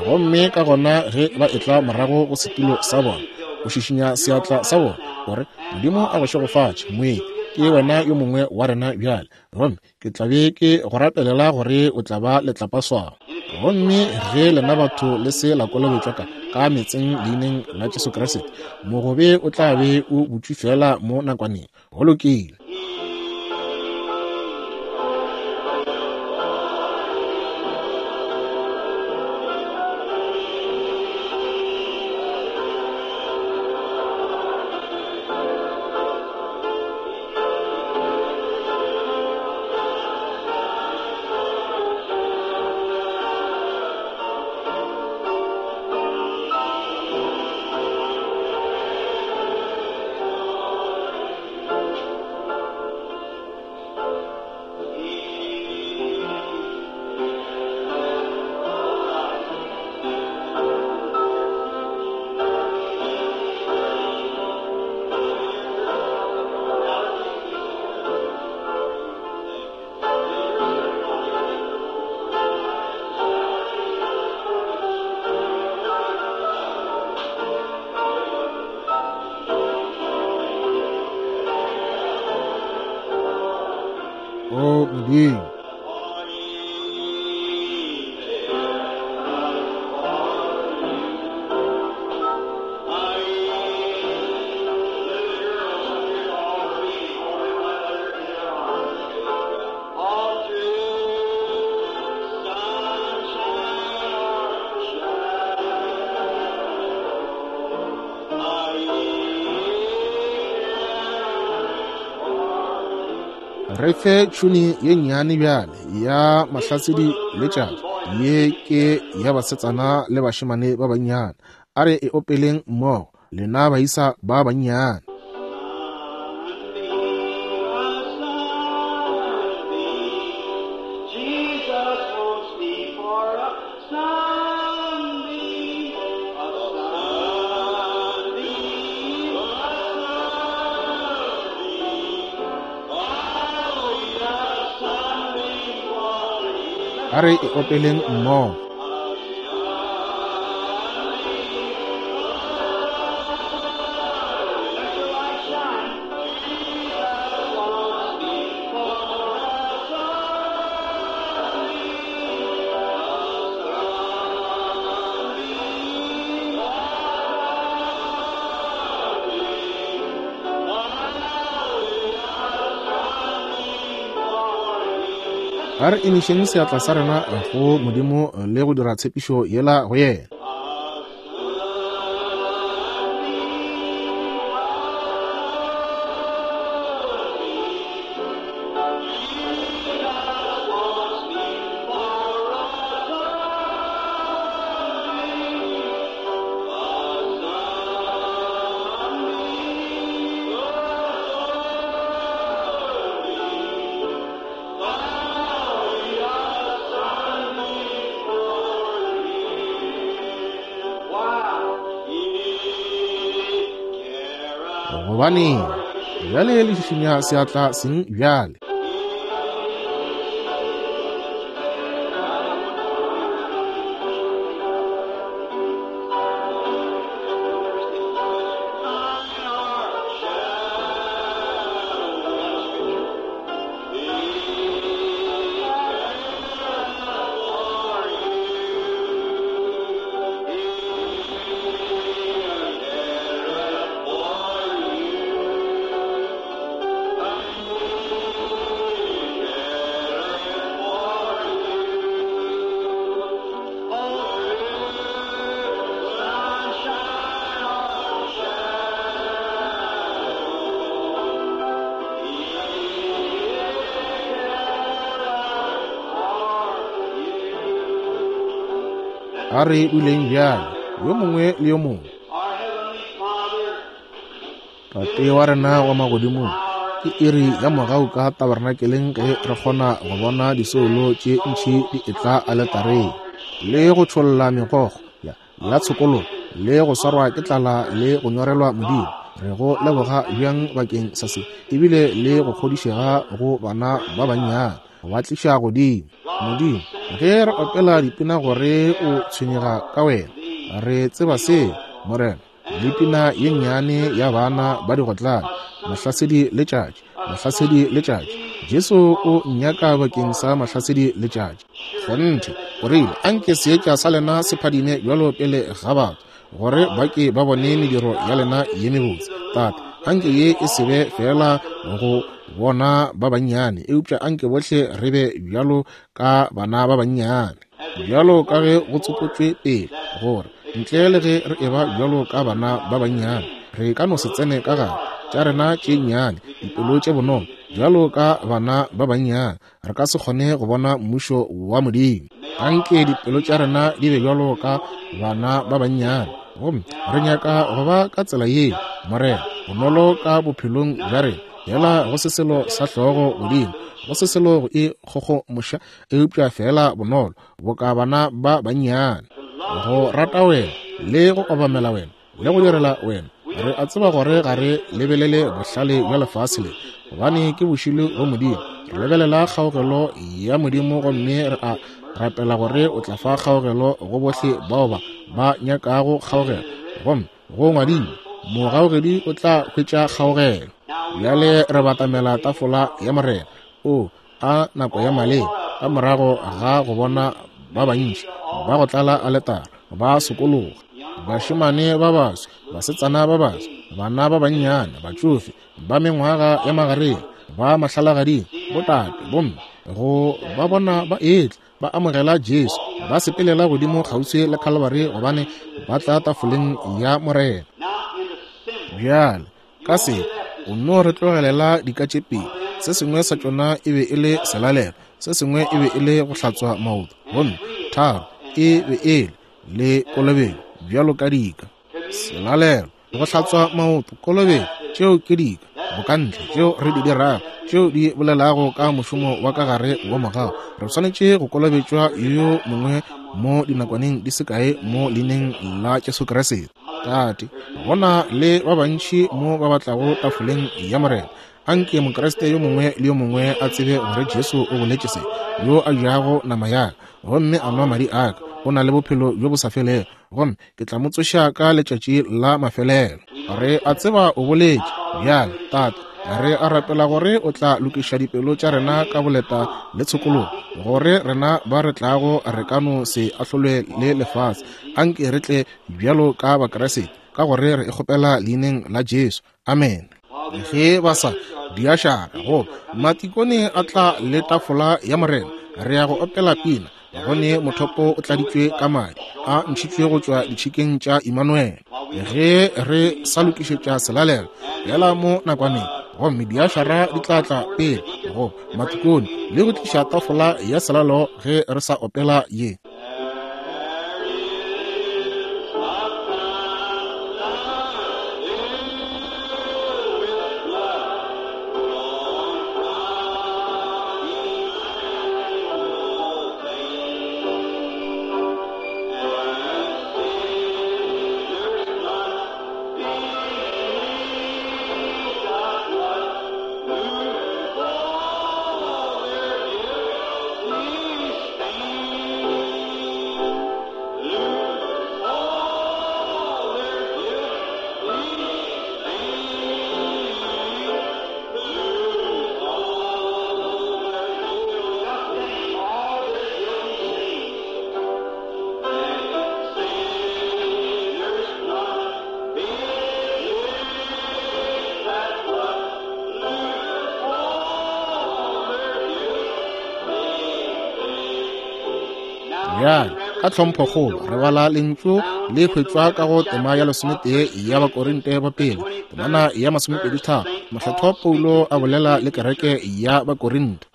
Gomme ka gona ge ba etla morago go setulo sa bona, o šišinya seatla sa bona, gore Modimo a go šegofatše, moeti, ke wena yo mongwe wa rena bjale, gomme ke tla be ke go rapelela gore o tla ba letlapaswao. Gomme ge lena batho le se la kolobetšwa ka ka meetseng leineng la Jesu Kriste, mogobe o tla be o butšwe fela mo nakwaneng. Go lokile. O Modimo, re fe tšhuni ye nnyane bjale ya mahlasedi letšatši. Ye ke ya basetsana le bašemane ba bannyane. A re e opeleng mmogo, lena baisa ba bannyane. Jesus wants me for a sunbeam, a sunbeam, a sunbeam. Oh, yeah, a sunbeam for me. A re e opeleng mmogo. Let your light shine. Jesus wants me for a sunbeam, a A re emišeng seatla sa rena go Modimo le go dira tshepišo yela go yena. Gobane bjale le šišinya seatla seng bjale. A re duleng bjale, yo mongwe le yo mongwe. Tate wa rena wa magodimong, ke iri ya mogau ka tabernakeleng ge re kgona go bona disoulo tše ntši di etla aletareng, le go tšholla megokgo ya, ya tshokologo, le go swarwa ke tlala le go nyorelwa Modimo. Re go leboga bjang bakeng sa se, ebile le go kgodišega go bana ba bannyane, go ba tliša godimo. Modimo, ge re opela dipina gore o tshwenyega ka wena, re tseba seo, Morena. Le pina ye nnyane ya bana ba digotlane, mahlasedi letšatši, mahlasedi letšatši, Jesu o nnyaka bakeng sa mahlasedi letšatši. Kgonthe, o rile, anke seetša sa lena se phadime bjalo pele ga batho, gore ba ke ba bone mediro ya lena ye mebotse. Tate, anke ye e se be fela go bona ba bannyane, eupša anke bohle re be bjalo ka bana ba bannyane, bjalo ka ge go tsopotšwe pele, gore ntle le ge re eba bjalo ka bana ba bannyane, re ka no se tsene ka gare tša rena tše nnyane, dipelo tše bonolo, bjalo ka bana ba bannyane, re ka se kgone go bona mmušo wa Modimo. Anke dipelo tša rena di be bjalo ka bana ba bannyane, gomme re nyaka go ba ka tsela ye, Morena, bonolo ka bophelong bja rena, fela go se selo sa hlogo godimo, go se selo go e kgogomoša, eupša fela bonolo, boka bana ba bannyane, go rata wena, le go obamela wena, le go direla wena. Re a tseba gore ga re lebelele bohlale bja lefase le, gobane ke bošilo go Modimo. Re lebelela kgaogelo ya Modimo, gomme re a rapela gore o tla fa kgaogelo go bohle bao ba ba nyakago kgaogelo, gomme go ngwadilwe, mogaogedi o tla hwetša kgaogelo. Bjale re batamela tafola ya Morena. O a nako ya maleba, ka morago ga go bona ba bantši ba go tlala aletara ba sokologa, bašemane ba baswa, basetsana ba baswa, bana ba bannyane, batšofe, ba mengwaga ya magareng, ba mahlalagading, botate, bomme, go ba bona ba etla ba amogela Jesu, ba sepelela godimo kgauswi le Calvary, gobane ba tla tafoleng ya Morena. Bjale ka se o no re tlogelela dika tše pedi, se sengwe sa tšona e be e le selalelo, se sengwe e be e le go hlatswa maoto, gomme tharo e be e le le kolobetšo, bjalo ka dika. Selalelo, go hlatswa maoto, kolobetšo, tšeo ke dika bokantle tšeo re di dirago, tšeo di bolelago ka mošomo wa ka gare wa mogau. Re swanetše go kolobetšwa yo mongwe mo dinakwaneng di se kae mo leineng la Jesu Kriste. Tate, gona le ba bantši mo ba batlago tafoleng ya Morena. Anke Mokriste yo mongwe le yo mongwe a tsebe gore Jesu o boletše se, yo a jago nama ya ka gomme a nwa madi a ka, o na le bophelo bjo bo sa felego, gomme ke tla mo tsoša ka letšatši la mafelelo. Re a tseba o boletše. Bjale, Tate, re a rapela gore o tla lokiša dipelo tša rena ka boleta le tshokologo, gore rena ba re tlago re ka no se ahlolwe le lefase. Anke re tle bjalo ka Bakriste, ka gore re e kgopela leineng la Jesu. Amen. Ge ba sa diašara go matikone a tla le tafola ya Morena, re ya go opela pina, gone mothopo o tladitšwe ka madi a ntšhitšwe go tšwa ditšhikeng tša Immanuel. Ge re sa lokišetša selalelo yela mo nakwaneng, gomme diašara di tla tla pele go matikone le go tliša tafola ya selalelo ge re sa opela ye. Bjale ka tlhomphokgolo re bala lentšu le hwetšwa ka go tema ya lesometee ya Bakorinte ba pele, temana ya masomepedi tharo, mohlathwa Paulo a bolela le kereke ya Bakorinte.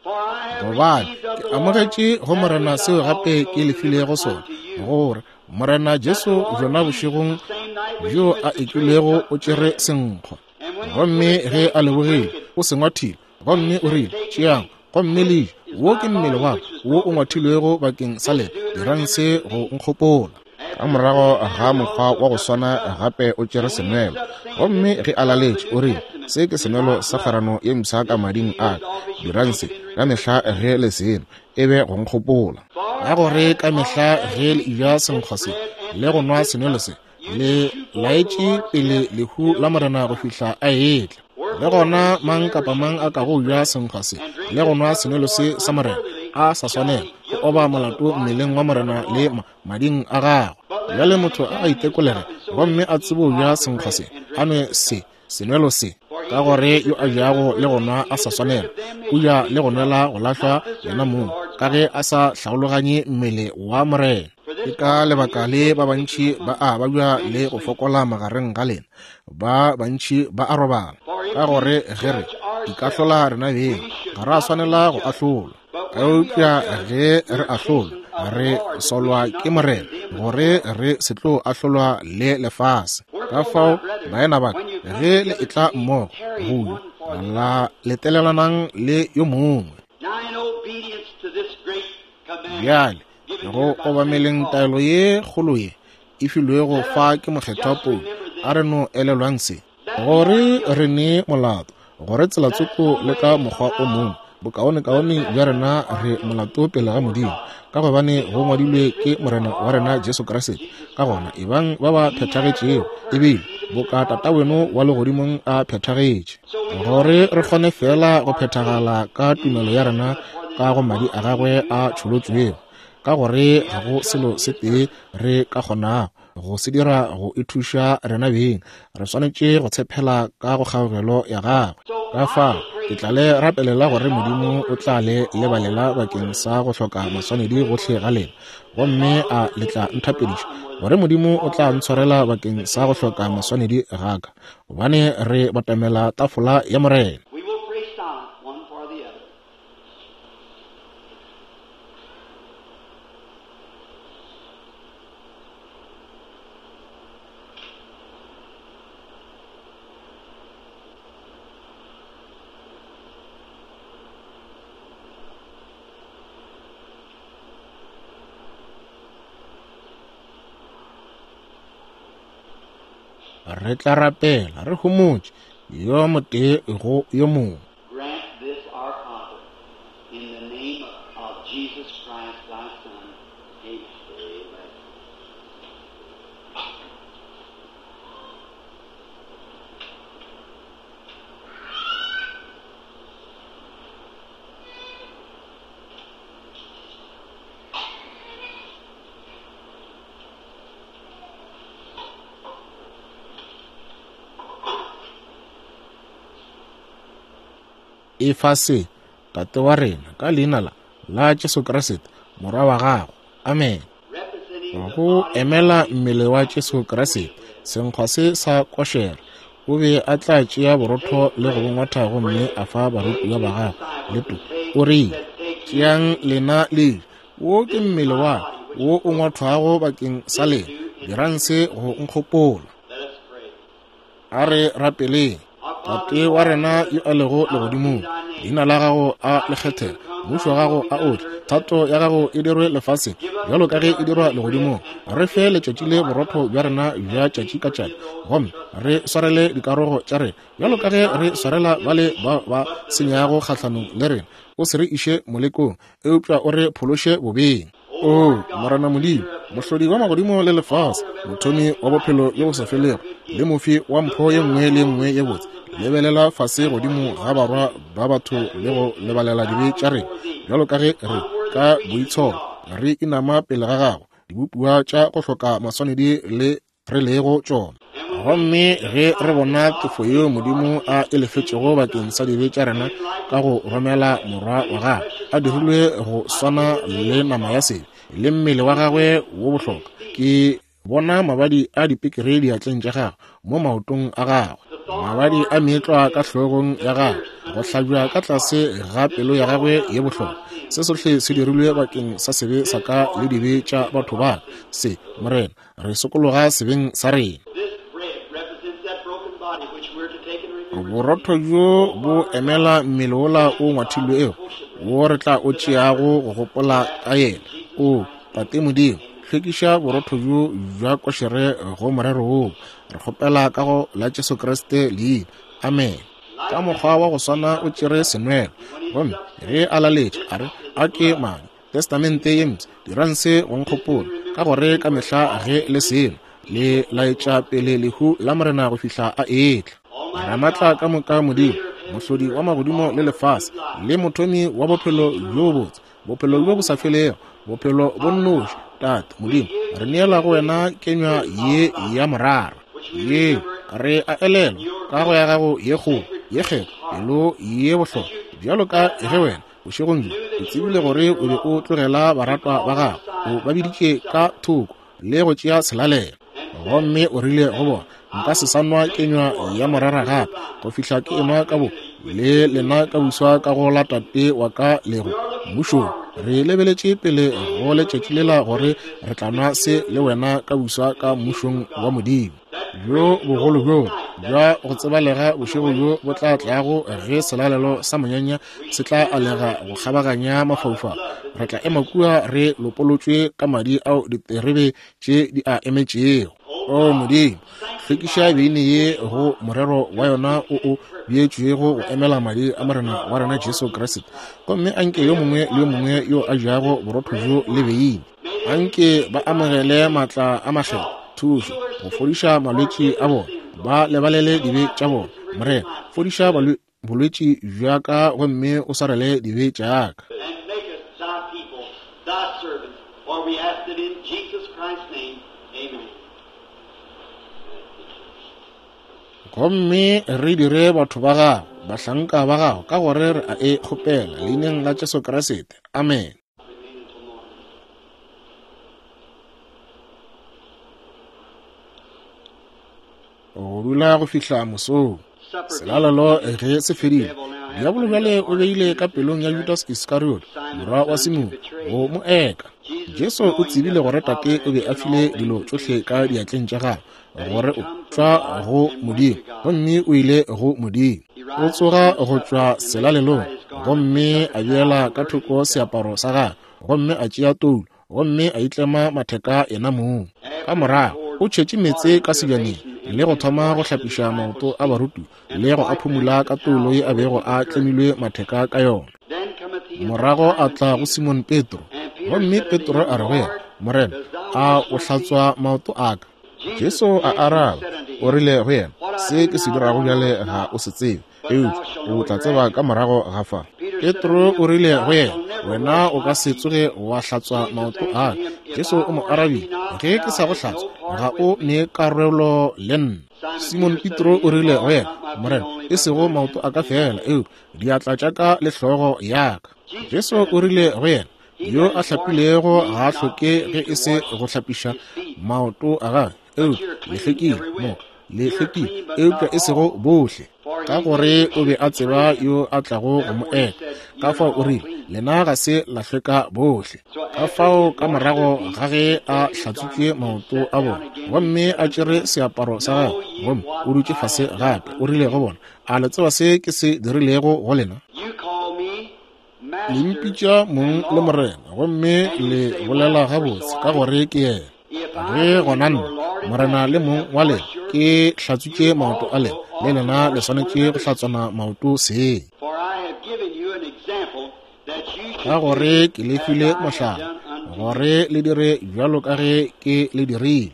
Gobane ke amogetše go Morena seo gape ke le filego sona, gore Morena Jesu bjona bošegong bjo a ekilwego o tšere senkgwa, gomme ge a lebogile o se ngwathile, gomme o rile, tšeang gomme le je, wo ke mmele wa ka wo o ngwathilwego bakeng sa lena, dirang se go nkgopola. Ka morago ga mokgwa wa go swana gape o tšere senwelo, gomme ge a laletše o rile, se ke senwelo sa kgwerano ye mpsha ka mading a ka, dirang se ka mehla ge le seno, e be go nkgopola. Ka gore ka mehla ge le eja senkgwa se le go nwa senwelo se, le laetše pele lehu la Morena go fihla a etla. Le gona mang kapa mang a kago ja senkgwa se le go nwa senwelo se sa Morena a sa swanela, o oba molato mmeleng wa Morena le mading a gagwe. Bjale motho a itekolege gomme a tsebo ja senkgwa se, a nwe se senwelo se, ka gore yo a jago le go nwa a sa swanela, o ja le go nwela go lahlwa yena mong, ka ge a sa hlaologanye mmele wa Morena. Ke ka lebaka le ba bantši ba a babja le go fokola magareng ga lena, ba bantši ba a robala. Ka gore ge re ikahlola rena beng, ga ra swanela go ahlolwa. Eupša ge re ahlolwa, re solwa ke Morena, gore re se tlo ahlolwa le lefase. Ka fao, baena ba ka, ge le etla mmogo go ja, la letelelanang le yo mongwe. Bjale go obameleng taelo ye kgolo ye e filwego fa ke mokgethwa Paulo, a re no elelwang se, gore re ne molato, gore tsela tsoko le ka mokgwa o mongwe bokaonekaone bja rena re molato pele ga Modimo, ka gobane go ngwadilwe ke Morena wa rena Jesu Kriste. Ka gona ebang ba ba phethagetšego, ebile boka Tataweno wa legodimong a phethagetše, gore re kgone fela go phethagala ka tumelo ya rena ka go madi a gagwe a tšholotšwego, ka gore ga go selo se tee re ka kgonago go se dira go ithuša rena beng, re swanetše go tshepela ka go kgaogelo ya gagwe. Ka fao ke tla le rapelela gore Modimo o tla le lebalela bakeng sa go hloka maswanedi gohle ga lena, gomme a le tla nthapediša gore Modimo o tla ntshwarela bakeng sa go hloka maswanedi ga ka, gobane re batamela tafola ya Morena. Re tla rapela re homotše yo motee go yo mongwe. Grant this our Father, in the name of Jesus Christ, thy Son. Amen. Efa se, Tate wa rena, ka leina la la Jesu Kriste, Morwa wa gago. Amen. Go emela mmele wa Jesu Kriste, senkgwa se sa košere, o be a tla tšea borotho le go bongwatha gomme a fa barutiwa ba gagwe le to. O rile, tšeang lena le je, wo ke mmele wa ka wo o ngwathwago bakeng sa lena, dirang se go nkgopola. A re rapeleng. Tate wa rena yo a lego legodimong, leina la gago a le kgethege, mmušo wa gago a o tle, thato ya gago e dirwe lefaseng bjalo ka ge e dirwa legodimong. Re fe letšatši le borotho bja rena bja tšatši ka tšatši, gomme re swarele dikarogo tša rena bjalo ka ge re swarela bale ba ba senyago kgahlanong le rena. O se re iše molekong, eupša o re phološe bobeng. O Morena Modimo, mohlodi wa magodimo le lefase, mothomi wa bophelo bjo bo sa felego le mofi wa mpho ye nngwe le ye nngwe ye botse, lebelela fase godimo ga barwa ba batho le go lebalela dibe tša rena, bjalo ka ge re ka boitsholo re inama pele ga gago, dibopiwa tša go hloka maswanedi le re lego tšona. Gomme ge re bona tefo yeo Modimo a e lefetšego bakeng sa dibe tša rena ka go romela Morwa wa gagwe, a dirilwe go swana le nama ya sebe le mmele wa gagwe wo bohlokwa, ke bona mabadi a dipekere diatleng tša gagwe, mo maotong a gagwe, mabadi a meetlwa ka hlogong ya gagwe, go hlabja ka tlase ga pelo ya gagwe ye bohlokwa, Se sohle se dirilwe bakeng sa sebe sa ka le dibe tša batho ba ka. Se, Morena, re sokologa sebeng sa rena. Borotho bjo bo emela mmele wola o ngwathilwego, wo re tla o tšeago go gopola ka yena. O Tate Modimo, hlwekiša borotho bjo bja košere go morero woo. Re kgopela ka go la Jesu Kriste leina. Amen. Ka mokgwa wa go swana o tšere senwelo, gomme ge a laletše a re, a ke madi Testamente ye mpsha, dirang se go nkgopola, ka gore ka mehla ge le seno le laetša pele lehu la Morena go fihla a etla. Ramatla ka moka Modimo, mohlodi wa magodimo le lefase, le mothomi wa bophelo bjo botse, bophelo bjo bo sa felego, bophelo bo nnoši, Tate Modimo, re neela go wena kenywa ye ya morara ye re a elelwa ka go ya gago ye kgolo ye kgethwa, pelo ye bohlokwa, bjalo ka ge wena bošegong bjo o tsebile gore o be o tlogela baratwa ba gago, o ba biditše ka thoko le go tšea selalelo. Gomme o rile go bona, nka se sa nwa kenywa ya morara gape go fihla ke enwa ka bo le lena ka buswa ka go la Tate wa ka lego mmušong. Re lebeletše pele go letšatši lela gore re tla nwa se le wena ka buswa ka mmušong wa Modimo. Bjo bogolo bjo bja go tsebalega bošego bjo bo tla tlago ge selalelo sa monyanya se tla alega go kgabaganya mafaufau. Re tla ema kua re lopolotšwe ka madi ao diterebe tše di a emetšego. O Modimo, hlwekiša beine ye go morero wa yona o o beetšwego go emela madi a Morena wa rena Jesu Kriste. Gomme anke yo mongwe le yo mongwe yo a jago borotho bjo le beine, anke ba amogele maatla a makgethwa, thušo go fodiša malwetši a bona, ba lebalele dibe tša bona. Morena, fodiša bolwetši bja ka gomme o swarele dibe tša ka. Gomme re dire batho ba gago, bahlanka ba gago, ka gore re a e kgopela leineng la Jesu Kriste. Amen. Go dula go fihla mosong. Selalelo ge se fedile, diabolo bjale o beile ka pelong ya Judas Iskariot, morwa wa Simone, go mo eka. Jesu o tsebile gore Tate o be a file dilo tšohle ka diatleng tša gagwe, gore o tšwa go Modimo gomme o ile go Modimo. O tsoga go tšwa selalelong gomme a beela ka thoko seaparo sa gagwe, gomme a tšea toulo gomme a itlema matheka yena mong. Ka morago o tšhetše meetse ka sebjaneng le go thoma go hlapiša maoto a barutiwa le go a phumula ka toulo ye a bego a tlemilwe matheka ka yona. Morago a tla go Simon Petro, gomme Petro a re go yena, Morena, a o hlatswa maoto a ka? Jesu a araba, o rile go yena, se ke se dirago bjale ga o se tsebe, eupša o tla tseba ka morago ga fa. Petro o rile go yena, wena o ka se tsoge wa hlatswa maoto a ka. Jesu o mo arabile, ge ke sa go hlatswa ga o ne karolo le nna. Simon Petro o rile go yena, Morena, e sego maoto a ka fela, eupša diatla tša ka le hlogo ya ka. Jesu o rile go yena, yo a hlapilego ga a hloke ge e se go hlapiša maoto a gagwe, eupša le hlwekile moka, le hlwekile, eupša e sego bohle, ka gore o be a tseba yo a tlago go mo eka. Ka fao o rile, lena ga se la hlweka bohle. Ka fao ka morago ga ge a hlatswitše maoto a bona gomme a tšere seaparo sa gagwe gomme o dutše fase gape, o rile go bona, a le tseba se ke se dirilego go lena? Le mpitša mong le Morena, gomme le bolela gabotse ka gore ke yena. Ge gona nna, Morena le mong wa lena, ke hlatswitše maoto a lena, le lena le swanetše go hlatswana maoto seng. Ka gore ke le file mohlala, gore le dire bjalo ka ge ke le dirile.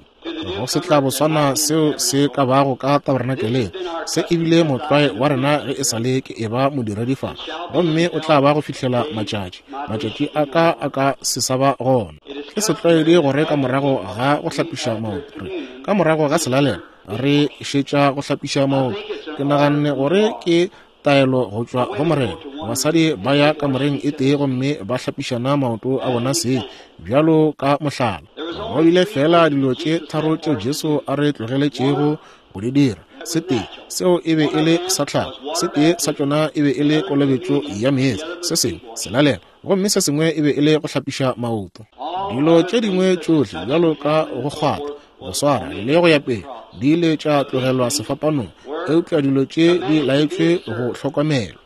Go se tla boswana seo se ka bago ka tabernakeleng. Se ebile motlwae wa rena ge e sa le ke eba modiredi fa, gomme o tla ba go fihlela matšatši matšatši a ka a ka se sa ba gona. Ke setlwaedi gore ka morago ga go hlapiša maoto, re ka morago ga selalelo re šetša go hlapiša maoto. Ke naganne gore ke taelo go tšwa go Morena. Basadi ba ya kamoreng e tee gomme ba hlapišana maoto a bona seng, bjalo ka mohlala. Go bile fela dilo tše tharo tšeo Jesu a re tlogeletšego go di dira. Se tee seo e be e le sa tlhago, se tee sa tšona e be e le kolobetšo ya meetse, se sengwe selalelo, gomme se sengwe e be e le go hlapiša maoto. Dilo tše dingwe tšohle bjalo ka go kgwatha, go swara le go ya pele di ile tša tlogelwa sefapanong, eupša dilo tše di laetšwe go hlokomelwa.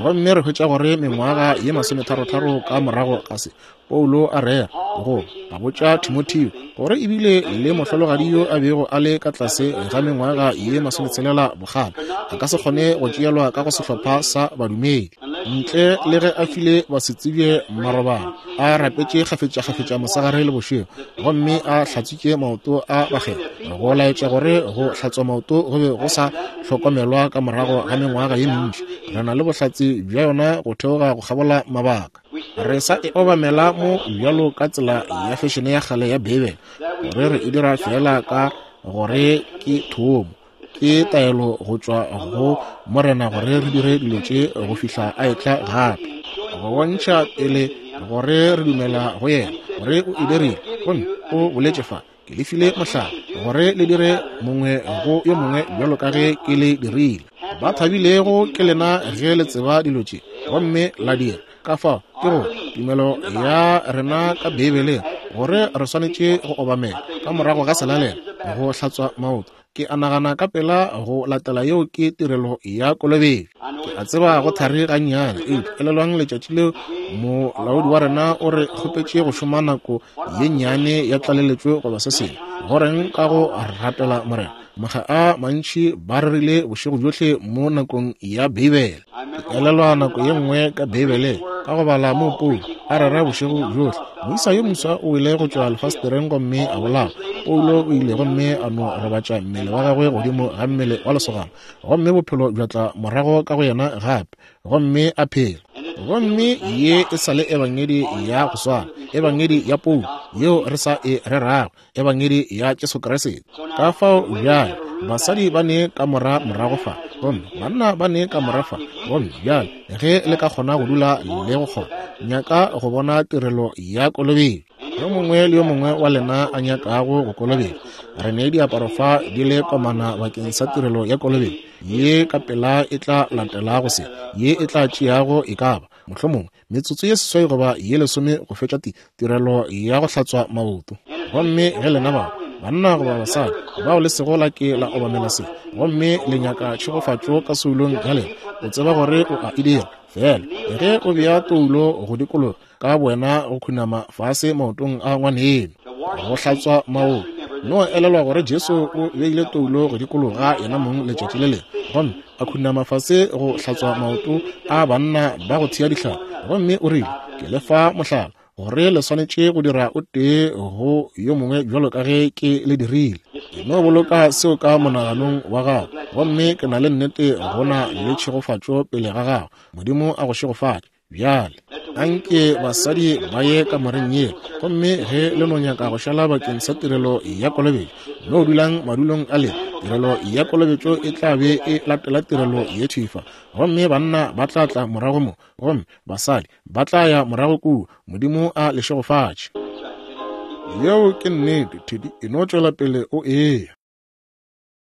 Gomme re hwetša gore mengwaga ye masometharotharo ka morago ga se, Paulo a rera go a botša Timotheo gore ebile le mohlologadi yo a bego a le ka tlase ga mengwaga ye masometshelela bokgale a ka se kgone go tšeelwa ka go sehlopha sa badumedi ntle le ge a file basetsebje marobalo, a rapetše kgafetšakgafetša mosegare le bošego, gomme a hlatswitše maoto a bakgethwa, go laetša gore go hlatswa maoto go be go sa hlokomelwa ka morago ga mengwaga ye mentši. Re na le bohlatse bja yona go theoga go kgabola mabaka. Re sa e obamela mo bjalo ka tsela ya fešene ya kgale ya Beibele, gore re e dira fela ka gore ke thomo, ke taelo go tšwa go Morena gore re dire dilo tše go fihla a etla gape, go bontšha pele gore re dumela go yena gore o e dirile. Gomme o boletše fa, ke le file mohlala gore le dire mongwe go yo mongwe bjalo ka ge ke le dirile. Ba thabilego ke lena ge le tseba dilo tše gomme la dira. Ka fao ke go tumelo ya rena ka Beibeleng gore re swanetše go obamela ka morago ga selalelo go hlatswa maoto. Ke a nagana ka pela go latela yeo ke tirelo ya kolobetšo. Ke a tseba go thari gannyane, eupša elelwang letšatši leo molaodi wa rena o re kgopetše go šoma nako ye nnyane ya tlaleletšo goba se sengwe. Goreng ka go rapela Morena? Makga a mantši ba rerile bošego bjohle mo nakong ya Beibele. Ke elelwa nako ye nngwe ka Beibeleng ka go bala mo Paulo a rera bošego bjohle. Moisa yo moswa o ile go tšwa lefastereng gomme a bolawa. Paulo o ile gomme a no robatša mmele wa gagwe godimo ga mmele wa lesogana, gomme bophelo bja tla morago ka go yena gape, gomme a phela. Gomme ye e sa le ebangedi ya go swana, ebangedi ya Paulo yeo re sa e rerago, ebangedi ya Jesu Kriste. Ka fao bjale basadi ba ne kamora morago fa, gomme banna ba ne kamora fa, gomme bjale ge le ka kgona go dula le go kgona, nyaka go bona tirelo ya kolobetšo. Yo mongwe le yo mongwe wa lena a nyakago go kolobetšwa, re ne diaparo fa di le komana bakeng sa tirelo ya kolobetšo ye ka pela e tla latelago se, ye e tla tšeago e ka ba mohlomongwe metsotso ye seswai goba ye lesome go fetša tirelo ya go hlatswa maoto. Gomme ge lena bao banna goba basadi bao le sego la ke la obamela se, gomme le nyaka tšhegofatšo ka soulong ya lena, o tseba gore o a e dira fela ge o bea toulo go dikologa ka wena go khunama fase maotong a ngwaneno go hlatswa maoto. No elelwa gore Jesu o beile toulo go dikologa yena mong letšatši le lengwe, gomme a khunama fase go hlatswa maoto a banna ba go thea dihlare, gomme o rile, ke le fa mohlala gore le swanetše go dira o tee go yo mongwe bjalo ka ge ke le dirile. No boloka seo ka monaganong wa gago, gomme ke na le nnete go na le tšhegofatšo pele ga gago. Modimo a go šegofatše. Bjale anke basadi ba ye kamoreng yela, gomme ge le no nyaka go šala bakeng sa tirelo ya kolobetšo, no dulang madulong a lena. Tirelo ya kolobetšo e tla be e latela tirelo ye thifa, gomme banna ba tla tla morago mo, gomme basadi ba tla ya morago kua. Modimo a le šegofatše. Yeo ke nnete, Teddy, e no tšwela pele o eya.